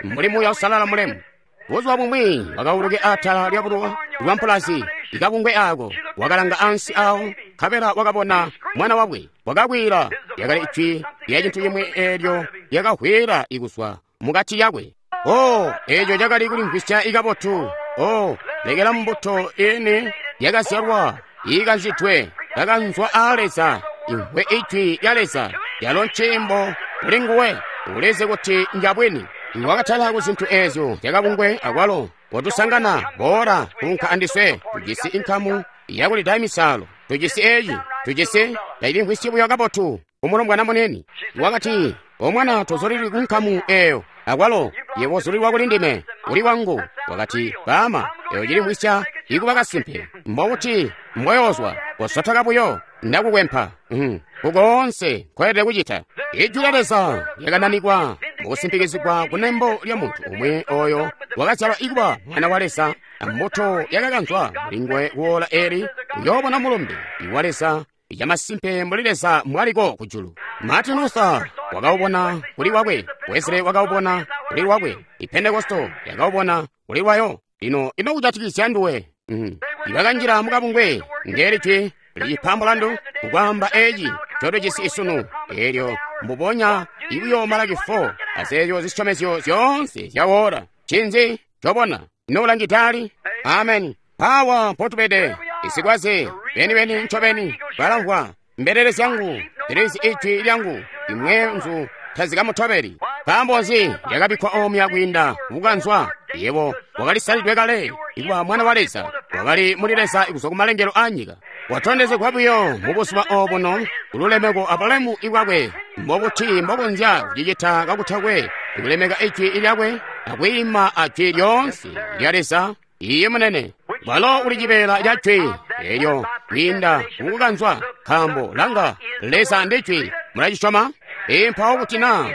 mbuli Muuya Uusalala mulemu. Buzuba bumwi wakauluke atala lya bulowa lwa mpulazi ikabungwe ako, wakalanga ansi awo, nkabela wakabona mwana wakwe. Wakakwiila, lyakali ijwi lya cintu cimwi eelyo lyakahwila ikuzwa mukati yakwe. Oh, eeco cakali kulimvwisya ikabotu. Oh, lekela mbuto ini yakazyalwa iikanzidwe kakanzwa aa Leza, imvwe ijwi lya Leza, lyalo nciimbo kuli nguwe, ulizi kuti njabwini. Wakatala ku zintu eezyo zyakabungwe akwalo kotusangana, boola kuunka andiswe, tujisi inkamu yakulida misalo, tujisi eeci, tujisi tailimvwisyi buyo kabotu kumulombwana munene. Wakati, omwana tozulilwi ku nkamu eeyo, akwalo yebo ozulilwa kuli ndime, uli wangu. Wakati, baama, eyo cilimvwisya ikuba kasimpe, mbokuti mbweyoozwa, kosotoka buyo, ndakukwempa. Mm. Kukoonse nkoelede kucita. Ijwi lya Leza lyakananikwa mukusimpikizigwa kunembo lya muntu umwi oyo wakazyalwa ikuba mwana wa Leza, ambuto yakakanzwa mulinguwe kuwola eli uyoobona mulumbe wa Leza yamasimpe mbuli Leza mbwaliko kujulu. Martin Luther wakaubona kuli wakwe, Wesley wakaubona kuli lwakwe, Pentekosto yakaubona kuli lwayo. Lino ino kujatikizya nduwe? Mm. Ibakanjila mukabungwe ngeeli jwi licipa mulandu kukwaamba eeci ncotujisi isunu, eelyo mbubonya ibuyo Malaki four azeezyo zisyomezyo zyoonse zyawola. Ncinzi cobona? Ino ulangidali? Ameni. Awa mpotubede, isikwaze beni-beni ncobeni balamvwa mbelele zyangu zilizi ijwi lyangu, imwe nzu tazikamutobeli. Nkaambo nzi lyakabikkwa omya kwiinda kukanzwa? Yebo wakalisalidwe kale ikuba mwana wa Leza, wakali muli Leza kuzwa kumalengelo a nyika. Watondezegwa buyo mubuzuba obuno kululemeko abulemu ibwakwe. Mbobuti mbokonzya kucicita kakutakwe kulemeka ijwi lyakwe akwiima ajwi lyoonse lya Leza? Iye munene, walo uli cibeela ca jwi eelyo kwiinda kukukanzwa, nkaambo langa, Leza ndi jwi. Mulacisyoma? Ee, mpawo kuti naa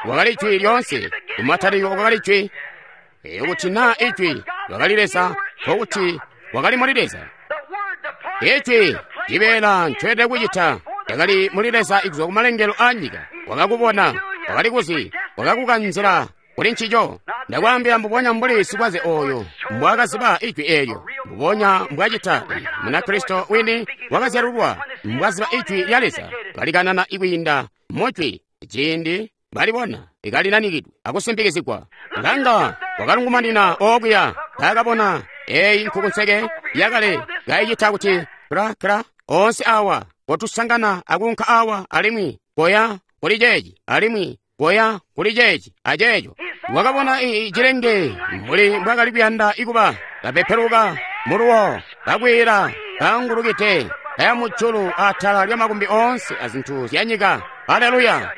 wakali jwi lyoonse, kumatalikilo kwakali jwi. Ee, kuti naa ijwi wakali Leza, nkokuti wakali muli Leza. Ijwi cibeela ncoelede kucita cakali muli Leza kuzwa kumalengelo a nyika. Wakakubona, wakali kuzi, wakakukanzila kuli ncico. Ndakwaambila mbubonya mbuli sikwaze oyo mbwakaziba ijwi eelyo, mbubonya mbwacita Munakristo wini wakazyalulwa mbwaziba ijwi lya Leza, kalikanana ikwiinda mujwi ciindi balibona ikalinanikidwe akusimpikizigwa. Langa, wakalungumanina okuya, taakabona Eyi nkukunseke yakale kaicita kuti kra kra onse awa kotusangana akunka awa alimwi koya kuli ceeci alimwi koya kuli ceeci aceeco. Wakabona ii cilenge mbuli mbwakali kuyanda ikuba kapepeluka muluwo kakwiila kaangulukide kaya mujulu atala lya makumbi onse azintu zya nyika. Haleluya!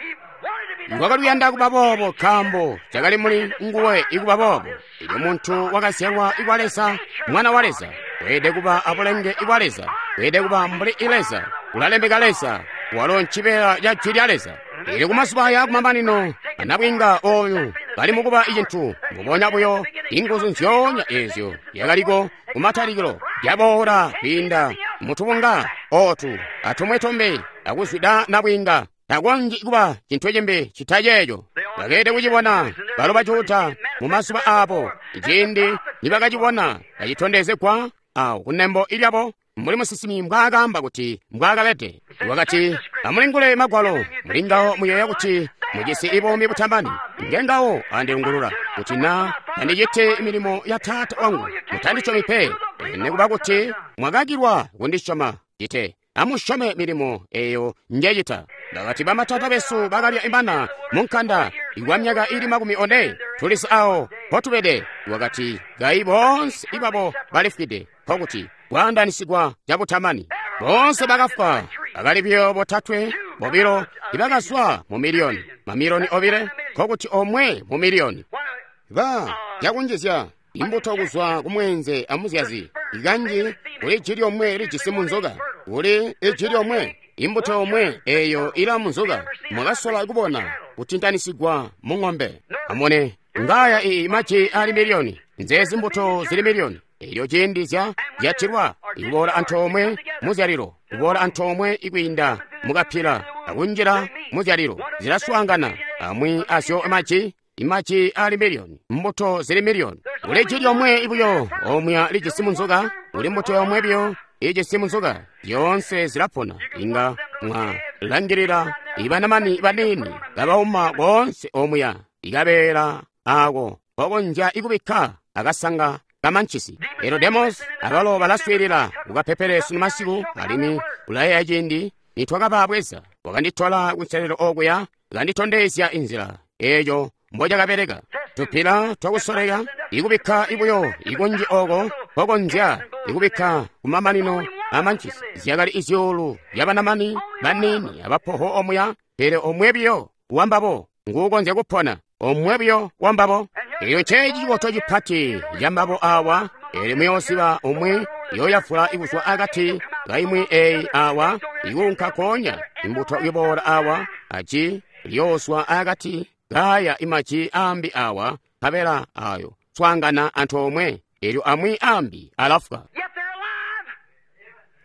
Wakali kuyanda kuba boobo nkaambo cakali muli nguwe ikuba boobo. Elyo muntu wakazyalwa ikwa Leza, mwana wa Leza, weelede kuba abulenge ibwa Leza, weelede kuba mbuli i Leza, ulalemeka Leza, walo ncibeela ca Jwi lya Leza. Elyo kumazuba aya kumamanino, anabwinga oyu bali mukuba icintu mbubonya buyo, inguzu nzyoonya ezyo yakaliko kumatalikilo yaboola kwiinda mutubunga otu atumwe tumbi akuzwida nabwinga. Takonzyi kuba cintu cimbi cita ceeco. Bakeelede kucibona balo bajuda mu mazuba abo, ciindi nibakacibona kacitondezegwa awo kunembo ilyabo, mbuli musinsimi mbwaakaamba kuti mbwaakabede. Wakati, amulingule magwalo, mulingawo muyeeya kuti mujisi ibuumi butamani. Ngengawo andilungulula kuti na tandiciti milimo ya Taata wangu, mutandisyomi pe. Nikuba kuti mwakakilwa kundisyoma, cite amusyome milimo eyo njecita. Bakati bamatata besu bakalya imana munkanda ikwa myaka ili makumi one, tulisi awo mpotubede. Wakati kayi boonse ibabo balifwide, nkokuti kwaandanisigwa cabutamani. Boonse bakafwa, bakali buyo botatwe bobilo ibakazwa mu miliyoni, mamiliyoni obile, nkokuti omwe mu miliyoni. Ba yakunjizya imbuto kuzwa kumwenze amuzyazi, ikanji kuli iji lyomwe lijisi munzoka, kuli iji lyomwe imbuto yomwe eyo ila munzoka. Mwakasola kubona kutintanisigwa mu ng'ombe. Amone ngaya iyi maji ali miliyoni, nzezi mbuto zili miliyoni. Elyo ciindi zya zyatilwa ikuboola antoomwe muzyalilo, kuboola antoomwe ikwiinda mukapila akunjila muzyalilo, zilaswaangana amwi azyo maji imaji ali miliyoni, mbuto zili miliyoni. Kuli iji lyomwe ibuyo omwe lijisi munzoka, kuli mbuto yomwe biyo ijisi munzoka, zyoonse zilapona. Inga mwalangilila ibanamani banini kabauma koonse omuya, ikabeela ako kokonzya ikubikka akasanga kamanchisi. Elyo demos abalo balaswiilila kukapepele sunu masiku, alimwi ulayeeya ciindi nitwakababweza. Wakanditola kunselelo okuya, kanditondezya inzila eeyo mbocakabeleka. Tupila twakusoleka ikubikka ibuyo ikunji oko kokonzya ikubikka kumamanino amanchisi. Zyakali izyuulu byabanamani banini abapoho omuya, pele omwe biyo wambabo nguukonzya kupona, omwe biyo wambabo. Elyo nceeci ciboto cipati cambabo awa. Elyo muyoosiba omwe yoyafula ikuzwa akati kaimwi eyi awa ikuunka konya imbuto iboola awa aji liyooswa akati kaya imaji ambi awa nkabela ayo swaangana antoomwe, elyo amwi ambi alafwa.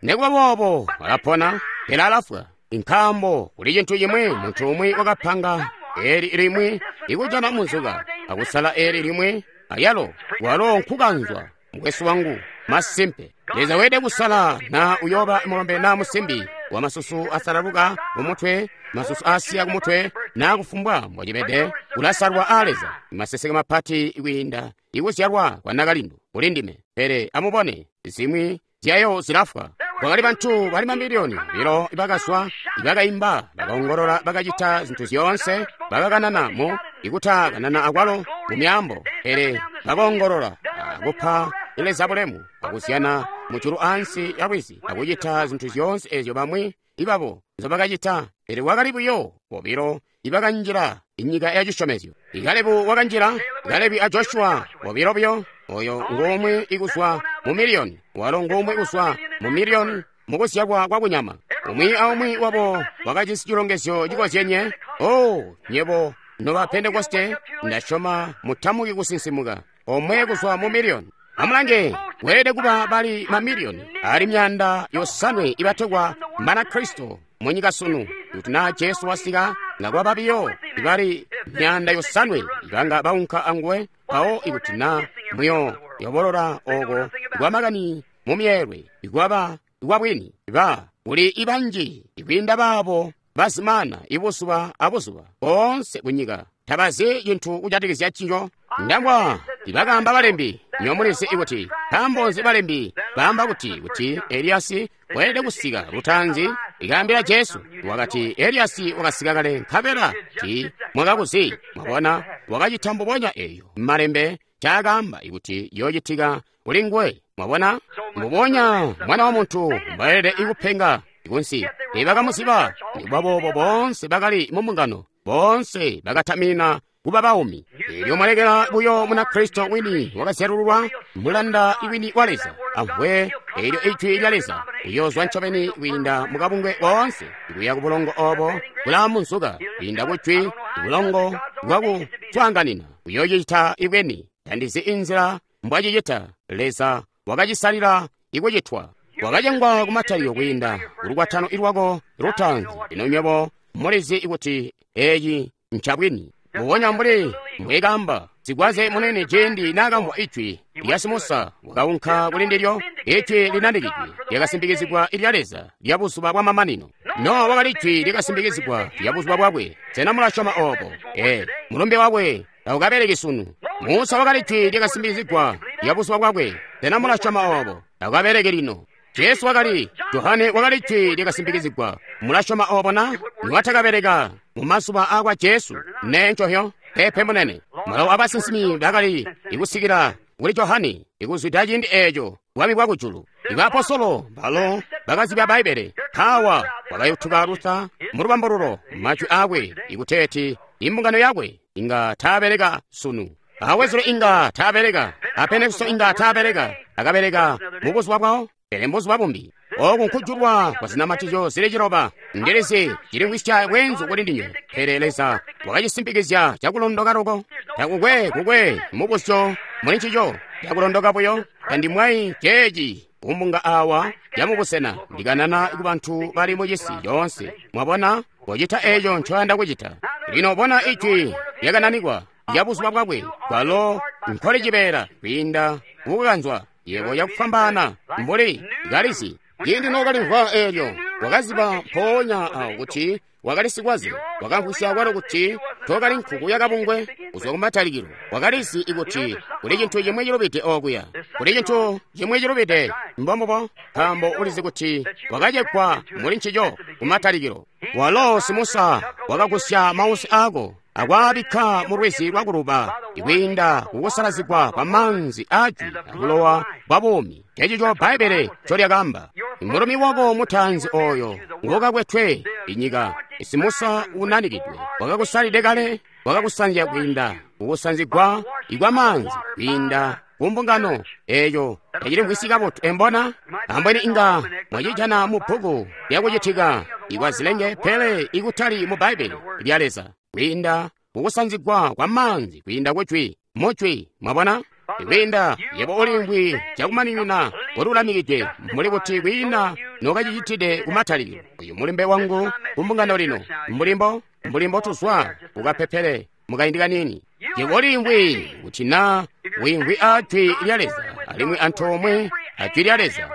Nikuba boobo alapona, pele alafwa. Nkaambo kuli cintu cimwi muntu umwi wakapanga eli limwi ikujana munzoka akusala eli limwi ayalo walo nkukanzwa. Mukwesu wangu, masimpe Leza weelede kusala na uyoba mulombe na musimbi wa masusu asalaluka kumutwe, masusu asiya kumutwe, na kufumbwa mbocibede, ulasalwa a Leza. Maseseke mapati kwiinda ikuzyalwa kwa nakalindu kuli ndime. Pele amubone zimwi zyayo zilafwa. Kwakali bantu bali mamiliyoni bilo ibakazwa, ibakaimba, bakaongolola, bakacita zintu zyoonse, bakakanana mu ikutakanana akwalo mu myaambo, pele bakoongolola akupa Leza bulemu, akuzyana mujulu ansi ya lwizi, akucita zintu zyoonse ezyo bamwi ibabo nzobakacita. Pele wakali buyo bobilo ibakanjila inyika ya cisyomezyo. Kalebu wakanjila, Kalebu a Joshua bobilo buyo, oyo ngumwi ikuzwa mu miliyoni, walo ngumwi ikuzwa mu miliyoni mukuzyalwa kwa kunyama. Umwi aumwi wabo wakajisi cilongezyo cikozyenye. Oh, nyebo noba Pentekoste, ndasyoma mutamuki kusinsimuka. Omwe kuzwa mu miliyoni. Amulange, weelede kuba bali mamiliyoni ali myanda yosanwe ibategwa Banakristo munyika sunu. Kuti naa Jesu wasika, ngakuba biyo ibali myanda yosanwe ibanga baunka anguwe. Mpawo ikuti naa muyo yobolola oko kwamakani mu myeelwe ikwaba ikwabwini, ba kuli ibanji ikwiinda baabo bazimana ibuzuba abuzuba boonse kunyika tabazi cintu kujatikizya ciyo. Ndamvwa tibakaamba balembi. Nyo mulizi kuti nkaambo nzi balembi baamba kuti kuti Eliasi weelede kusika lutaanzi? Ikaambila Jesu wakati Eliasi wakasika kale nkabela ti mwakakuzi. Mwabona, wakacita mbubonya eyo malembe caakaamba ikuti yoocitika kuli nguwe. Mwabona, mbubonya Mwana wa Muntu mbwaelede ikupenga kunsi. Teebakamuziba, nikuba boobo boonse bakali mu mbungano, boonse bakatamina kuba baumi. Elyo mwalekela buyo Munakristo wini wakazyalululwa, mulanda wini wa Leza, amvwe elyo ijwi lya Leza, uyoozwa ncobeni kwiinda mukabungwe koonse, kuya ku bulongo obo bulaamunzuka, kwiinda ku jwi, bulongo bwakuswaanganina, uyoocita ibweni. Tandizi inzila mbwacicita. Leza wakacisalila ikucitwa. Wakacengwa kumatalikilo kwiinda kulukwatano ilwako lutaanzi. Lino nywebo mulizi kuti eci ncabwini. Mbubonya mbuli mbwekaamba sikwaze munene ciindi naakamvwa ijwi lya Simusa, wakaunka kuli ndilyo. Ijwi linandikidwe lyakasimbikizigwa ilya Leza lya buzuba bwa mamanino. Nowa wakali ijwi lyakasimbikizigwa lya buzuba bwakwe. Sena mulasyoma obo? Ee, mulumbe wakwe taukabeleki sunu. Musa wakali ijwi lyakasimbikizigwa lya buzuba bwakwe. Sena mulasyoma obo? Taukabeleki lino. Jesu wakali, Johane wakali ijwi lyakasimbikizigwa. Mulasyoma obo na? Niwatakabeleka mu mazuba akwa Jesu. Nee ncohyo, pepe munene. Mulawo abasinsimi bakali ikusikila kuli Johane, ikuzwida ciindi eeco bwami bwa kujulu. Ibaapostolo balo bakazibya Bbaibbele. Mpaawa wakayutuka Luther mu lubambululo majwi aakwe ikuteeti imbungano yakwe inga taabeleka sunu. Awezule inga taabeleka, a Pentekoste inga taabeleka, akabeleka mu buzuba bwawo, pele mbuzuba bumbi. Oku nkujulwa kwa zinamatizyo zili ciloba. Ndilizi cilimvwisya bweenzu kuli ndinywe, pele Leza wakacisimpikizya cakulondoka loko. Takukwe kukwe mubuzyo muli ncico, cakulondoka buyo. Tandimwayi ceeci kumbunga awa yamubusena, ndikanana ku bantu bali mucisi coonse. Mwabona, kocita eeco ncoyanda kucita. Lino bona ijwi lyakananikwa lya buzuba bwakwe, kwalo nkoli cibeela kwiinda kukukanzwa yebo yakufwambaana mbuli kalizi. Ciindi nookalimvwa eelyo, wakaziba mpoonya awo kuti wakali sikwaze. Wakamvwisya kwalo kuti tookali nkuku yakabungwe kuzwa kumatalikilo. Wakalizi ikuti kuli cintu cimwi cilubide okuya, kuli cintu cimwi cilubide. Mbombubo, nkaambo ulizi kuti wakacekwa muli ncico kumatalikilo. Walo Simusa wakagusya mausi aako akwaabikka mu lwizi lwa kuluba ikwiinda kukusalazigwa kwa maanzi aajwi akulowa bwa buumi. Cecico Bbaibbele ncolyakaamba. Mulumi wako mutaanzi oyo ngokakwetwe inyika, Simusa unanikidwe, wakakusalide kale, wakakusanzya kwiinda kukusanzigwa ikwa maanzi kwiinda kumbungano eeyo. Tacilimvwisyi kabotu embona? Ambweni inga mwacijana mu bbuku lyakucitika ikwa zilenge, pele ikutali mu Bbaibbele lya Leza. Kwiinda kukusanzigwa kwa maanzi kwiinda kujwi mujwi. Mwabona, kwiinda yebo ulimvwi cakumaninina ululamikidwe mbuli kuti kwiina nokacicitide kumatalikilo. Uyu mulimbe wangu kumbungano lino, mbulimbo mbulimbo tuzwa kukapepele mukaindi kanini. Yebo ulimvwi kuti na wiimvwi a jwi lya Leza alimwi antoomwe a jwi lya Leza.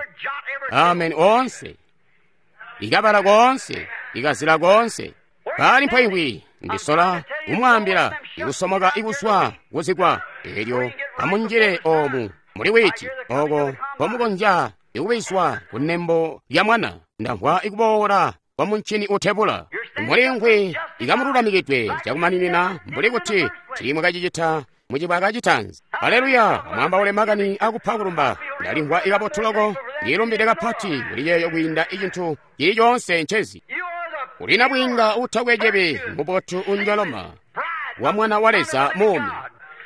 Amen. Oonse ikabala koonse ikazila koonse pali mpoimvwi. Ndisola kumwaambila ikusomoka ikuswa kuzigwa elyo amunjile omu muli witi oko mpomukonzya ikubiswa kunembo lya mwana. Ndamvwa ikuboola kwa muncini utebula. Mulimvwi ikamululamikidwe cakumaninina mbuli kuti tiimwakacicita mucibaka citanzi. Aleluya! Amwaambaule makani akupa kulumba. Ndalimvwa ikabotu loko, ndilumbide kapati kuli yeeyo kwiinda icintu cili coonse ncezi. Ulina bwiinga utakwe cibi, mubotu unjoloma wa mwana wa Leza muumi.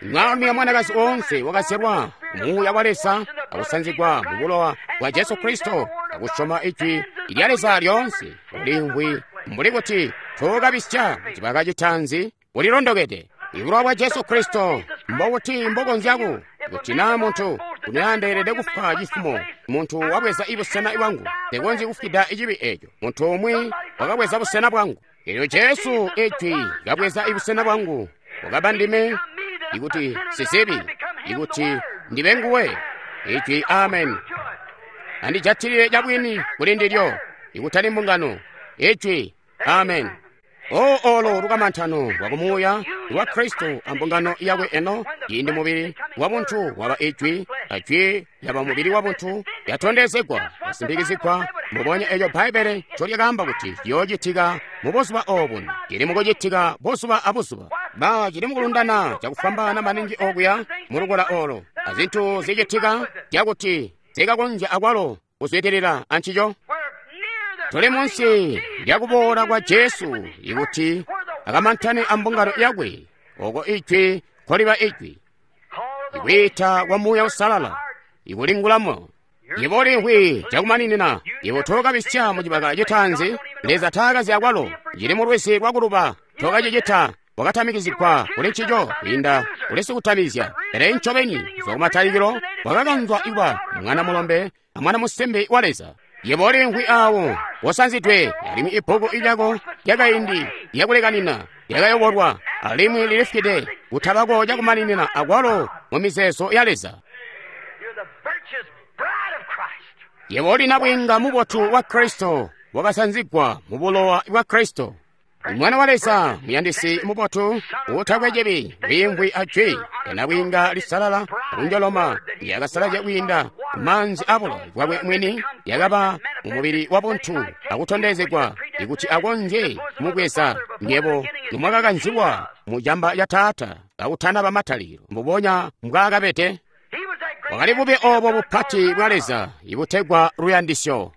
Mwaalumi a mwanakazi oonse wakazyalwa muuya wa Leza akusanzigwa mu bulowa bwa Jesu Kristo akusyoma ijwi lya Leza lyoonse. Ulimvwi mbuli kuti tookabisya mucibaka citanzi, ulilondokede. Ibulowa bwa Jesu Kristo mbokuti mbokonzyaku kuti naa muntu kunoyandeelede kufwa cifumo, muntu wabweza ibusena bwangu, tekonzyi kufwida icibi eeco. Muntu umwi wakabweza busena bwangu. Elyo Jesu ijwi kabweza ibusena bwangu, wakaba ndime ikuti sizibi, ikuti ndibe nguwe. Ijwi amen. Andijatilile cabwini kuli ndilyo, ikutali mbungano. Ijwi amen. O olo lukamantano lwa kumuuya lwa Kristo ambungano yakwe eno, ciindi mubili wa buntu waba ijwi, ajwi lyaba mubili wa buntu, yatondezegwa, yasimpikizigwa, mbubonya eco Bbaibbele ncolyakaamba kuti ciyoocitika mu buzuba obuno. Cili mukucitika buzuba abuzuba. Ba cili mukulundana cakufwambaana maningi okuya mu lukola olo, azintu zicitika cakuti zikakonzya akwalo kuzwidilila ancico. Tuli munsi lyakuboola kwa Jesu ikuti akamantane ambungano yakwe, oko ijwi nkoliba ijwi, ikwiita kwa Muuya Uusalala, ikulingulamo. Yebo ulimvwi cakumaninina, yebo tookabisya mu cibaka citaanzi, Leza taakazi akwalo, cili mu lwizi lwakuluba, tookacicita, wakatamikizigwa kuli ncico kwiinda kuli sikutamizya. Pele ncobeni kuzwa kumatalikilo wakakanzwa kuba mwana mulombe amwana musimbi wa Leza. Yebo ulimvwi awo wosanzidwe, alimwi ibbuku lyako lyakaindi lyakulekanina lyakayobolwa, alimwi lilifwide kutabako cakumaninina akwalo mu mizeezo ya Leza. Yebo uli nabwiinga mubotu wa Kristo, wakasanzigwa mu bulowa bwa Kristo. Mwana wa Leza muyandisi mubotu uutakwe cibi, wiimvwi ajwi nabwiinga lisalala kunjoloma lyakasalazya kwiinda maanzi abulowa bwakwe mwini, lyakaba mu mubili wa buntu akutondezegwa ikuti akonzye kumubweza nywebo nomwakakanzilwa mu camba ca Taata kakutanaba matalikilo, mbubonya mbwaakabede. Wakali bube obo bupati bwa Leza ibutegwa luyandisyo.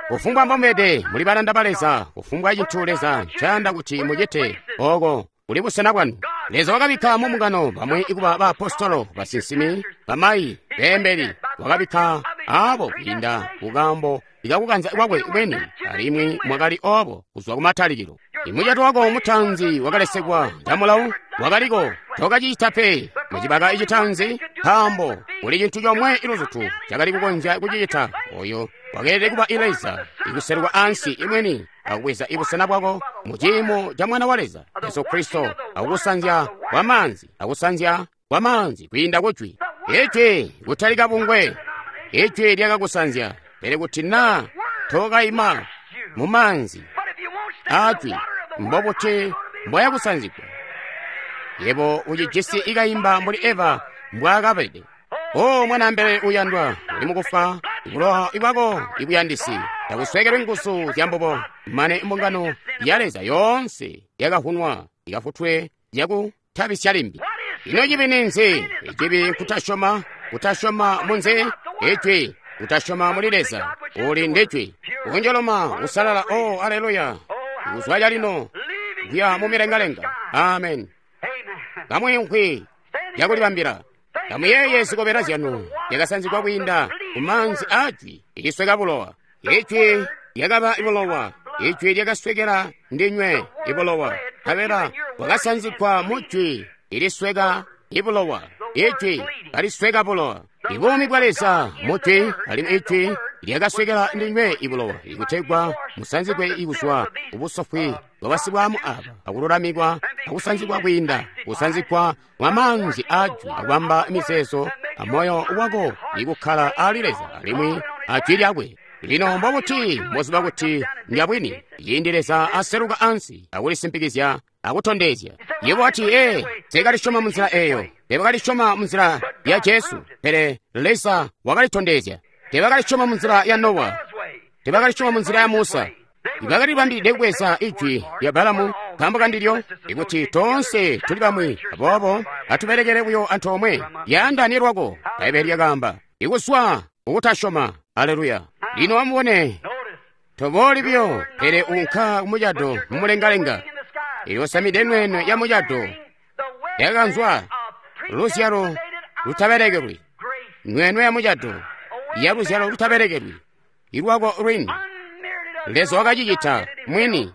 Kufumbwa mbomubede muli balanda ba Leza, kufumbwa cintu Leza ncayanda kuti mucite, oko kuli busena bwanu. Leza wakabikka mu mbungano bamwi kuba baapostolo, basinsimi, bamayi, beembeli. Wakabikka abo kwiinda kukaambo ikakukanza kwakwe kweni, alimwi mwakali obo kuzwa kumatalikilo. Imucato wako mutaanzi wakalesegwa camulawo wakaliko, tokacicita pe mucibaka icitaanzi, nkaambo kuli cintu comwe iluzutu cakali kukonzya kucicita, oyo wakeelede kuba Leza ikuseluka ansi imweni akubweza ibusena bwako mu ciimo ca Mwana wa Leza Jesu Kristo, akukusanzya kwa maanzi, akusanzya kwa maanzi kwiinda kujwi. Ijwi kutali kabungwe, ijwi lyakakusanzya. Pele kuti naa tokaima mu maanzi ajwi, mbobuti mbwayakusanzigwa? Yebo ucijisi ikaimba mbuli Eva mbwaakabede. O mwanaambele uyandwa, uli mukufa, bulowa bwako ibuyandisi takuswekelwe nguzu zya mbubo, mane mbungano ya Leza yoonse yakavunwa ikafutwe yakutabisya limbi. Ino cibi ninzi? Icibi nkutasyoma, kutasyoma munzi ijwi, kutasyoma muli Leza uli ndijwi. Kunjoloma kusalala, o aleluya, kuzwa calino kuya mu milengalenga. Amen. Kamwiimvwi yakulibambila. Amuyeeye zikobela zyanu lyakasanzigwa kwiinda ku maanzi aajwi ilisweka bulowa. Ijwi lyakaba ibulowa, ijwi lyakaswekela ndinywe ibulowa, nkabela bwakasanzigwa mu jwi ilisweka ibulowa. Ijwi kalisweka bulowa. Ibuumi bwa Leza mu jwi, alimwi ijwi lyakaswekela ndinywe ibulowa, ikutegwa musanzigwe ikuzwa kubusofwi bwabasibwamu aba, akululamikwa akusanzigwa kwiinda kusanzigwa mwa maanzi ajwi, akubamba mizeezo amoyo wako ikukkala ali Leza alimwi ajwi lyakwe. Lino mbobuti mboziba kuti ndyabwini? Ciindi Leza aseluka ansi akulisimpikizya akutondezya. Yebo wati, ee, teekalisyoma munzila eyo, teebakalisyoma munzila ya Jesu, pele Leza wakalitondezya. Teebakalisyoma munzila ya Nowa, teebakalisyoma munzila ya Musa. Bakalibambilide kubweza ijwi lya Balamu nkaambo kandilyo, ikuti toonse tuli bamwi, aboobo atubelekele buyo antoomwe. Yaandane lwako, Bbaibbele lyakaamba, ikuzwa kukutasyoma. Aleluya. Lino amubone, tobooli buyo, pele unka kumucado mumulengalenga. Ilyosamide nweenwe ya mucado yakakanzwa luzyalo lutabelekelwi, nweenwe ya mucado ya luzyalo lutabelekelwi, ilwako lwini. Leza wakacicita mwini.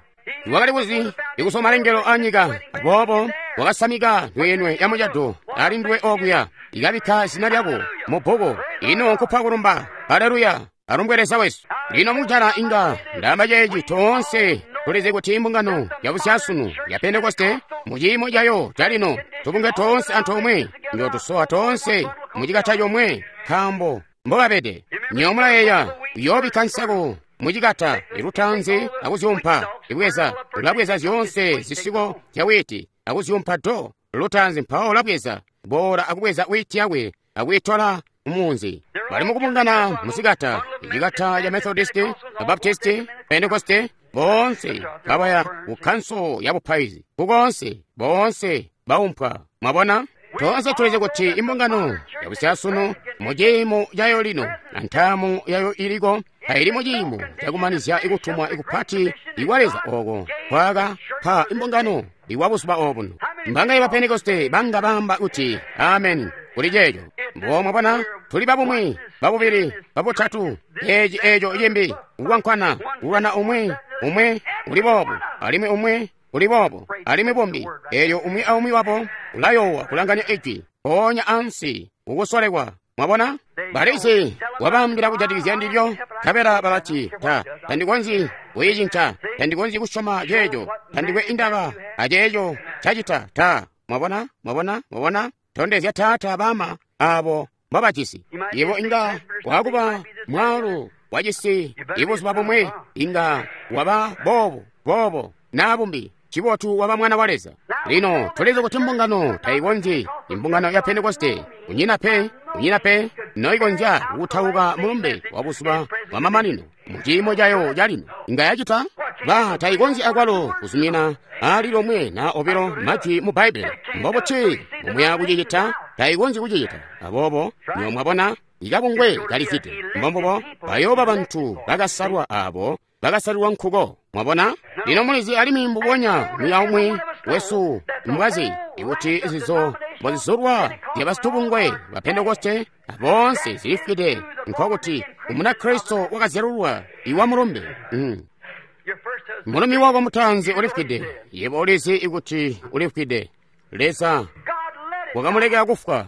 Wakali kuzi ikusoma malengelo a nyika, aboobo wakasamika nweenwe ya mucado ali nduwe okuya, ikabikka zina lyako mu bbuku. Ino nkupa kulumba. Aleluya. Alumbwe Leza wesu. Lino mujala inga ndaamba ceeci, toonse tulizi kuti imbungano yabusyasunu ya Pentekoste muciimo cayo calino, tubunge toonse antoomwe, njotusowa toonse mucikata comwe, nkaambo mbobabede. Nywebo mulayeeya, uyoobikka nsaku mucikata ilutaanzi akuzyumpa. Ibweza ulabweza zyoonse zisiko zya wiiti akuzyumpa do lutaanzi, mpawo ulabweza boola akubweza wiiti yakwe akuyitola mumunzi. Bali mukubungana muzikata, icikata ca Methodisti, Baptisti, Pentekoste, boonse kabaya ku kanso ya bupaizi, kukonse boonse baumpwa. Mwabona? Toonse tulizi kuti imbungano yabusyasunu mu ciimo cayo lino na ntaamu yayo iliko taili mu ciimo cakumanizya ikutumwa ikupati ikwa Leza oko kwaka pa imbungano ikwa buzuba obuno. Mbanga ba Pentekoste banga bamba kuti amen kuli ceeco. Mbo mwabona, tuli babumwi, babubili, babutatu, eci eco cimbi, kukwankwana, kulwana umwi, umwi uli boobo, alimwi umwi uli boobo, alimwi bumbi. Elyo umwi aumwi wabo ulayoowa kulanganya ijwi, mpoonya ansi kukusolekwa. Mwabona? Balizi wabaambila kujatikizya ndilyo, nkabela balati, ta, tandikonzyi kuyicinca, tandikonzyi kusyoma ceeco, tandikwe indaba aceeco cacita, ta. Mwabona? Mwabona? Mwabona? Tondezya taata bama abo mbabajisi. Ibo inga wakuba mwaalu wacisi ibuzuba bumwe, inga waba boobo, boobo, naa bumbi. Cibotu waba mwana wa Leza. Lino tulizi kuti mbungano taikonzyi, imbungano ya Pentekoste kunyina pe, kunyina pe noikonzya kutauka mulumbe wa buzuba bwa mamanino mu ciimo cayo calino. Inga yacita? Ba taikonzyi akwalo kuzumina ali lomwe na obilo majwi mu Bbaibbele. Mbobuti mumuya kucicita? Taikonzyi kucicita. Aboobo nyo mwabona ikabungwe kalifide. Mbombubo bayooba bantu bakasalwa abo bakasalilwa nkuko. Mwabona? Lino mulizi alimwi mbubonya umwi aumwi wesu mbwazi ikuti izizo mbozizulwa zya basitubungwe ba Pentekoste aboonse zilifwide, nkokuti Umunakristo wakazyalulwa iwa mulumbe. Mm. Mulumi wako mutaanzi ulifwide. Yebo ulizi ikuti ulifwide. Leza wakamulekela kufwa.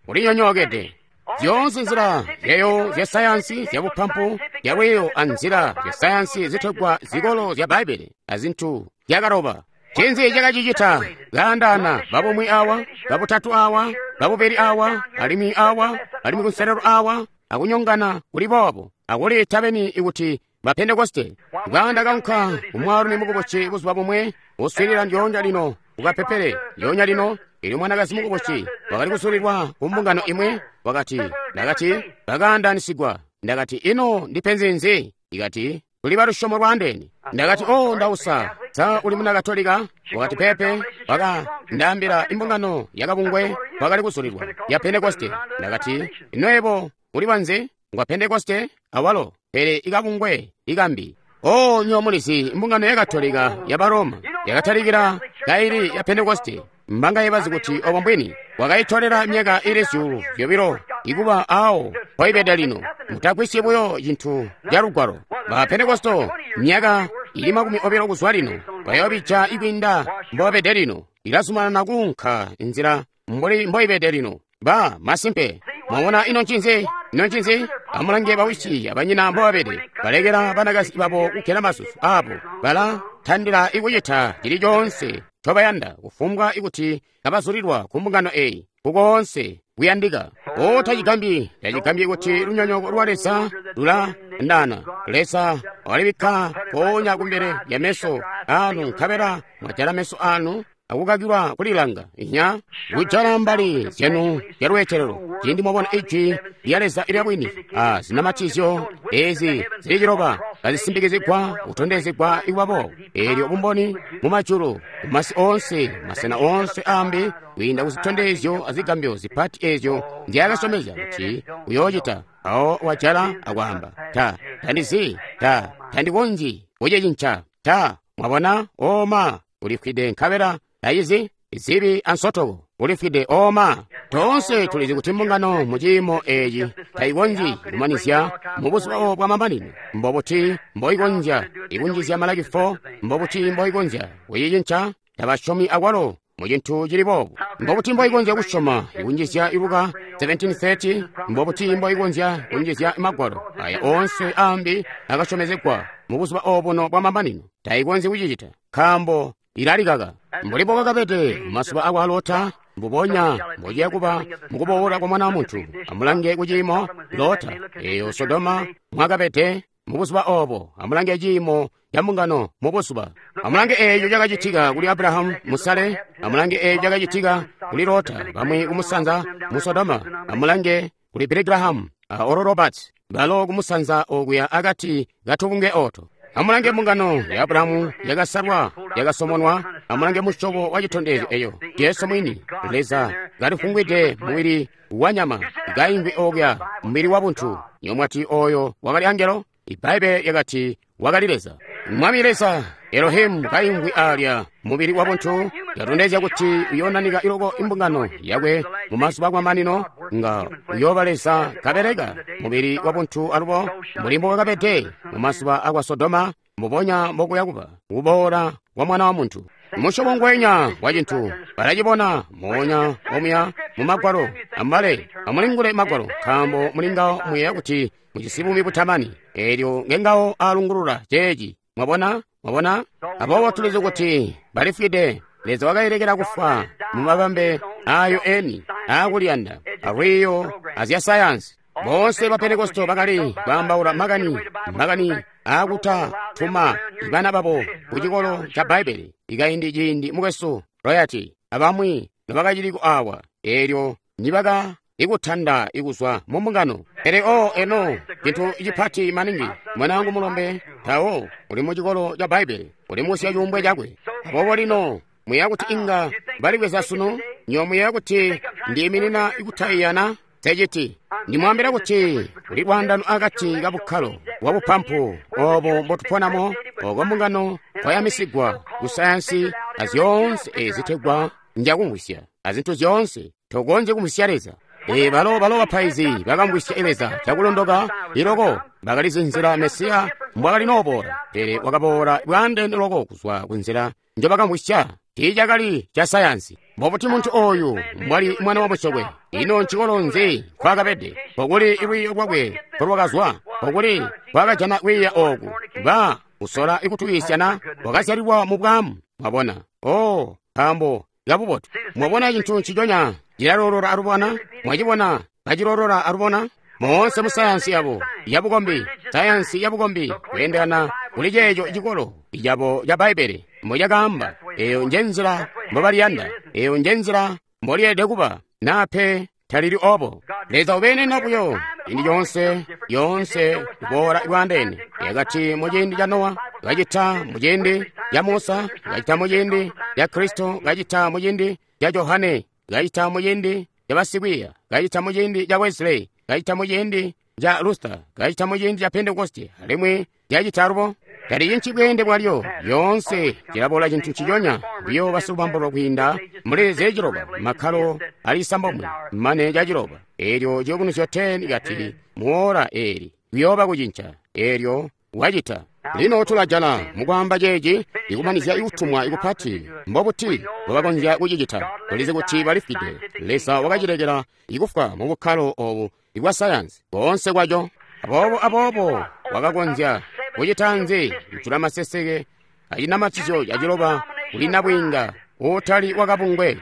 Ulinyonyookede. Zyoonse nzila zyayo zya sayansi zya bupampu zyalwiyo anzila zya sayansi zitegwa zikolo zya Bbaibbele azintu zyakaloba. Ncinzi cakacicita? Kaandaana babumwi awa, babutatu awa, babubili awa, alimwi awa, alimwi kunselelo awa, akunyongana kuli boobo, akuliita beni ikuti ba Pentekoste. Bwaanda kaunka kumwaalumi mukubusi buzuba bumwe, uswiilila ndyoonya lino kukapepele ndyoonya lino. Elyo mwanakazi mukubusi wakali kusulilwa ku mbungano imwe, wakati, ndakati, bakaandaanisigwa. Ndakati, ino ndipenzi nzi? Ikati, tuli balusyomo lwaandeene. Ndakati, oh, ndausa, sa uli muna Katolika? Wakati, pepe. Waka ndaambila imbungano yakabungwe wakali kusulilwa ya Pentekoste. Ndakati, ino yebo uli wanzi? Ngwa Pentekoste awalo, pele ikabungwe ikambi. Oh, nyo mulizi imbungano ya Katolika ya Baroma yakatalikila kaili ya Pentekoste. Mbanga yebazi kuti obo mbwini wakaitolera myaka ili zyuulu zyobilo ikuba awo mpoibede lino. Mutagwisye buyo cintu ca lugwalo. Ba Pentekosto myaka ili makumi obilo kuzwa lino bayoobija ikwiinda mbobabede lino. Ilazumanana kuunka nzila mbuli mboibede lino. Ba masimpe. Mwabona ino ncinzi? Ino ncinzi? Amulange bawisi abanyina mbobabede. Balekela banakazi babo kugela masusu abo. Bala tandila ikucita cili coonse ncobayanda kufumbwa ikuti kabazulilwa ku mbungano eyi kukoonse kuyandika. O tacigambyi, tacigambyi kuti lunyonyooko lwa Leza lulandana. Leza walibikka mpoonya kumbele lya meso anu, nkabela mwajala meso anu akukakilwa kulilanga. Inya kujala mbali zyanu zyalweetelelo ciindi mwabona ijwi lya Leza ilya bwini a zinamatizyo ezi zili ciloba kazisimbikizigwa kutondezegwa ikwabo. Eelyo bumboni mumajulu mumasi oonse masena oonse ambi kwiinda kuzitondezyo azigambyo zipati ezyo nzyaakasyomezya kuti uyoocita. Awo wajala akwaamba, ta tandizi, ta tandikonzyi kucicinca, ta. Mwabona? Oma ulifwide nkabela tayizi zibi ansotoko ulifwide. Oma toonse tulizi kuti mbungano mu ciimo eci tayikonzyi kumanizya mu buzuba bwa mamanino. Mbobuti mboikonzya ikunjizya Malaki four? Mbobuti mboikonzya kuyicinca? Tabasyomi akwalo mu cintu cili boobu. Mbobuti mboikonzya kusyoma ikunjizya Luka seventeen thirty? Mbobuti mboikonzya kunjizya magwalo aya oonse ambi akasyomezegwa mu buzuba obuno bwa mamanino? Tayikonzyi kucicita nkaambo ilalikaka. Mbuli bwakabede mumazuba akwa Lota, mbubonya mbociya kuba mukuboola kwa Mwana wa Muntu. Amulange kuciimo Lota eyo Sodoma mwakabede mu buzuba obo. Amulange ciimo ca mbungano mu buzuba. Amulange eeco cakacitika kuli Abrahamu musale. Amulange eeco cakacitika kuli Lota, bamwi kumusanza mu Sodoma. Amulange kuli Billy Graham a Oral Roberts, balo kumusanza okuya akati katubunge oto. Amulange mbungano ya Abrahamu yakasalwa, yakasomonwa. Amulange musyobo wa citondezyo eyo Jesu mwini, Leza kalifungwide mubili wa nyama, kaimvwi okuya mubili wa buntu. Nyomwati oyo wakali angelo? Ibaibbele yakati wakali Leza. Mwami Leza Elohimu kaimvwi alya mubili wa buntu, yatondezya kuti uyonanika iloko imbungano yakwe mu mazuba amamanino, nga uyooba Leza kabeleka mubili wa buntu alubo mbuli mbowakabede mu mazuba akwa Sodoma, mbubonya mbokuya kuba kuboola kwa Mwana wa Muntu. Musyobo ngwenya wa cintu balacibona moonya omuya mu Magwalo. Amubale, amulingule Magwalo, nkaambo mulingawo muyeeya kuti mujisi buumi butamani. Eelyo ngengawo alungulula ceeci. Mwabona? Mwabona? Aboobo tulizi kuti balifwide. Leza wakailekela kufwa mu mabambe ayo eni aakuliyanda, alwiiyo azya sayansi. Boonse ba Pentekoste bakali kwaambaula makani makani aakutatuma bana babo ku cikolo ca Bbaibbele. Ikaindi ciindi mukwesu Royati abamwi nobakaciliko awa, eelyo nibaka ikutanda ikuzwa mu mbungano. Pele o eno cintu cipati maningi, mwanaangu mulombe tawo uli mu cikolo ca Bbaibbele, uli musya cuumbwe cakwe. Aboobo lino muyeeya kuti inga balibweza sunu? Nyo muyeeya kuti ndiiminina ikutaiyana? Sechiti ndimwambira kuti kuli lwaandano akati ka bukkalo bwa bupampu obo mbotuponamo, oko mbungano kwayamisigwa ku sayansi azyoonse ezitegwa njakumvwisya, azintu zyoonse tokonzye kumvwisya Leza. E balo balo bapaizi bakamvwisya Leza cakulondoka iloko, bakalizi nzila Mesiya mbwakali nooboola, pele wakaboola bwaandeene loko kuzwa ku nzila njobakamvwisya. Tiicakali ca sayansi. Mbobuti muntu oyu mbwali mwana wa musokwe? Ino ncikolo nzi nkwakabede? Nkokuli lwiiyo lwakwe nkolwakazwa? Nkokuli nkwakajana kwiiya ooku? Ba kusola ikutuyiisyana wakazyalilwa mu bwaamu. Mwabona? Oh, nkaambo kabubotu. Mwabona cintu nciconya cilalolola alubona? Mwacibona kacilolola alubona? Moonse mu sayansi yabo yabukombi, sayansi yabukombi kweendelana kuli ceeco cikolo cabo ca Bbaibbele mbocakaamba. Eyo nje nzila mbobaliyanda, eyo nje nzila mbolyeelede kuba, naa pe talili obo. Leza ubeenena buyo ciindi coonse, yoonse kuboola bwaandeene. Yakati mu ciindi ca Nowa, kacita mu ciindi ca Musa, kacita mu ciindi ca Kristo, kacita mu ciindi ca Johane, kacita mu ciindi ca basikwiiya, kacita mu ciindi ca Wesley, kacita mu ciindi ca Luther, kacita mu ciindi ca Pentekoste, alimwi cacita alubo. Talicinci bweende bwalyo, lyoonse cilaboola cintu nciconya. Biyo basilubambulo kwiinda muli zyaciloba, makkalo ali isambomwe mane caciloba. Eelyo ciyubunuzyo ten kati muora eeli kuyooba kucinca. Eelyo wacita. Lino tulajana mukwaamba ceeci ikumanizya ikutumwa ikupati. Mbobuti mbobakonzya kucicita? Tulizi kuti balifwide. Leza wakacilekela ikufwa mu bukkalo obu ibwa sayansi boonse kwaco. Aboobo aboobo wakakonzya kucita nzi? Kujula maseseke acinamatizyo caciloba kuli nabwiinga uutali wakabungwe.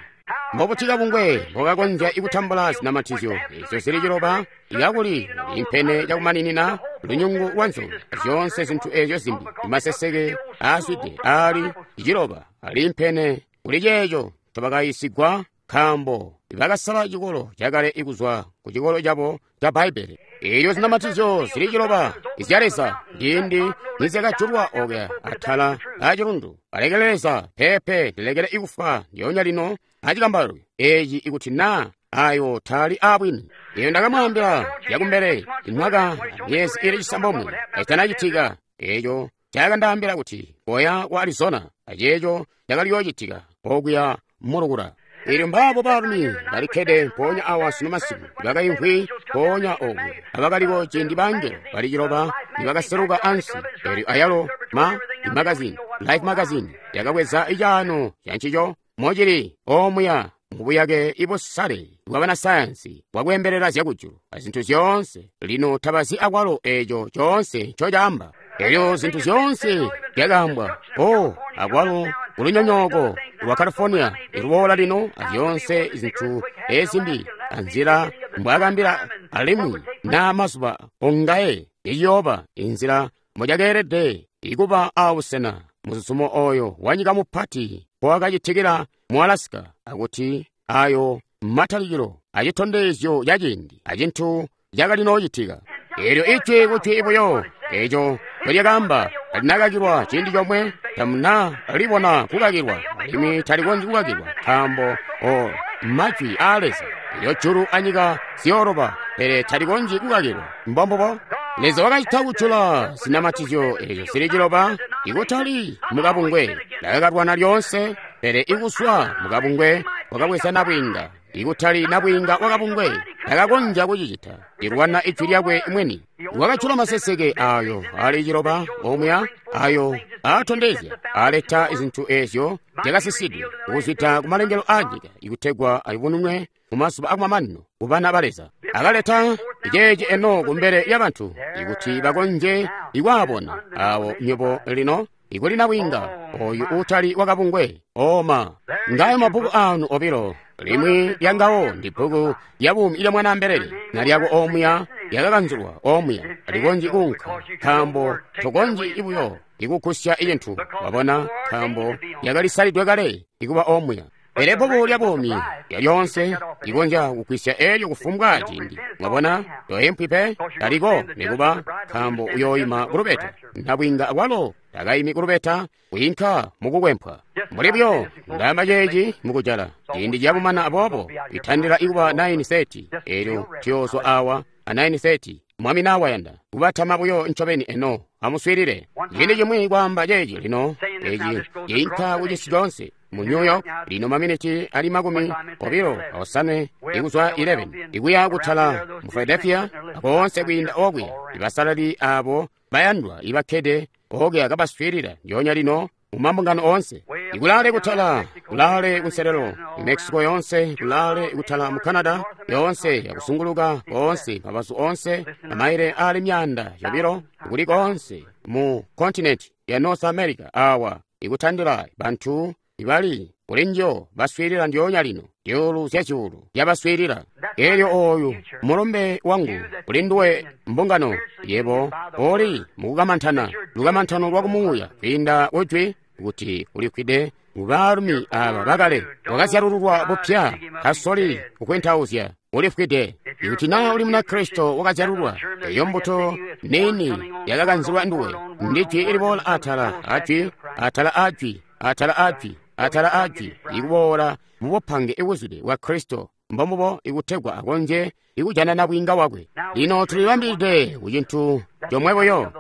Mbobuti kabungwe mbokakonzya ikutambula zinamatizyo ezyo zili ciloba ikakuli impene cakumaninina lunyungu lwa nzoka, zyoonse zintu ezyo zimbi, maseseke aazwide aali ciloba ali impene kuli ceeco ncobakayiisigwa, nkaambo bakasala cikolo cakale ikuzwa ku cikolo cabo ca Bbaibbele. Eelyo zinamatizyo zili ciloba izya Leza ciindi nizyakajulwa okuya atala acilundu. Alekele Leza, peepe, ndilekele ikufwa ndyoonya lino acikambalwe eeci ikuti naa ayo taali aabwini. Eyo ndakamwaambila zyakumbele imwaka myezi ili cisambomwe kacitanacitika. Eeco cakandaambila kuti koya ku Arizona, aceeco cakaliyoocitika okuya mulukula. Eelyo mbaabo baalumi balikkede mpoonya awa sunu masiku, bakaimvwi mpoonya oku, abakaliko ciindi bangelo bali ciloba nibakaseluka ansi. Eelyo ayalo ma magazini, Life magazine, yakabweza icaano cancico mocili omuya mubuyake ibusale bwa banasayansi bwakweembelela zyakujulu azintu zyoonse. Lino tabazi akwalo eeco coonse ncocaamba. Eelyo zintu zyoonse zyakaambwa, oh, akwalo kulunyonyooko lwa California iluboola lino, azyoonse zintu ezimbi anzila mbwaakambila alimwi na mazuba ongaye iyooba inzila mbocakeelede ikuba aabusena muzuzumo oyo wanyika mupati mpowakacitikila mu Alaska, akuti ayo matalikilo acitondezyo ca ciindi acintu cakalinoocitika. Eelyo ijwi kujwi buyo eco ncolyakaamba talinakakilwa ciindi comwe, tamuna libona kukakilwa, alimwi talikonzyi kukakilwa, nkaambo o majwi aa Leza. Elyo julu anyika ziyooloba, pele talikonzyi kukakilwa. Mbombubo Leza wakacita kujula zinamatizyo ezo zili ciloba, ikutali mukabungwe lakakalwana lyoonse, pele ikuswa mukabungwe wakabweza nabwiinga, ikutali nabwiinga wakabungwe takakonzya kucicita, ilwana ijwi lyakwe mwini. Wakajula maseseke ayo ali ciloba omwe ayo aatondezya aleta izintu ezyo zyakasisidwe kuzwida kumalengelo a nyika ikutegwa ayubununwe mumazuba akumamanino kubana ba Leza. Akaleta ceeci eno kumbele lyabantu ikuti bakonzye ikwaabona awo nywebo lino ikuli nabwiinga oyu uutali wakabungwe. Oma ngayo mabbuku anu obilo, limwi lyangawo ndi bbuku lya buumi ilya mwanaambelele, na lyako omuya lyakakanzulwa omuya likonzyi kuunka, nkaambo tokonzyi ibuyo ikugusya icintu, wabona, nkaambo lyakalisalidwe kale ikuba omuya. Pele bbuku lya buumi lyalyonse likonzya kugwisya elyo kufumbwa ciindi, mwabona, toyempwi pe, taliko nikuba, nkaambo uyooyima kulubeta. Nabwiinga akwalo takaimi kulubeta, kwiinka mukukwempwa. Mbuli buyo ndaamba ceeci mukujala, ciindi ciyabumana aboobo itandila ikuba nine thirty, elyo tuyoozwa awa a nine thirty. Mwami nawayanda kubatama buyo ncobeni eno. Amuswiilile ciindi cimwi kwaamba ceeci lino, eci ciinka kucisi coonse mu New York lino maminiti ali makumi obilo osanwe ikuzwa eleven ikuya kutala mu Philadelphia akoonse kwiinda okuya. Ibasalali abo bayandwa ibakkede okuya kabaswiilila ndyoonya lino mu mambungano oonse, ikulale kutala, kulale kunselelo mu Mexico yonse, kulale kutala mu Canada yonse, akusunguluka koonse mabazu onse amaile ali myaanda yobilo kuli koonse mu kontinenti ya North America awa ikutandila bantu ibali kulinjo baswiilila ndyoonya lino, zyuulu zya zyuulu zyabaswiilila. Elyo oyu mulumbe wangu kuli nduwe mbungano, yebo oli mukukamantana, lukamantano lwa kumuuya kwiinda kujwi kuti ulikwide mubaalumi aba bakale, wakazyalululwa bupya, kasoli kukwentauzya, ulifwide. Ikuti naa uli Munakristo wakazyalulwa, eyo mbuto nini yakakanzilwa nduwe, ndi jwi iliboola atala ajwi, atala ajwi, atala ajwi, atala ajwi, ikuboola mubupange ibuzwide bwa Kristo, mbombubo ikutegwa akonzye ikujana nabwiinga wakwe. Lino tulibambilide ku cintu comwe buyo,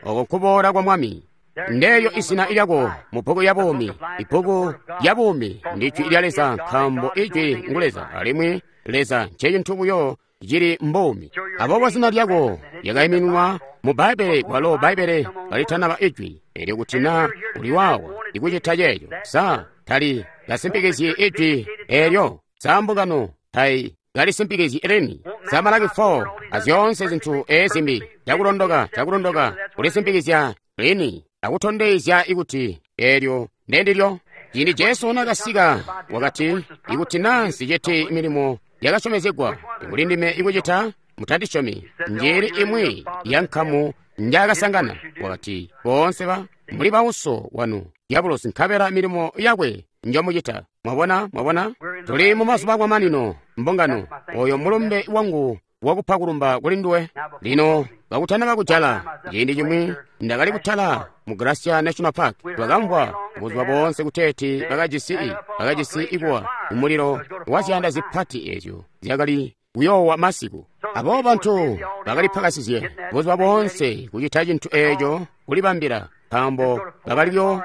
oko nkuboola kwa Mwami. Ndeyo izina lyako mu bbuku ya buumi. Ibbuku lya buumi ndi jwi lya Leza, nkaambo ijwi ngu Leza, alimwi Leza ncecintu buyo cili mbuumi. Aboobo zina lyako lyakaiminwa mu Bbaibbele, kwalo Bbaibbele kalitanaba ijwi. Elyo kuti naa uli waawa ikucita ceeco, sa tali kasimpikizyi ijwi eelyo? Sa mbungano tai kalisimpikizyi lini? Sa Malaki four azyoonse zintu ezimbi cakulondoka, cakulondoka kulisimpikizya lini akutondezya ikuti eelyo ndendilyo. Ciindi Jesu nakasika wakati, ikuti naa nsiciti milimo yakasyomezegwa kuli ndime ikucita, mutandisyomi. Njili imwi ya nkamu njaakasangana, wakati, boonse ba muli bauso wanu diabulosi, nkabela milimo yakwe njomucita. Mwabona, mwabona, tuli mu mazuba akumamanino mbungano. Oyo mulumbe wangu wakupa kulumba kuli nduwe. Lino kakutanaba kujala, ciindi cimwi ndakali kutala mu Glacier National Park, twakamvwa buzuba boonse kuteeti bakajisi bakajisi ikuwa umulilo wa ziyanda zipati ezyo zyakali kuyoowa masiku. Aboobo bantu bakalipakasizye buzuba boonse kucita cintu eeco kulibambila, nkaambo bakalyo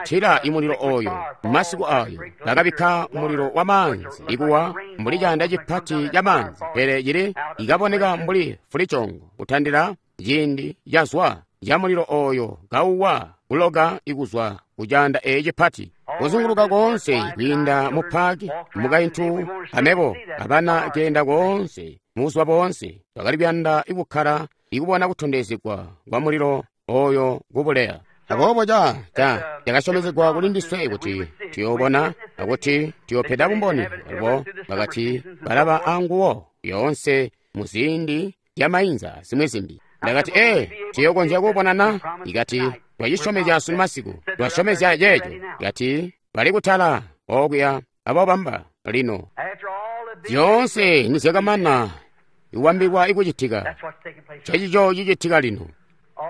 tila imulilo oyo masiku ayo. Bakabikka umulilo wa maanzi ikuwa mbuli caanda cipati ca maanzi, pele cili ikaboneka mbuli fulicongo kutandila ciindi cazwa ca mulilo oyo kauwa kuloka ikuzwa kucaanda eeci cipati kuzunguluka koonse kwiinda mu paaki. Mukaintu amebo abana keenda koonse mubuzuba boonse, twakali kuyanda ikukkala ikubona kutondezegwa kwa mulilo oyo kubuleya. Aboobo ca ca cakasyomezegwa kuli ndiswe kuti tuyoobona akuti tuyoopeda bumboni. Alubo bakati balaba anguwo yoonse muziindi zyamainza zimwi zimbi. Ndakati, ee, tuyokonzya kuubonana? Ikati, twacisyomezya sunu masiku, twasyomezya ceeco. Ikati, bali kutala okuya abobamba lino. Zyoonse nizyakamana ikubambilwa ikucitika, cecico cicitika lino.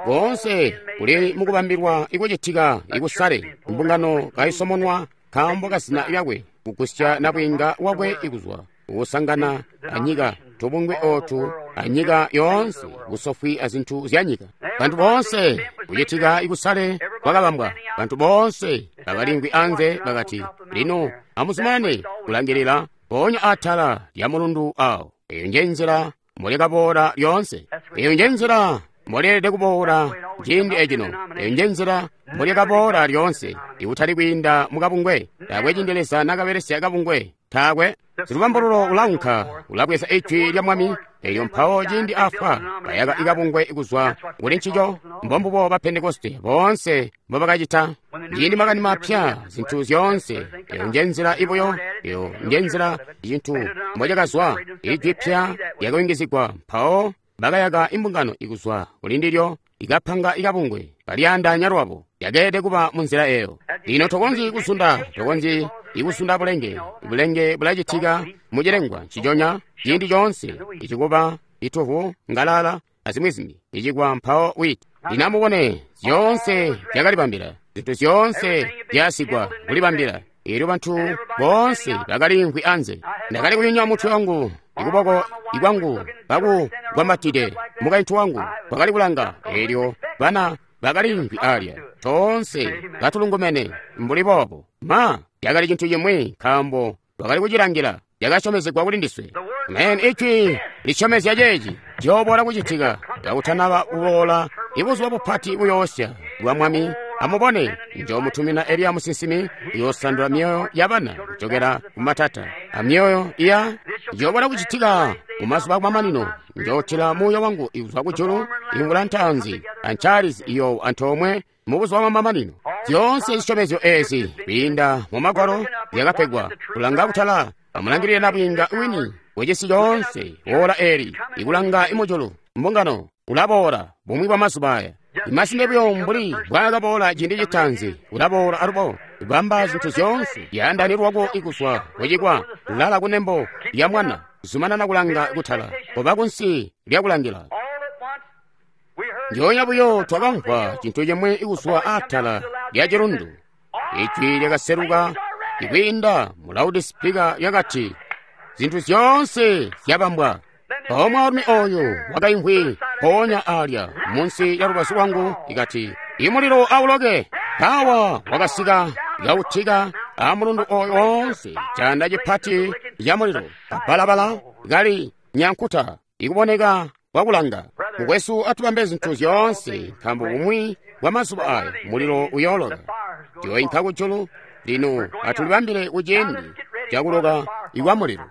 Boonse kuli mukubambilwa ikucitika ikusale mbungano kaisomonwa nkaambo kazina lyakwe, kugusya nabwiinga wakwe ikuzwa kusangana anyika, tubungwe otu anyika yoonse, busofwi azintu zya nyika. Bantu boonse kucitika ikusale kwakabambwa. Bantu boonse bakalingwi anze bakati, lino amuzumanane kulangilila mpoonya atala lya mulundu awo. Eyo nje nzila mbolyakaboola lyoonse. Eyo nje nzila mbolyelede kuboola ciindi ecino. Eyo nje nzila mbolyakaboola lyoonse, ikutali kwiinda mukabungwe. Taakwe ciindi Leza nakabelesya kabungwe. Taakwe. Silubambululo ulaunka, ulabweza ijwi lya Mwami, elyo mpawo ciindi afwa bayaka ikabungwe kuzwa kuli ncico. Mbombubo ba Pentekoste boonse mbobakacita. Ciindi makani mapya, zintu zyoonse. Eyo nje nzila ibuyo, eyo nje nzila cintu mbocakazwa. Ijwi pya lyakayungizigwa, mpawo bakayaka imbungano ikuzwa kuli ndilyo, ikapanga ikabungwe, kalyaandaanya lwabo. Yakeelede kuba munzila eyo. Lino tokonzyi kusunda, tokonzyi ikusunda bulenge. Bulenge bulacitika mucilengwa nciconya ciindi coonse, icikuba, ituvu, ngalala, azimwi zimbi, icikwa mpawo witi. Lino amubone, zyoonse zyakalibambila, zintu zyoonse zyasigwa kulibambila. Elyo bantu boonse bakaliimvwi anze. Ndakali kunyunya mutwe wangu, ikuboko ikwangu kakugwambatide mukaintu wangu wakali kulanga. Elyo bana bakaliimvwi alya, toonse katulungumene mbuli boobo. Ma, yakali cintu cimwi, nkaambo twakali kucilangila. Yakasyomezegwa kuli ndiswe. Amen. Ijwi lisyomezya ceeci ciyooboola kucitika kakutanaba kuboola ibuzuba bupati buyoosya bwa Mwami. Amubone, njoomutumina Eliya musinsimi, uyoosandula myoyo yabana kujokela kumatata amyoyo iya. Njooboola kucitika mumazuba akumamanino, njootila muuya wangu ikuzwa kujulu, imvula ntaanzi ancaalizi iyo antoomwe mubuzuba bwamamanino. Zyoonse zisyomezyo ezi kwiinda mu Magwalo zyakapegwa kulanga kutala. Amulangilile nabwiinga wini wecisi coonse woola eli ikulanga imujulu mbungano ulaboola bumwi bwa mazuba aya. Imasinde buyo mbuli bwakaboola ciindi citaanzi, ulaboola alubo bamba zintu zyoonse. Yaandani lwako ikuzwa kucikwa, lala kunembo lya mwana, zumanana kulanga kutala, koba kunsi lyakulangila. Njoonya buyo twakamvwa cintu cimwi ikuzwa atala lya cilundu. Ijwi lyakaseluka ikwiinda mu loudspeaker lyakati, zintu zyoonse zyabambwa. Mpawo mwaalumi oyu wakaimvwi mpoonya alya munsi lya lubazu lwangu ikati, imulilo auloke. Mpawa wakasika kautika amulundu oyu woonse, canda cipati ca mulilo, kabalabala kali nyankuta ikuboneka kwakulanga. Mukwesu, atubambe zintu zyoonse, nkaambo bumwi bwa mazuba aya mulilo uyooloka. Tuyoinka kujulu. Lino atulibambile kuciindi cakuloka ikwa mulilo.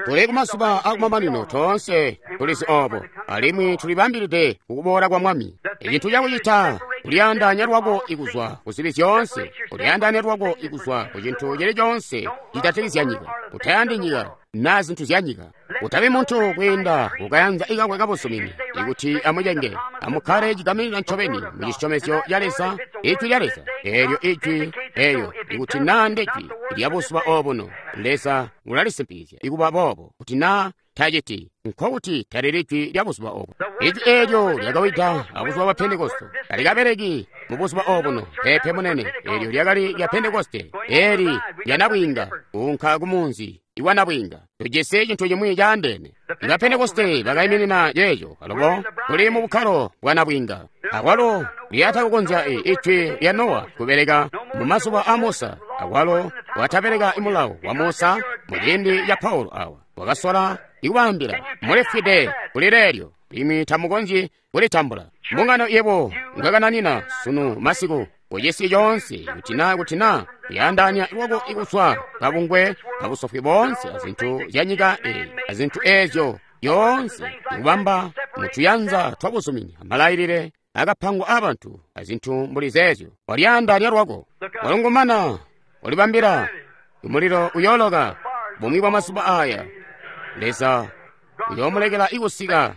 Tuli kumazuba akumamanino, toonse tulizi obo, alimwi tulibambilide kukuboola kwa Mwami. Icintu cakucita kulyaandaanya lwako ikuzwa kuzibi zyoonse, kulyaandaanya lwako ikuzwa ku cintu cili coonse citatikizya nyika. Utayandi nyika na zintu zya nyika. Utabi muntu kwiinda kukayanza ikakwe kabuzumini ikuti amucenge. Amukkale cigaminina ncobeni mu cisyomezyo ca Leza, ijwi lya Leza. Eelyo ijwi eyo ikuti naa ndejwi lya buzuba obuno, Leza ulalisimpikizya ikuba boobo. Kuti naa taciti, nkokuti talili ijwi lya buzuba obo. Ijwi eelyo lyakawida abuzuba bwa Pentekoste, talikabeleki mu buzuba obuno. Peepe munene, eelyo lyakali lya Pentekoste, eli lya nabwiinga kuunka kumunzi iwa nabwiinga. Tujisi cintu cimwi caandeene. Iba Pentekoste bakaiminina ceeco, alubo tuli mu bukkalo bwa nabwiinga. Akwalo lyatakukonzya ijwi lya Nowa kubeleka mu mazuba a Musa, akwalo watabeleka imulawo wa Musa mu ciindi ca Paulo awa. Wakasola ikubaambila, mulifwide kuli leelyo, limwi tamukonzyi kulitambula. Mbungano yebo ngakananina sunu masiku kucisi coonse, kuti na kuti na kuyaandaanya lwako ikuzwa kabungwe kabusofwi boonse azintu zya nyika eyi, azintu eezyo yoonse ikubamba mutuyanza twabuzumini amalailile akapangwa aabantu azintu mbuli zeezyo. Walyaandaanya lwako, walungumana, ulibambila umulilo uyooloka bumwi bwa mazuba aya. Leza uyoomulekela ikusika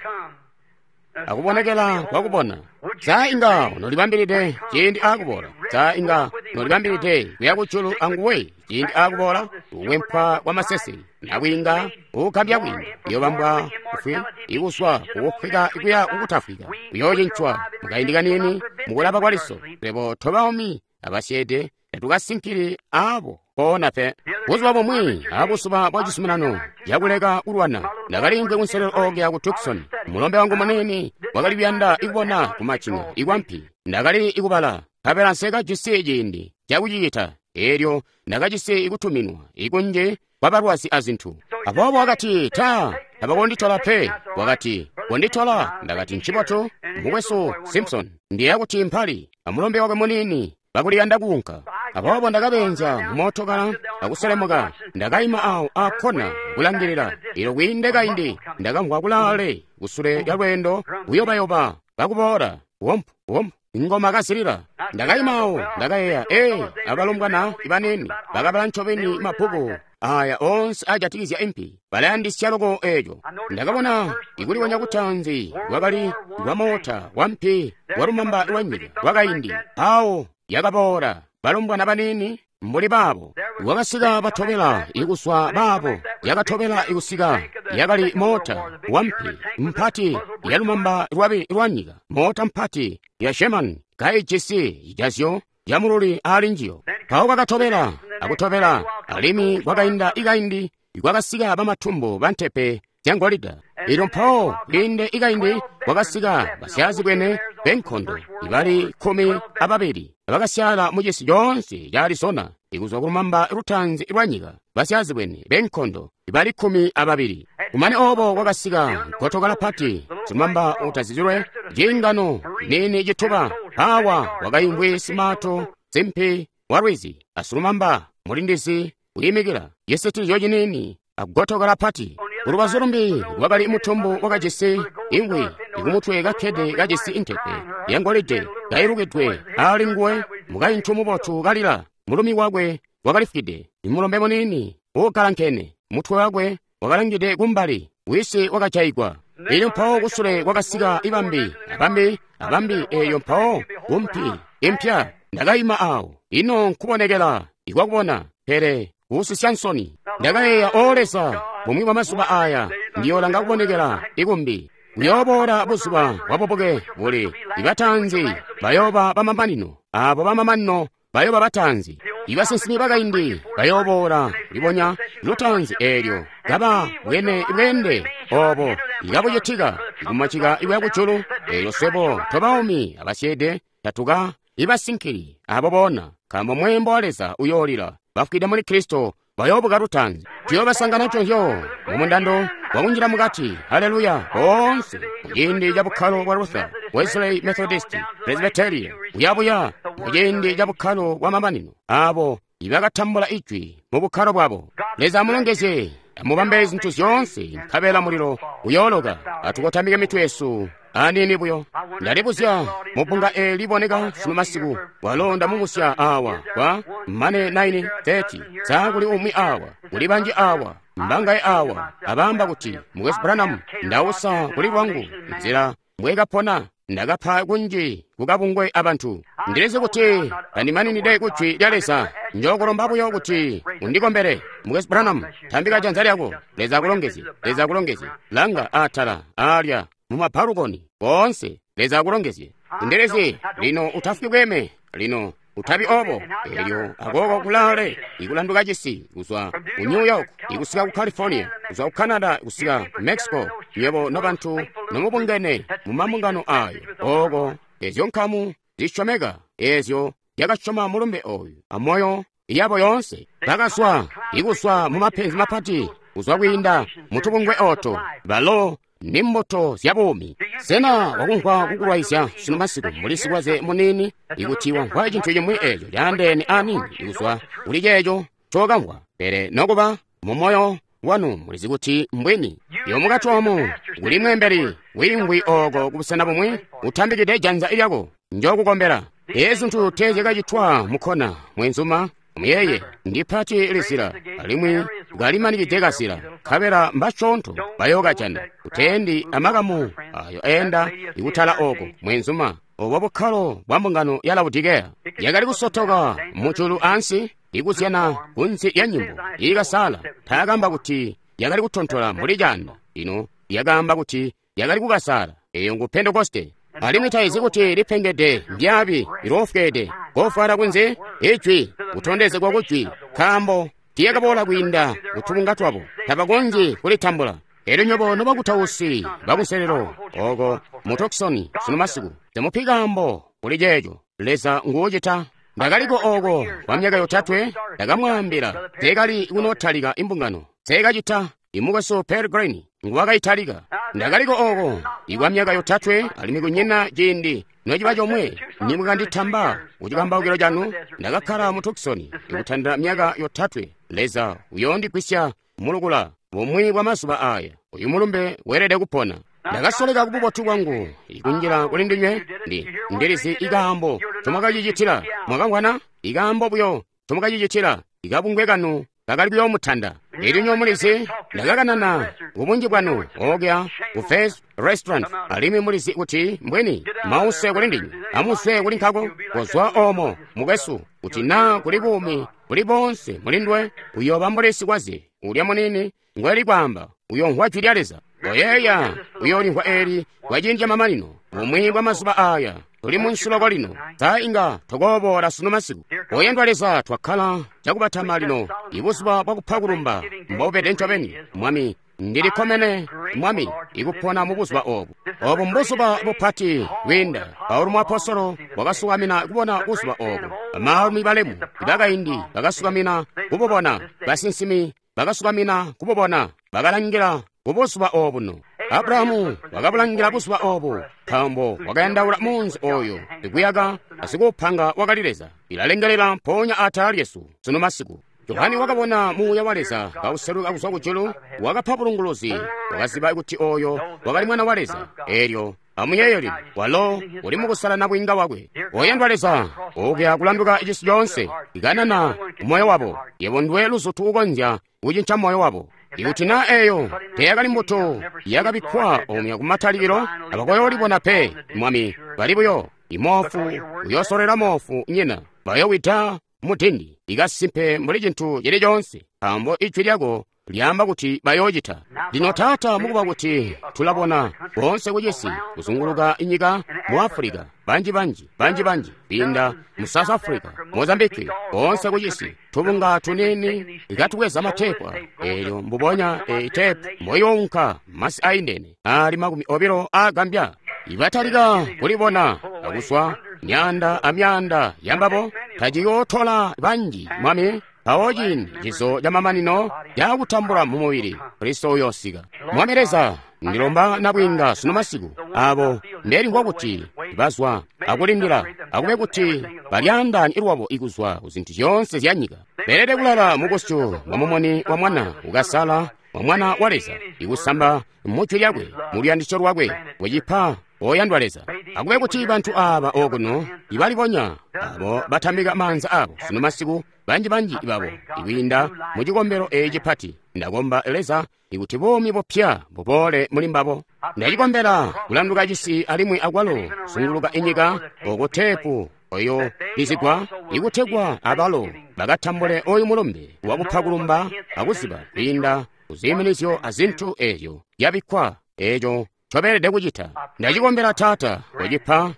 akubonekela kwakubona. Sa inga nolibambilide ciindi akuboola? Sa inga nolibambilide kuya kujulu anguwe ciindi akuboola? Kukwempwa kwa masese nakwiinga ukukambya kwinda kuyobambwa kufwi ikuswa kukufwika kuya kukutafwika kuyoocincwa mukaindi kanini mukulaba kwa liso. Swebo tobaumi abasyeede tatukasinkili abo koona pe. Buzuba bumwi abuzuba bwa cizuminano cakuleka kulwana, ndakaliimvwi kunselelo okuya ku Tucson. Mulombe wangu munini wakali kuyanda ikubona kumacing'a ikwampi. Ndakali ikubala, nkabela nsekajisi ciindi cakucicita. Eelyo ndakajisi ikutuminwa ikunji kwabalwazi azintu. Aboobo wakati, ta tabakonditola pe. Wakati, konditola. Ndakati, ncibotu, mukwesu Simpson, ndiya kuti mpali amulombe wakwe munini bakuliyanda kuunka. Aboobo ndakabeenzya mumootokala akuselemuka. Ndakaima awo akona kulangilila. Ilo kwiinde kaindi ndakamvwa kulaale kusule lya lweendo kuyobayoba kakuboola wompu wompu ingoma kazilila. Ndakaima awo ndakayeeya, ee, abalombwana ibanini bakabala ncobeni mabbuku aya onse ajatikizya impi, balayandisya loko eeco. Ndakabona ikulibonya kutaanzi lwakali lwa moota wampi walumamba lwanyika lwakaindi. Awo yakaboola balombwana banini mbuli baabo wakasika batobela ikuswa baabo yakatobela ikusika yakali moota wampi mpati yalumamba lwabi lwanyika, moota mpati ya Sherman kaijisi cijazyo camululi ali njiyo. Mpawo kwakatobela akutobela alimwi kwakainda ikaindi kwakasika bamatumbu bantepe zyangolida. Ilyo mpawo kwiinde ikaindi kwakasika basyaazibwene benkondo ibali kkumi ababili abakasyala mucisi coonse ca Arizona ikuzwa kulumamba lutaanzi lwanyika, basyaazibwene benkondo ibali kkumi ababili. Kumane obo kwakasika gotokala pati silumamba utazizilwe ciingano nini cituba. Awa wakaimvwi simaato simpi wa lwizi asilumamba mulindizi wiimikila cisitizyo cinini agotokala pati. Kulubazu lumbi lwakali mutumbu wakajisi ingwi ikumutwe kakkede kajisi intepe yangolide kailukidwe ali nguwe, mukaintu mubotu kalila. Mulumi wakwe wakalifwide, imulombe munini uukalankene, mutwe wakwe wakalangide kumbali, wisi wakajayigwa. Elyo mpawo kusule kwakasika ibambi abambi abambi. Eyo mpawo kumpi impya ndakaima awo. Ino nkubonekela ikwakubona, pele kuusisya nsoni. Ndakayeeya, o Leza, bumwi bwa mazuba aya ndiyolanga kubonekela ikumbi. Kuyooboola buzuba bwabubuke buli ibataanzi bayooba bamamanino, abo bamamanino bayooba bataanzi. Ibasinsimi bakaindi bayooboola libonya lutaanzi eelyo kaba bwene bweende obo ikabucitika ikumacika ikuya kujulu. Eelyo swebo tobaumi abasyeede tatuka ibasinkili abo boona, nkaambo mweembo wa Leza uyoolila. Bafwide muli Kristo bayoobuka lutaanzi. Tuyoobasangana conzyo mumundando wakunjila mukati. Haleluya! Boonse muciindi ca bukkalo bwa Luther, Wesley, Methodist, Presbyteria, buyabuya muciindi ca bukkalo bwa mamanino, abo ibakatambula ijwi mu bukkalo bwabo. Leza amulongezye, amubambe zintu zyoonse, nkabela mulilo uyooloka. Atukotamike mitwe yesu anini buyo. Ndalibuzya mubbunga eeli liboneka sunu masiku, walo ndamubusya awa kwa mane nine thirty. Sa kuli umwi awa, kuli banji awa, mbangaye awa abaamba kuti, Mukwesu Branham, ndausa kuli lwangu nzila mbwekapona, ndakapa kunji kukabungwe abantu. Ndilizi kuti tandimaninide kujwi lya Leza. Njokulomba buyo kuti undikombele. Mukwesu Branham, tambika janza lyako. Leza akulongezye, Leza akulongezye. Langa atala alya mumabbalukoni boonse. Leza akulongezye. Ndilizi lino utafwi bweme, lino utabi obo. Elyo akoko kulaale ikulanduka cisi kuzwa ku New York ikusika ku California, kuzwa ku Canada kusika ku Mexico. Nywebo nobantu nomubungene mumabungano ayo, oko ezyo nkamu zisyomeka ezyo zyakasyoma mulumbe oyu amoyo yabo yoonse, bakazwa ikuswa mumapenzi mapati, kuzwa kwiinda mutubungwe oto. Balo ni mbuto zya buumi. Sena wakumvwa kukulwaizya sunu masiku mbuli sikwaze munini, ikuti wamvwa cintu cimwi eeco caandeene anini ikuzwa kuli ceeco cokamvwa, pele nokuba mumoyo Lwanu mulizi kuti mbwini. Yo mukati omu kuli mweembeli wiimvwi oko kubusena bumwi utambikide janza lyako, njokukombela. Ezi zintu teezyakacitwa mukkona, mwenzuma. Muyeye, ndipati lizila, alimwi kalimanikide kazila, nkabela mbasyoonto bayookajana. Uteendi amakamu ayo eenda ikutala oko, mwenzuma. Obo bukkalo bwa mbungano ya Laodikeya yakali kusotoka mujulu ansi, ikuzyana kunsi lya nyimbo iikasala. Taakamba kuti yakali kutontola mbuli caanda, ino yakaamba kuti yakali kukasala. Eyo ngu Pentekoste. Alimwi taizi kuti lipengede ndyabi liloofweede kofwala kunze ijwi kutondezegwa kujwi, nkaambo tiyakaboola kwiinda kutubunga twabo, tabakonzyi kulitambula. Elyo nywebo nobakutausi bakunselelo oko mu Tucson sunu masiku, temupi kaambo kuli ceeco. Leza nguucita. Ndakaliko oko kwa myaka yotatwe, ndakamwaambila teekali kunotalika imbungano, teekacita. Imukwesu Pearl Green nguwakaitalika. Ndakaliko oko ikwa myaka yotatwe, alimwi kunyina ciindi nociba comwe nimwakanditamba kucikambaukilo canu. Ndakakkala mu Tucson ikutandila myaka yotatwe. Leza uyoondigwisya mulukula bumwi bwa mazuba aya. Uyu mulumbe weelede kupona. Ndakasoleka kububotu bwangu ikunjila kuli ndinywe. Ndi ndilizi ikaambo comwakacicitila. Mwakamvwana ikaambo buyo comwakacicitila. Ikabungwe kanu kakali kuyoomutanda. Elyo nyo mulizi ndakakanana kubunji bwanu okya ku First Restaurant, alimwi mulizi kuti mbweni mause kuli ndinywe, amuswe kuli nkako kozwa omo mukwesu, kuti naa kuli buumi buli bonse mulindwe uyooba mbuli sikwaze ulya munini ngweli kwaamba uyomvwa jwi lya Leza. Oyeeya uyoolimvwa eli kwa ciindi camamanino bumwi bwa mazuba aya. Tuli munsiloko lino, sa inga tokooboola sunu masiku. Oyandwa Leza, twakkala cakubatama lino ibuzuba bwakupa kulumba mbobubede ncobeni. Mwami, ndilikkomene Mwami ikupona mu buzuba obu. Obu mbuzuba bupati bwiinda. Paulo muapostolo wakasukamina kubona buzuba obu. Bamaalumi balemu bakaindi bakasukamina kububona. Basinsimi bakasukamina kububona. Bakalangila kubuzuba obuno. Abrahamu wakabulangila buzuba obu, nkaambo wakayandaula munzi oyo sikuyaka asikuupanga wakali Leza. Ilalengelela mpoonya atala lyesu sunu masiku. Johani wakabona muuya wa Leza kauseluka kuzwa kujulu, wakapa bulunguluzi, wakaziba kuti oyo wakali mwana wa Leza. Elyo amuyeeye lino, walo uli mukusala nabwiinga wakwe. Oyandwa Leza, ukya kulanduka cisi coonse, ikanana moyo wabo. Yebo ndiwe luzutu ukonzya kucinca moyo wabo. Ikuti naa eyo teyakali mbuto yakabikkwa omya kumatalikilo, abakoyoolibona pe. Mwami, bali buyo imoofu uyosolera moofu nyina, bayowida mudindi ikasimpe mbuli cintu cili coonse, nkaambo ijwi lyako lyaamba kuti bayoocita. Lino Taata, mukuba kuti tulabona boonse kucisi kuzunguluka inyika, mu Africa banji banji banji banji kwiinda mu South Africa, Mozambique, boonse kucisi tubunga tunini ikatubweza matepu elyo mbubonya e tepu mboyounka masi aindene ali makumi obilo agambya. Ibatalika kulibona akuswa myanda amyanda yambabo, taciyootola banji Mwami. Mpawo ciindi cizo camamanino cakutambula mu mubili, Kristo uyoosika. Mwami Leza, ndilomba nabwiinga sunu masiku abo ndelimvwa kuti bazwa akulindila, akube kuti balyaandaanye lwabo ikuzwa ku zintu zyoonse zya nyika. Beelede kulala mubusyu bwa mumuni wa Mwana ukasala wa Mwana wa Leza, ikusamba mu jwi lyakwe, mu luyandisyo lwakwe, kucipa oyandwa Leza. Akube kuti bantu aba okuno ibalibonya abo batambika maanza abo sunu masiku, banji-banji babo ikwiinda mu cikombelo eci cipati. Ndakomba Leza ikuti buumi bupya buboole muli mbabo. Ndacikombela kulanduka cisi alimwi akwalo kuzunguluka inyika oko tepu oyo lizigwa ikutegwa abalo bakatambule oyu mulumbe wakupa kulumba akuziba kwiinda kuziiminizyo azintu ezyo zyabikkwa eco ncobeelede kucita. Ndacikombela Taata, kucipa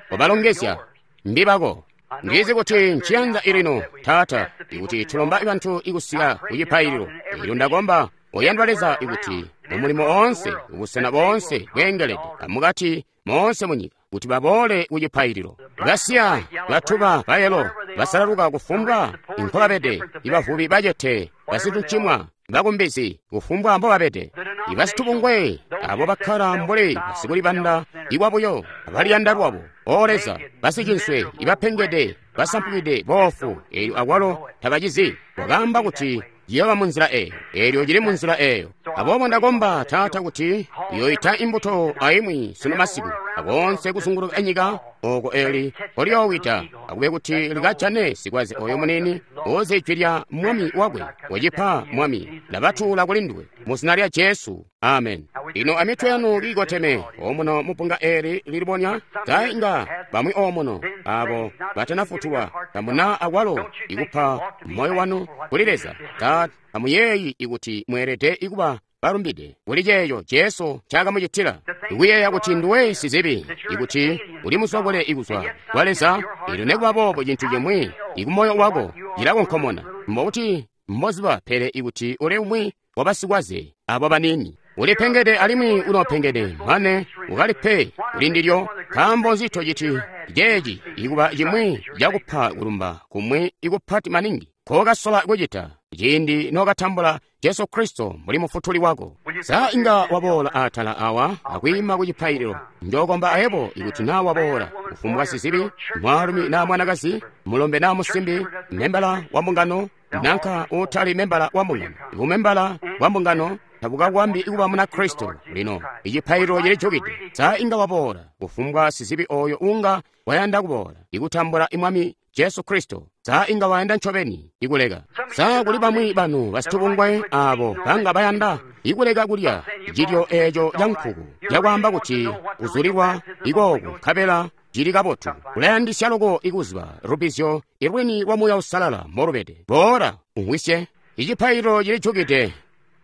kubalongezya mbibako. Ndizi kuti nciyanza ilino Taata, ikuti tulomba bantu ikusika kucipaililo. Elyo ndakomba oyandwa Leza ikuti mumulimo oonse, ubusena boonse bweengelede amukati moonse munyika, kuti baboole kucipaililo. Basiya, batuba, bayelo, basalaluka kufumbwa nkobabede, ibavubi bacete, basituncimwa, bakumbizi, kufumbwa mbobabede, ibasitubungwe, abo bakkala mbuli basikulibanda ikwabuyo, abaliyanda lwabo. O Leza, basicinswe, ibapengede, basampukide, boofu, elyo akwalo tabacizi. Wakaamba kuti Ciyooba mu nzila eyo. Eelyo cili mu nzila eyo. Aboobo ndakomba, Taata, kuti uyoita imbuto aimwi sunu masiku, akoonse kuzunguluka nyika oko eli nkolyoowida, akube kuti likajane sikwaze oyo muniini uzi ijwi lya Mwami wakwe. Wecipa, Mwami, ndabatuula kuli nduwe mu zina lya Jesu. Amen. Lino amitwe yanu kiikoteme omuno mupunga eli lilibonya tainga bamwi omuno abo batanafutulwa tamuna akwalo ikupa moyo wanu kuli Leza. Ta amuyeeyi ikuti mweelede ikuba balumbide kuli ceeco Jesu ncaakamucitila, ikuyeeya kuti nduwe sizibi, ikuti uli musokole ikuzwa kwa Leza. Elyo nekuba boobo cintu cimwi ikumoyo wako cilakonkomona mbokuti mboziba, pele ikuti uli umwi wabasikwaze abo baniini, ulipengede alimwi unopengede mane ukalipe kuli ndilyo. Nkaambo nzi tociti ceeci ikuba cimwi cakupa kulumba kumwi ikupati maningi kokasola kucita ciindi nokatambula Jesu Kristo mbuli mufutuli wako? Sa inga waboola atala awa akwiima ku cipaililo? Njokomba ayebo ikuti naa waboola, kufumbwa sizibi, mwaalumi naa mwanakazi, mulombe naa musimbi, membala wa mbungano nanka utali membala wa mbungano. Ibumembala bwa mbungano tabukakwambi kuba muna Kristo. Lino icipaililo cilijukide. Sa inga waboola, kufumbwa sizibi oyo unga wayanda kuboola ikutambula Mwami Jesu Kristo? Sa inga wayanda ncobeni ikuleka? Sa kuli bamwi banu basitubungwe abo banga bayanda ikuleka kulya cilyo eco ca nkuku cakwaamba kuti kuzulilwa ikooku nkabela cili kabotu? Ulayandisya loko ikuziba lubizyo ilwini lwa Muuya Uusalala molubede. Boola umwisye. Icipaililo cilijukide,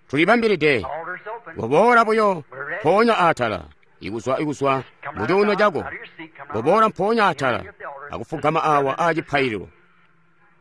tulibambilide. Koboola buyo mpoonya atala ikuzwa ikuzwa mu cuuno cako. Koboola mpoonya atala akufugama awa a cipaililo.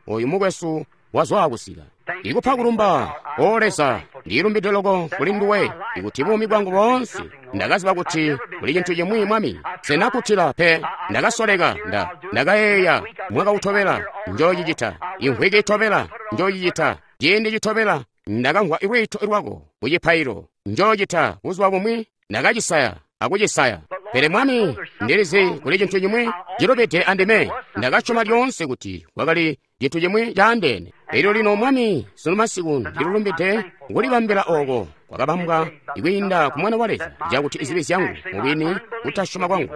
Oyu mukwesu wazwa kusika. Ikupa kulumba, O Leza, ndilumbide loko kuli nduwe, ikuti buumi bwangu boonse ndakaziba kuti kuli cintu cimwi, Mwami. Senakutila pe, ndakasoleka, nda ndakayeeya mwaka utobela njoocicita, imvwiki itobela njoocicita, ciindi citobela ndakamvwa lwiito lwako ku cipaililo njoocita, buzuba bumwi ndakacisaya akucisaya. Pele Mwami, ndilizi kuli cintu cimwi cilubide andime. Ndakasyoma lyoonse kuti kwakali cintu cimwi caandeene. Elyo lino, Mwami, sunu masiku ndilulumbide kulibambila oko kwakabambwa ikwiinda ku Mwana wa Leza, cakuti izibi zyangu mubwini kutasyoma kwangu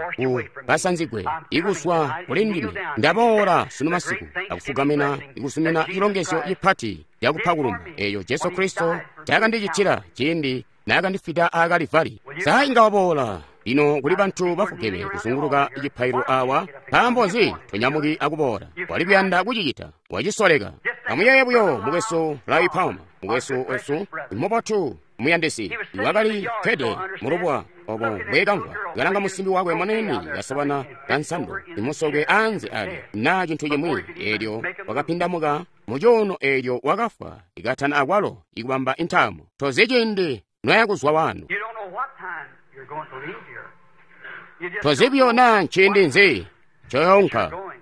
kubasanzigwe ikuzwa kuli ndime. Ndaboola sunu masiku akufugamina ikuzumina cilongezyo cipati cakupa kulumba eyo Jesu Kristo cakandicitila ciindi naakandifida a Kalivari. Sa inga waboola lino kuli bantu bafugeme kuzunguluka cipaililo awa? Nkaambo nzi tonyamuki akuboola? Wali kuyanda kucicita, wacisoleka. Amuyeeye buyo mukwesu Ray Palmer, mukwesu wesu mubotu muyandisi, wakali kkede mulubuwa obo mbwekamvwa kalanga musimbi wakwe muniini kasobana kansando imusokwe anze ali naa cintu cimwi. Eelyo wakapindamuka mucuuno, eelyo wakafwa ikatana akwalo ikubamba intaamo. Tozi ciindi noya kuzwa wano. You don't know what time you're going to leave here. You just Tozi don't buyo know naa nciindi nzi ncoyoonka. you're going.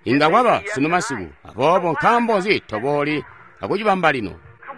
Inga kwaba sunu masiku. Aboobo nkaambo nzi tobooli akucibamba lino?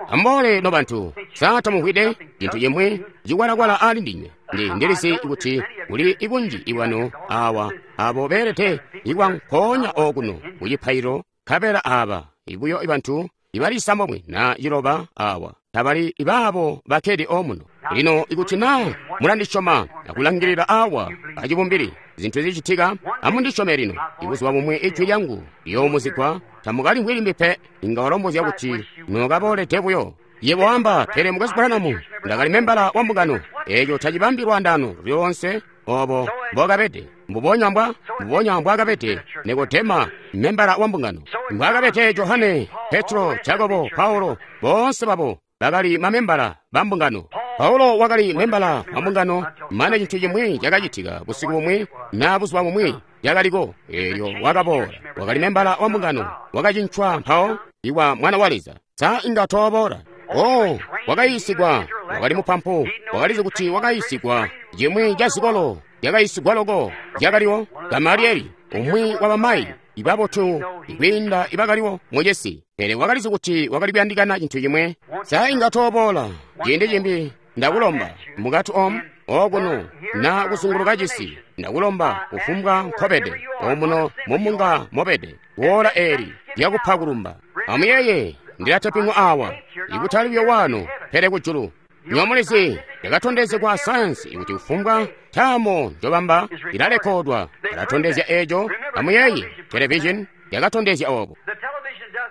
Amboole no bantu, sa tamumvwide cintu cimwi cikwalakwala ali ndinywe? Ndi ndilizi kuti kuli ibunji ibwanu awa abo beelede ikwa nkoonya okuno ku cipaililo, nkabela aba ibuyo ibantu ibali isambomwe na ciloba awa tabali ibaabo bakkede omuno. Lino ikuti naa mulandisyoma akulangilila awa acibumbili zintu zicitika, amundisyome lino. Ibuzuba bumwi ijwi lyangu liyoomuzigwa, tamukalimvwi limbi pe. Inga walombozya kuti nokaboolede buyo. Yebo wamba, pele mukwesu Branham, ndakali membala wa mbungano. Eeco tacibambi lwaandaano lyoonse obo mbokabede. Mbubonya mbwa mbubonya mbwaakabede Nikodema, membala wa mbungano, mbwaakabede Johane, Petro, Jakobo, Paulo, boonse babo bakali mamembala ba mbungano. Paulo wakali membala wa mbungano mane cintu cimwi cakacitika busiku bumwi na buzuba bumwi cakaliko. Eelyo wakaboola, wakali membala wa mbungano, wakacincwa mpawo iwa Mwana wa Leza. Sa inga tooboola? Oh, wakayiisigwa, wakali mupampu, wakalizi kuti wakayiisigwa cimwi ca zikolo yakayiisigwa loko yakaliwo. Gamalieli, umwi wa bamayi ibabotu ikwiinda ibakaliwo mucisi, pele wakalizi kuti wakali kuyandikana cintu cimwe. Sa inga tooboola ciindi cimbi? Ndakulomba mukati omu okuno na kuzunguluka cisi, ndakulomba kufumbwa nkobede omuno mumunga mobede, woola eeli lyakupa kulumba. Amuyeeye, Ndilateping'wa awa, ikutali buyo wano, pele kujulu. Nyomulizi yakatondezegwa sayansi kuti kufumbwa taamo njobamba ilalekodwa. Yalatondezya eeco. Amuyeeye, televizhini yakatondezya obo.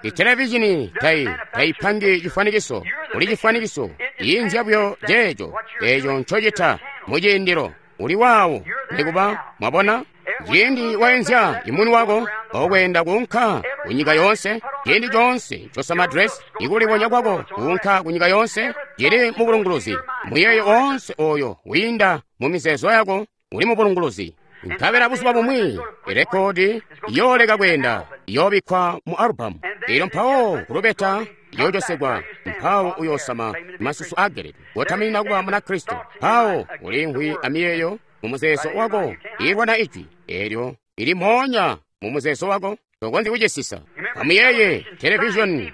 Itelevizhini tai taipangi cifwanikiso. Uli cifwanikiso inzya buyo ceeco eeco ncocita muciindilo. Uli waawo nikuba mwabona. Ciindi waenzya imuni wako okweenda kuunka kunyika yoonse, ciindi coonse ncosama dress ikulibonya kwako kuunka kunyika yoonse cili mu bulunguluzi. Muyeeyo oonse oyo wiinda mu mizeezo yako uli mu bulunguluzi. Nkabela buzuba bumwi irekodi iyooleka kweenda, iyoobikkwa mu alubamu. Elyo mpawo kulubeta iyoocosegwa, mpawo uyoosama masusu ageledwe kotaminina kuba Munakristo. Mpawo ulimvwi amiyeeyo mu muzeezo wako ilwana ijwi elyo ili moonya mu muzeezo wako, tokonzyi kucisisa. Amuyeeye, televizhoni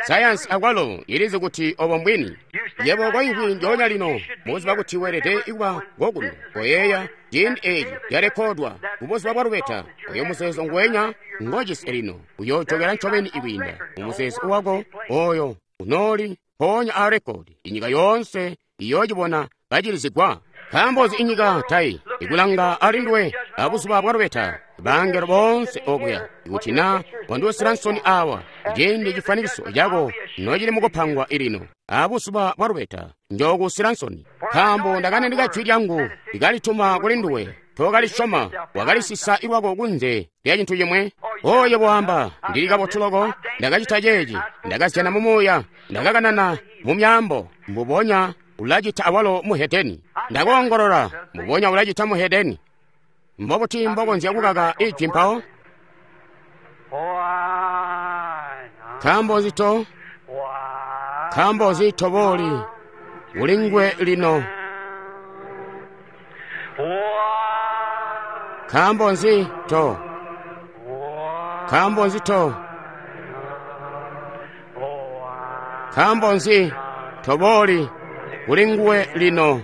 sayansi akwalo ilizi kuti obo mbwini. Yebo koimvwi njoonya lino mubuzuba kuti weelede kuba kokuno koyeeya ciindi eeci calekodwa kubuzuba bwa lubeta. Oyo muzeezo nguwenya ngojisi lino uyoojokela ncobeni ikwiinda mu muzeezo wako oyo unooli mpoonya a rekodi. Inyika yoonse iyoocibona kacilizigwa. Nkaambo nzi inyika tai ikulanga alinduwe abuzuba bwa lubeta? Bangelo boonse okuya, ikuti na wandiwusila nsoni awa ciindi cifwanikiso cako nocili mukupangwa ilino abuzuba bwa lubeta, njookuusila nsoni. Nkaambo ndakanandika jwi lyangu likalituma kuli nduwe, tookalisyoma, wakalisisa lwako kunze lya cintu cimwe. Oyo bwaamba, ndili kabotu loko, ndakacita ceeci, ndakazyana mu muuya, ndakakanana mu myaambo. Mbubonya ulacita awalo muhedeni. Ndakoongolola, mbubonya ulacita muhedeni. Mbobuti mbokonzya kukaka ijwi mpawo? Nkaambo nzi to? Nkaambo nzi tobooli kuli nguwe lino? Nkaambo nzi to? Nkaambo nzi to? Nkaambo nzi tobooli kuli nguwe lino?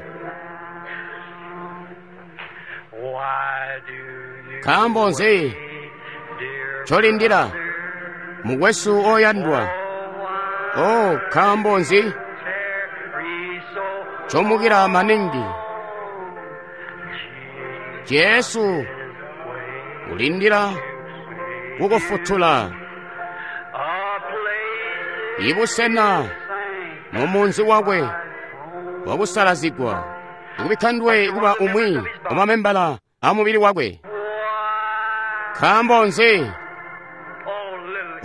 Nkaambo nzi ncolindila, mukwesu oyandwa? Oh, nkaambo nzi ncomukila maningi? Jesu ulindila kukufutula. Ibusena mu munzi wakwe wakusalazigwa, ikubikka nduwe kuba umwi wamamembala a mubili wakwe. Nkaambo nzi?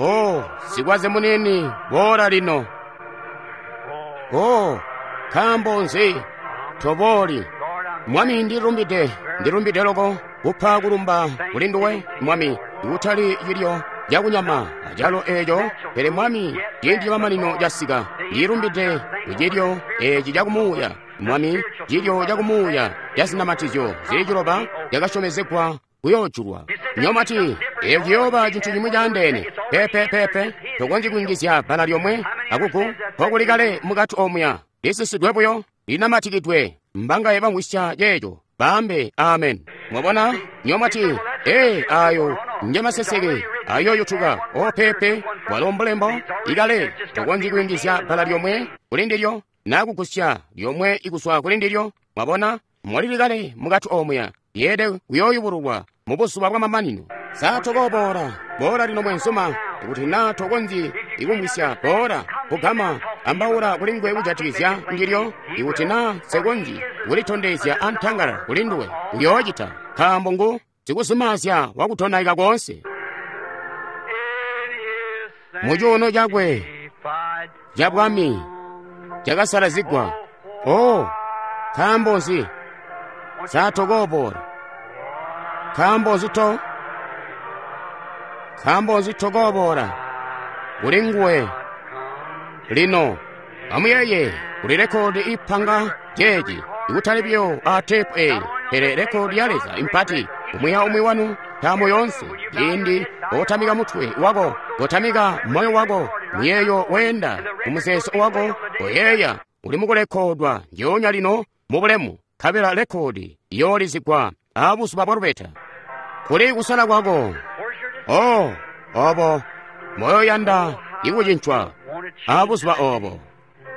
Oh, sikwaze munini, boola lino. Oh, nkaambo nzi tobooli? Mwami, ndilumbide, ndilumbide loko kupa kulumba kuli nduwe, Mwami, ikutali cilyo cakunyama acalo eeco, pele Mwami, ciindi camamanino casika. Ndilumbide kucilyo eeci cakumuuya, Mwami, cilyo cakumuuya cazinamatizyo zili ciloba cakasyomezegwa kuyoojulwa. Nyomati, eeyo ciyooba cintu cimwi caandeene. Pepe, pepe, tokonzyi kuyungizya bbala lyomwe akuku mpokuli kale mukati omuya. Lisisidwe buyo, linamatikidwe. Mbangaye bamvwisya ceeco, baambe amen. Mwabona? Nyomati, ee, ayo njemaseseke ayoyutuka. O pepe, walo mbulembo ikale, tokonzyi kuyungizya bbala lyomwe kuli ndilyo naa kugusya lyomwe ikuzwa kuli ndilyo. Mwabona? Molili kale mukati omuya, lyeede kuyooyubululwa mu buzuba bwamamanino. Sa tokooboola? Boola lino mwenzuma. Ikuti naa tokonzyi ikumvwisya, boola kugama, ambaula kuli nguwe kujatikizya ndilyo. Ikuti naa nsekonzyi kulitondezya antangalala kuli nduwe, uyoocita, nkaambo ngu sikuzimaazya wakutonaika koonse. Mu cuuno cakwe cabwami cakasalazigwa. Oh, nkaambo nzi sa tokooboola? Nkaambo nzi to? Nkaambo nzi tokooboola kuli nguwe lino? Amuyeeye, kuli rekodi ipanga ceeci, ikutali buyo a teepu eyi, pele rekodi ya Leza impati. Umwi aumwi wanu ntaamo yoonse, ciindi kotamika mutwe wako, kotamika moyo wako, muyeeyo weenda kumuzeezo wako, koyeeya uli mukulekodwa njoonya lino mu bulemu, nkabela rekodi iyoolizigwa abuzuba bwa lubeta. Kuli kusala kwako. Oh, obo moyo yanda ikucincwa. aa buzuba obo.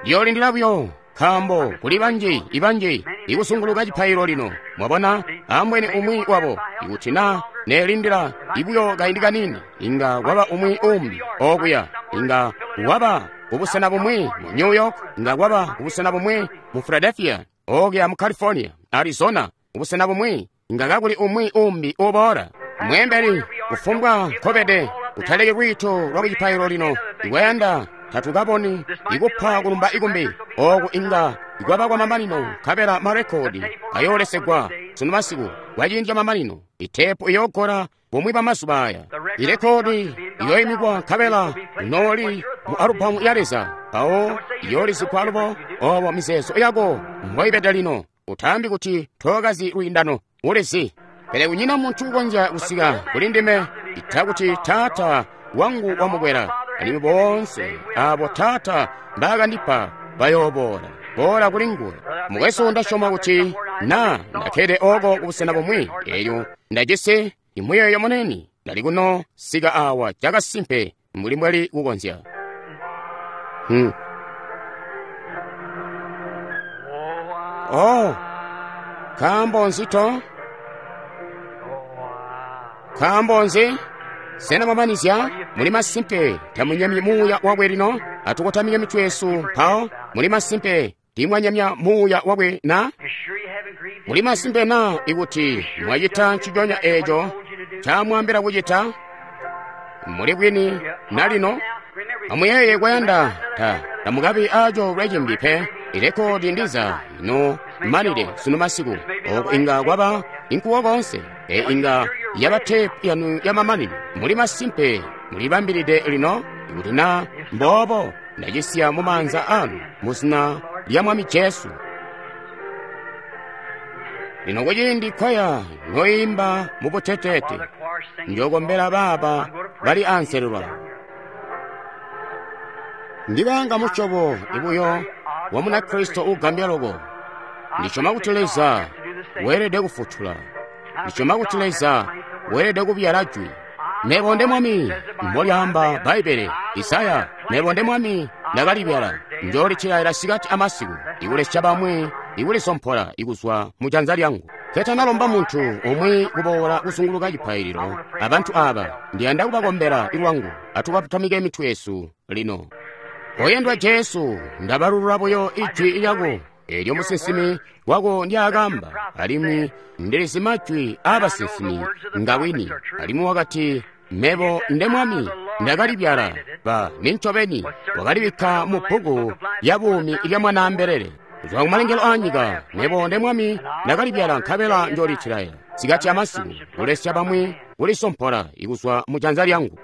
Ndiyoolindila buyo, nkaambo kuli banji ibanji ikusunguluka cipaililo lino. Mwabona, ambweni umwi wabo, ikuti na neelindila ibuyo kaindi kaniini, inga kwaba umwi umbi okuya, inga waba kubusena bumwi mu New York, inga kwaba kubusena bumwi mu Philadelphia, okuya mu California, Arizona, kubusena bumwi, inga kakuli umwi umbi uboola. Mweembeli, kufumbwa nkobede, utaleki lwiito lwa kucipaililo lino. Ikwayanda tatukaboni ikupa kulumba ikumbi oku inga ikwaba kwa mamanino, nkabela marekodi ayoolesegwa sunu masiku kwa ciindi ca mamanino. Itepu iyoogola bumwi bwa mazuba aya, irekodi iyoimikwa nkabela nooli mu alubamu ya Leza, mpawo iyoolizigwa alubo. Obo mizeezo yako mboibede lino. Utaambi kuti tookazi lwiindano, ulizi. Pele kunyina muntu ukonzya kusika kuli ndime ita kuti Taata wangu wamukwela, alimwi boonse abo Taata mbaakandipa bayooboola boola kuli nguwe. Mukwesu, ndasyoma kuti na ndakkede oko kubusena bumwi, elyo ndajisi imuyeeyo munene, ndali kuno sika awa cakasimpe mbuli mbwali kukonzya. Hmm. Oh, nkaambo nzi to? Nkaambo nzi? Sena mwamanizya? Muli masimpe tamunyemyi muuya wakwe lino? Atukotamike mitwe yesu mpawo. Muli masimpe tiimwanyemya muuya wakwe na? Muli masimpe na ikuti mwacita nciconya eeco ncaamwaambila kucita? Muli bwini na lino? Amuyeeye kwayanda ta tamukabi aco lwacimbi pe. Irekodi ndiza ino manile sunu masiku, oko inga kwaba inkuwo konse, e inga yaba tepu yanu ya mamanino. Muli masimpe mulibambilide lino? Ikuti na mboobo, ndacisiya mu maanza anu mu zina lya Mwami Jesu. Lino kuciindi kwaya noimba mu buteteete, njokombela baaba bali anselelwa. Ndibanga musyobo ibuyo wa Munakristo ugambya loko. Ndisyoma kuti Leza weelede kufutula. Ndisyoma kuti Leza weelede kubyala jwi. Mebo nde Mwami, mbolyaamba Bbaibbele, Isaya, mebo nde Mwami ndakalibyala, njoolitilaila sikati amasiku, ikulesya bamwi ikulisompola ikuzwa mu janza lyangu. Ketanalomba muntu umwi kuboola kuzunguluka cipaililo, abantu aaba ndiyanda kubakombela ilwangu. Atukatamike mitwe yesu lino. Oyendwa Jesu, ndabalulula buyo ijwi lyako elyo musinsimi wako ndyaakamba, alimwi ndilizi majwi aabasinsimi ngawini. Alimwi wakati, mebo nde Mwami ndakalibyala, ba nincobeni wakalibikka mu bbuku lya buumi lya Mwanaambelele. Kuzwa kumalengelo aanyika, mebo nde Mwami ndakalibyala, nkabela njoolitilaila sikati amasiku, kulesya bamwi kulisompola ikuzwa mu janza lyangu.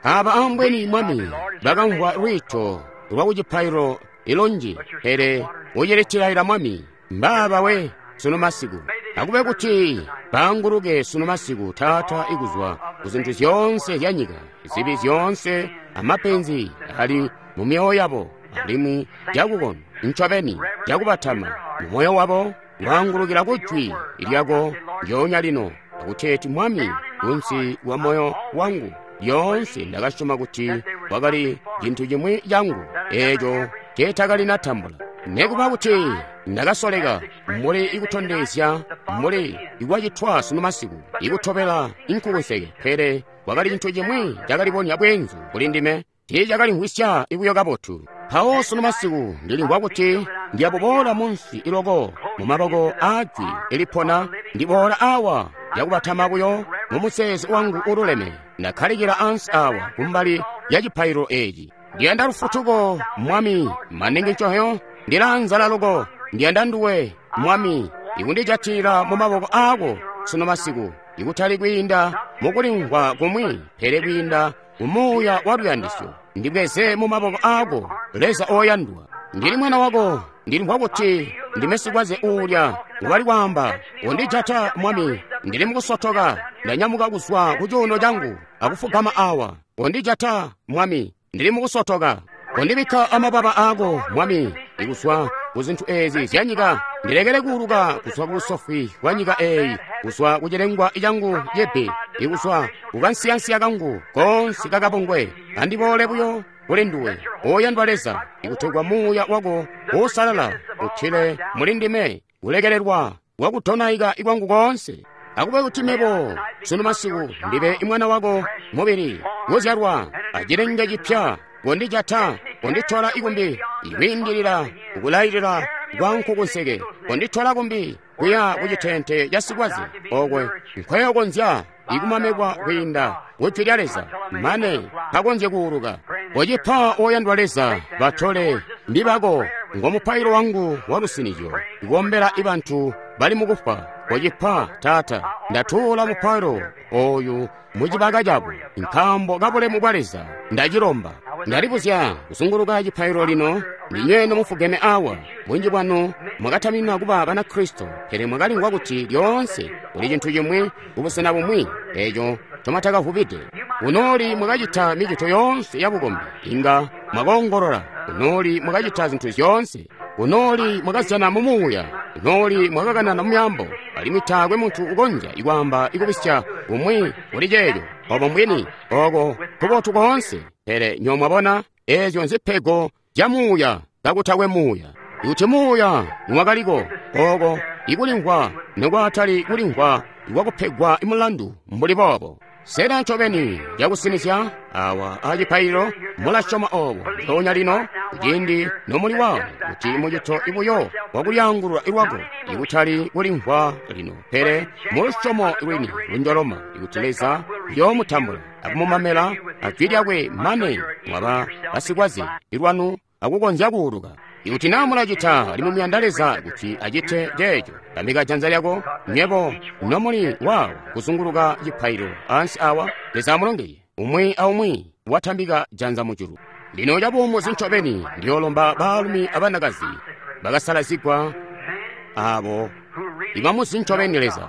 Aba ambweni Mwami bakamvwa lwiito lwa kucipaililo ilunji, pele ucilitilaila Mwami mbaaba we sunu masiku. Akube kuti baanguluke sunu masiku, Taata, ikuzwa ku zintu zyoonse zya nyika, zibi zyoonse amapenzi ali mu myoyo yabo, alimwi cakukona ncobeni cakubatama mu moyo wabo, waangulukila ku jwi lyako lyoonya lino, akuteeti Mwami, kunsi wa moyo wangu lyoonse ndakasyoma kuti kwakali cintu cimwi cangu eeco nceetakalinatambula. Nekuba kuti ndakasoleka mbuli ikutondezya mbuli ikwacitwa sunu masiku ikutobela inkukunseke, pele kwakali cintu cimwi cakalibonya bweenzu kuli ndime, tiicakalimvwisya ibuyo kabotu. Mpawo sunu masiku ndilimvwa kuti ndiyabuboola munsi iloko mu maboko aajwi ilipona, ndiboola awa yakubatama buyo mu museezi wangu ululeme, ndakkalikila ansi awa kumbali ya cipaililo eeci. Ndiyanda lufutuko, Mwami, maningi ncohyo, ndilaanzala loko, ndiyanda nduwe, Mwami, ikundijatilila mu maboko aako sunu masiku, ikutali kwiinda mukulimvwa kumwi, pele kwiinda mu muuya wa luyandisyo. Ndibweze mu maboko aako, Leza oyandwa. Ndili mwana wako, ndilimvwa kuti ndime sikwaze uulya ngubali kwaamba, undijata Mwami, ndili mukusotoka, ndanyamuka kuzwa ku cuuno cangu akufugama awa. Undijata Mwami, ndili mukusotoka. Undibikka amababa aako, Mwami, ikuzwa ku zintu eezi zya nyika, ndilekele kuuluka kuzwa ku busofwi bwa nyika eeyi, kuzwa ku cilengwa cangu cibi, ikuzwa ku kansiyansiya kangu koonse kakabongwe. Andiboole buyo kuli nduwe, oyandwa Leza, ikutegwa Muuya wako Uusalala utile muli ndime kulekelelwa kwakudonaika kwangu koonse. Akube kuti mebo sunu masiku ndibe mwana wako mubili kuzyalwa acilenge cipya, kondijata, konditola ikumbi ikwiindilila kukulailila kwa nkukunseke, konditola kumbi kuya kucitente ca sikwaze okwe nkweyokonzya ikumamikwa kwiinda kujwi lya Leza mane kakonzye kuuluka. Kocipa oyandwa Leza, batole mbibako ngomupailo wangu wa lusinizyo, ikombela ibantu bali mukufwa. Kocipa Taata, ndatuula mupailo oyu mucibaka cabo nkaambo kabulemu bwa Leza. Ndacilomba. Ndalibuzya kuzunguluka cipailo lino, ndinywe nomufugeme awa. Bunji bwanu mwakataminina kuba Banakristo, pele mwakalingwa kuti lyoonse kuli cintu cimwi kubusena bumwi eco ncomwatakavubide. Kunoli mwakacita micito yoonse yabukombi, inga mwakoongolola. Kunoli mwakacita zintu zyoonse. Kunoli mwakazyana mu Muuya. Kunoli mwakakanana mu myaambo, alimwi taakwe muntu ukonzya ikwaamba ikubisya kumwi kuli ceeco. Obo mbwini, oko kubotu koonse. Pele nyo mwabona, ezyo nzipego zya Muuya kakutakwe Muuya. Kuti Muuya niwakaliko, oko ikulimvwa nikwatali kulimvwa ikwakupegwa mulandu mbuli boobo. Sena ncobeni cakusinizya awa acipaililo mulasyoma obo mpoonya lino kuciindi nomuli wawo kuti mucito ibuyo wakulyaangulula lwako, ikutali kulimvwa lino, pele mulusyomo lwini lunjoloma ikuti Leza yoomutambula akumumamela ajwi lyakwe mane mwaba basikwaze lwanu akukonzya kuuluka. Ikuti naa mulacita alimwi muyanda Leza kuti acite ceeco, tambika janza lyako nywebo nomuli waawo kuzunguluka cipaililo ansi awa. Leza amulongeye umwi aumwi watambika janza mujulu. Lino cabuumuzi ncobeni ndiyoolomba baalumi abanakazi bakasalazigwa abo ibamuzi ncobeni Leza.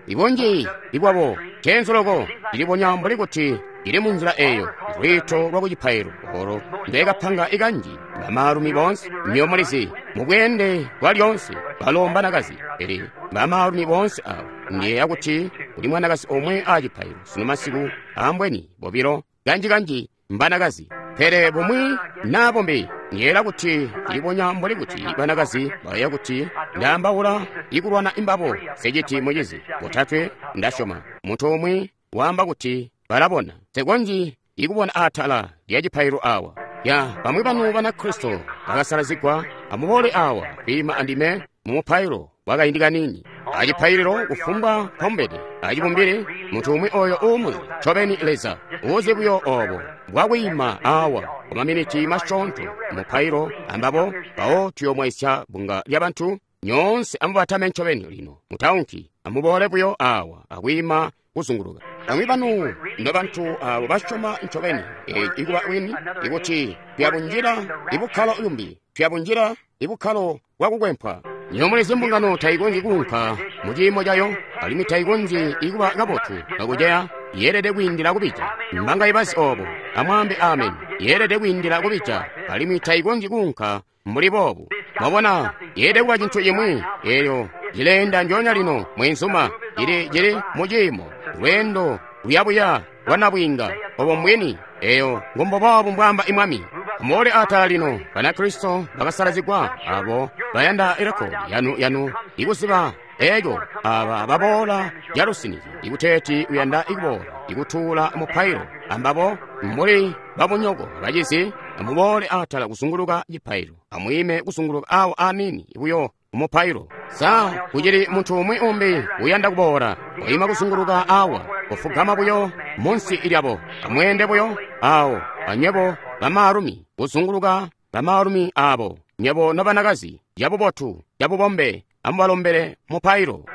Ibunji ibwabo cenzu loko cilibonya mbuli kuti ili munzila eyo lwiito lwa kucipailo olo ndekapanga ikanji bamaalumi boonse nyo mulizi mubweende bwa lyoonse balo mbanakazi, pele bamaalumi boonse abo ndiyeeya kuti kuli mwanakazi omwe acipailo sunu masiku, ambweni bobilo, kanji-kanji mbanakazi, pele bumwi naa bumbi ndiyeeya kuti cilibonya mbuli kuti banakazi bayeeya kuti ndaambaula ikulwana imbabo. Seciti mucizi botatwe ndasyoma muntu umwi waamba kuti balabona sekonji ikubona atala lya cipailo awa. Ya bamwi banu Banakristo bakasalazigwa, amuboole awa kwiima andime mu mupailo wakaindi kanini acipaililo kufumbwa mpamumbede acibumbili. Muntu umwi oyo uumuzi ncobeni Leza uzi buyo obo bwakwiima awa kwa maminiti masyoonto mupailo ambabo, mpawo tuyoomwaisya bunga lya bantu nyoonse. Amubatame ncobeni lino, mutaunki, amuboole buyo awa akwiima kuzunguluka. Bamwi banu nobantu abo basyoma ncobeni eeci ikuba bwini, ikuti tuyabunjila ibukkalo yumbi, tuyabunjila ibukkalo bwakukwempwa. Nyomulizi mbungano tayikonzyi kuunka mu ciimo cayo, alimwi tayikonzyi ikuba kabotu kakuceya. Yeelede kwiindila kubija. Mbanga ibazi obo, amwaambe amen. Yeelede kwiindila kubija, alimwi tayikonzyi kuunka mbuli boobu. Mwabona, yeelede kuba cintu cimwi elyo cileenda njoonya lino mwenzuma, cili cili mu ciimo lweendo luyabuya lwa nabwiinga. Obo mbwini, eyo ngombobobu mbwaamba imwami. Amuboole atala lino, Banakristo bakasalazigwa abo bayanda irekodi yanu yanu ikuziba eco aba baboola calusinizyo ikuteeti uyanda ikuboola ikutuula mupailo ambabo mbuli babunyoko bacizi. Amuboole atala kuzunguluka cipailo, amwiime kuzunguluka awo aniini buyo mupailo. Sa kucili muntu umwi umbi uyanda kuboola waima kuzunguluka awa kufugama buyo munsi lyabo? Amweende buyo awo anywebo bamaalumi kuzunguluka bamaalumi abo, nywebo nobanakazi, cabubotu cabubombe amubalombele mupailo.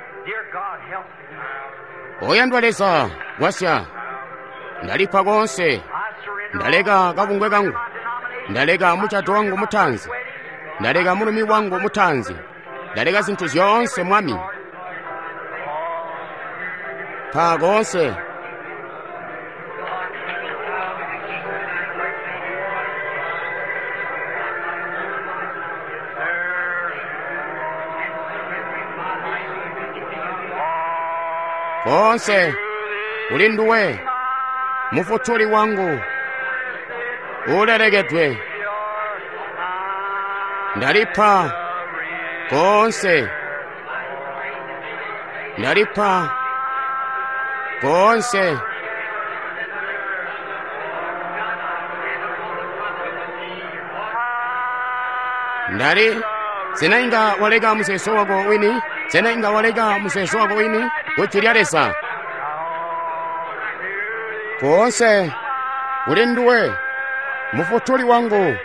Oyandwa Leza, gwasya. Ndalipa koonse, ndaleka kabungwe kangu, ndaleka mucato wangu mutanzi, ndaleka mulumi wangu mutanzi, ndaleka zinthu zyoonse Mwami. Pa koonse. Koonse kuli nduwe, Mufutuli wangu. uulelekedwe. Ndalipa koonse. Ndalipa koonse. Ndali sena inga waleka muzeezo wako wini? Sena inga waleka muzeezo wako wini ku Jwi lya Leza? Koonse kuli nduwe, Mufutuli wangu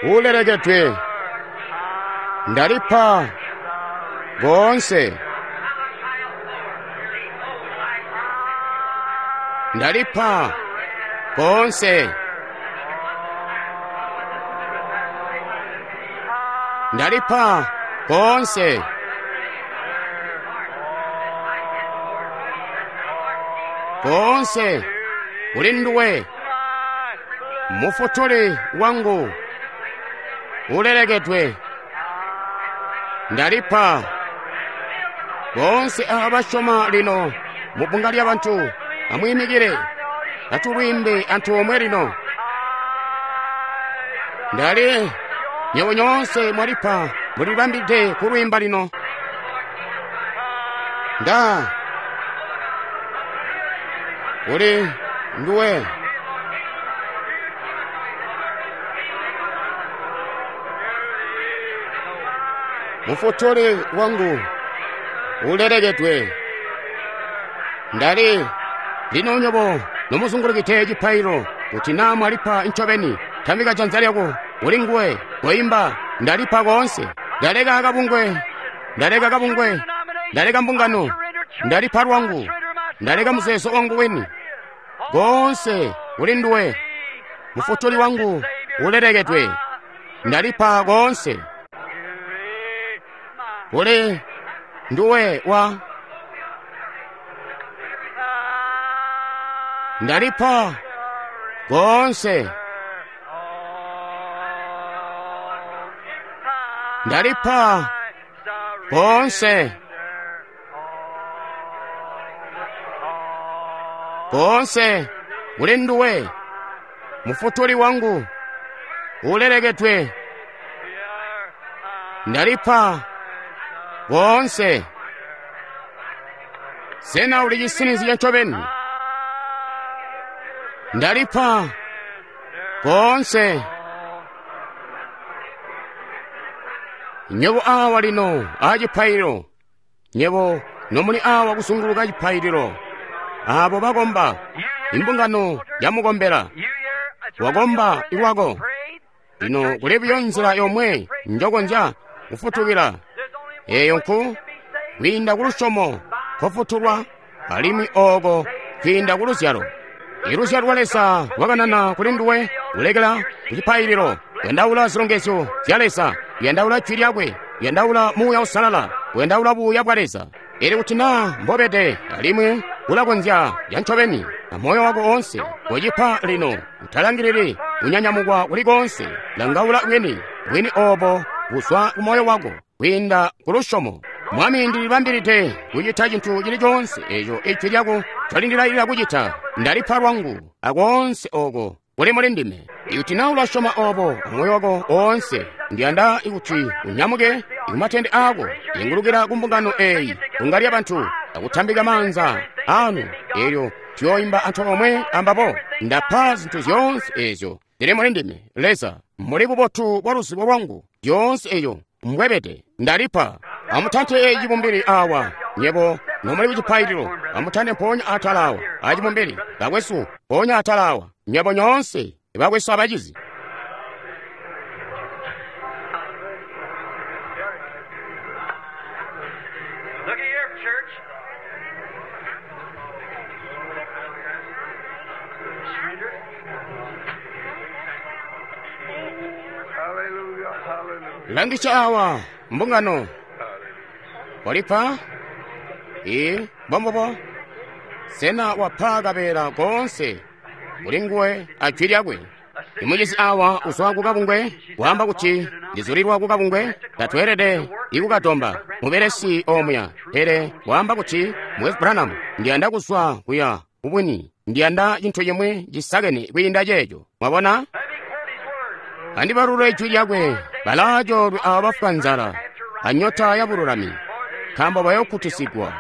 uulelekedwe. Ndalipa koonse. Ndalipa koonse. Ndalipa koonse. Koonse kuli nduwe, Mufutuli wangu uulelekedwe. Ndalipa boonse aba basyoma lino mu bbunga lyabantu. Amwiimikile, atulwiimbe antoomwe lino. Ndali nywebo nyoonse mwalipa, mulibambide kulwiimba lino. Nda kuli nduwe, Mufutuli wangu uulelekedwe. Ndali lino nywebo nomuzungulukide cipaililo, kuti naa mwalipa ncobeni, tambika janza lyako kuli nguwe, koimba ndalipa koonse. Ndaleka kabungwe, ndaleka kabungwe, ndaleka mbungano, ndalipa lwangu, ndaleka muzeezo wangu wini. Koonse kuli nduwe, Mufutuli wangu uulelekedwe. Ndalipa koonse kuli nduwe wa ndalipa koonse. Ndalipa koonse. Koonse kuli nduwe, Mufutuli wangu uulelekedwe. Ndalipa koonse. Sena uli cisinizya ncobeni? Ndalipa koonse. Nywebo awa lino aa cipaililo, nywebo nomuli awa kuzunguluka cipaililo, abo bakomba, imbungano yamukombela, wakomba lwako. Lino kuli buyo nzila yomwe njokonzya kufutukila, eyo nku kwiinda ku lusyomo kofutulwa, alimwi ooko kwiinda ku luzyalo. Iluzyalo lwa Leza lwakanana kuli nduwe, kulekela ku cipaililo, kuyandaula zilongezyo zya Leza, kuyandaula Jwi lyakwe, kuyandaula Muuya Uusalala, kuyandaula buuya bwa Leza. Elyo kuti naa mbobede, alimwi ulakonzya lya ncobeni amoyo wako oonse, kocipa lino, utalangilili kunyanyamukwa kuli koonse. Langaula bwini, bwini obo buzwa ku moyo wako kwiinda ku lusyomo. Mwami, ndilibambilide kucita cintu cili coonse eco Ijwi lyako ncolindilailila kucita. Ndalipa lwangu akoonse oko kuli muli ndime. Ikuti naa ulasyoma obo amoyo wako oonse, ndiyanda kuti unyamuke kumatende aako, ingulukila ku mbungano eyi, bbunga lyabantu, akutambika maanza anu, elyo tuyooimba antoomwe ambabo. Ndapa zintu zyoonse ezyo zili muli ndime. Leza, muli bubotu bwa luzibo lwangu, zyoonse eyo mbwebede, ndalipa. Amutante cibumbili awa, nywebo nomuli ku cipaililo, amutante mpoonya atala awa acibumbili, bakwesu, mpoonya atala awa, nywebo nyoonse bakwesu abacizi. Look at here, church. Surrender. Hallelujah, hallelujah. Langisha awa mbungano walipa i bombobo. Sena wapa kabeela koonse kuli nguwe a Jwi lyakwe. Imucizi awa uzwa ku kabungwe, waamba kuti ndizulilwa ku kabungwe, tatweelede ikukadomba mubelesi omuya. Pele waamba kuti Mukwesu Branham, ndiyanda kuzwa kuya kubwini, ndiyanda cintu cimwi cisakene kwiinda ceeco. Mwabona? Andibalule jwi lyakwe, balaacoolwe aabo bafwa nzala anyota yabululami, nkaambo bayokkutisigwa.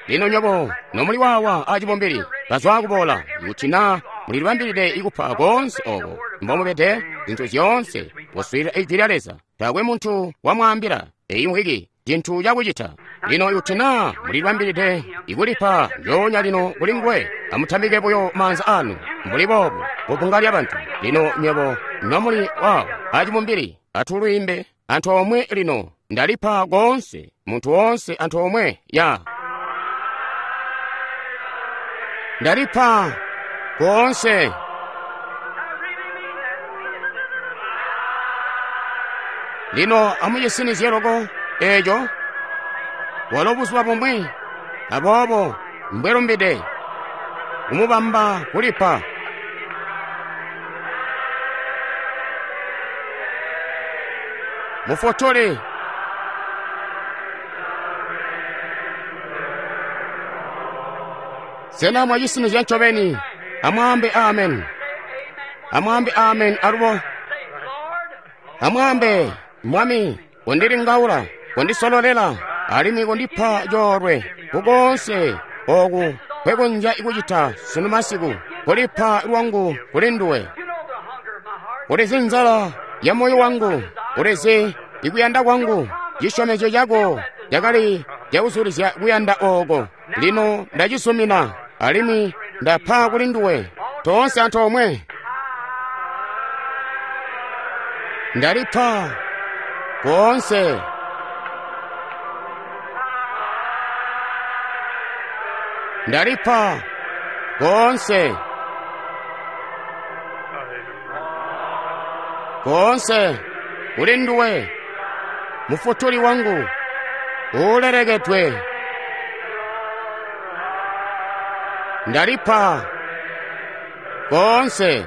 Lino nywebo nomuli waawa acibumbili bazwa kuboola, kuti naa mulilibambilide ikupa koonse oko mbomubede zintu zyoonse kuswiilila ijwi lya Leza, taakwe muntu wamwaambila eyi mvwiki cintu cakucita. Lino ikuti naa mulilibambilide ikulipa njoonya lino kuli nguwe, amutambike buyo maanza anu mbuli boobu kubbunga lyabantu. Lino nywebo nomuli waawa acibumbili, atulwiimbe antoomwe lino. Ndalipa koonse, muntu woonse antoomwe ya. Ndalipa koonse. Lino amucisinizye loko eeco, walo buzuba bumwi, aboobo mbwelumbide kumubamba kulipa. Mufotole sena mwacisinizya ncobeni? Amwaambe amen. Amwaambe amen alubo. Amwaambe, Mwami, kondilingaula, kondisololela, alimwi kondipa coolwe kukoonse oku nkwekonzya kucita sunu masiku, kulipa lwangu kuli nduwe. Ulizi nzala ya moyo wangu, ulizi ikuyanda kwangu. Cisyomezyo cako cakali cakuzulizya kuyanda ooko. Lino ndacisumina, alimwi ndapa kuli nduwe. Toonse antoomwe. Ndalipa koonse. Ndalipa koonse. Koonse kuli nduwe, Mufutuli wangu uulelekedwe. Ndalipa koonse.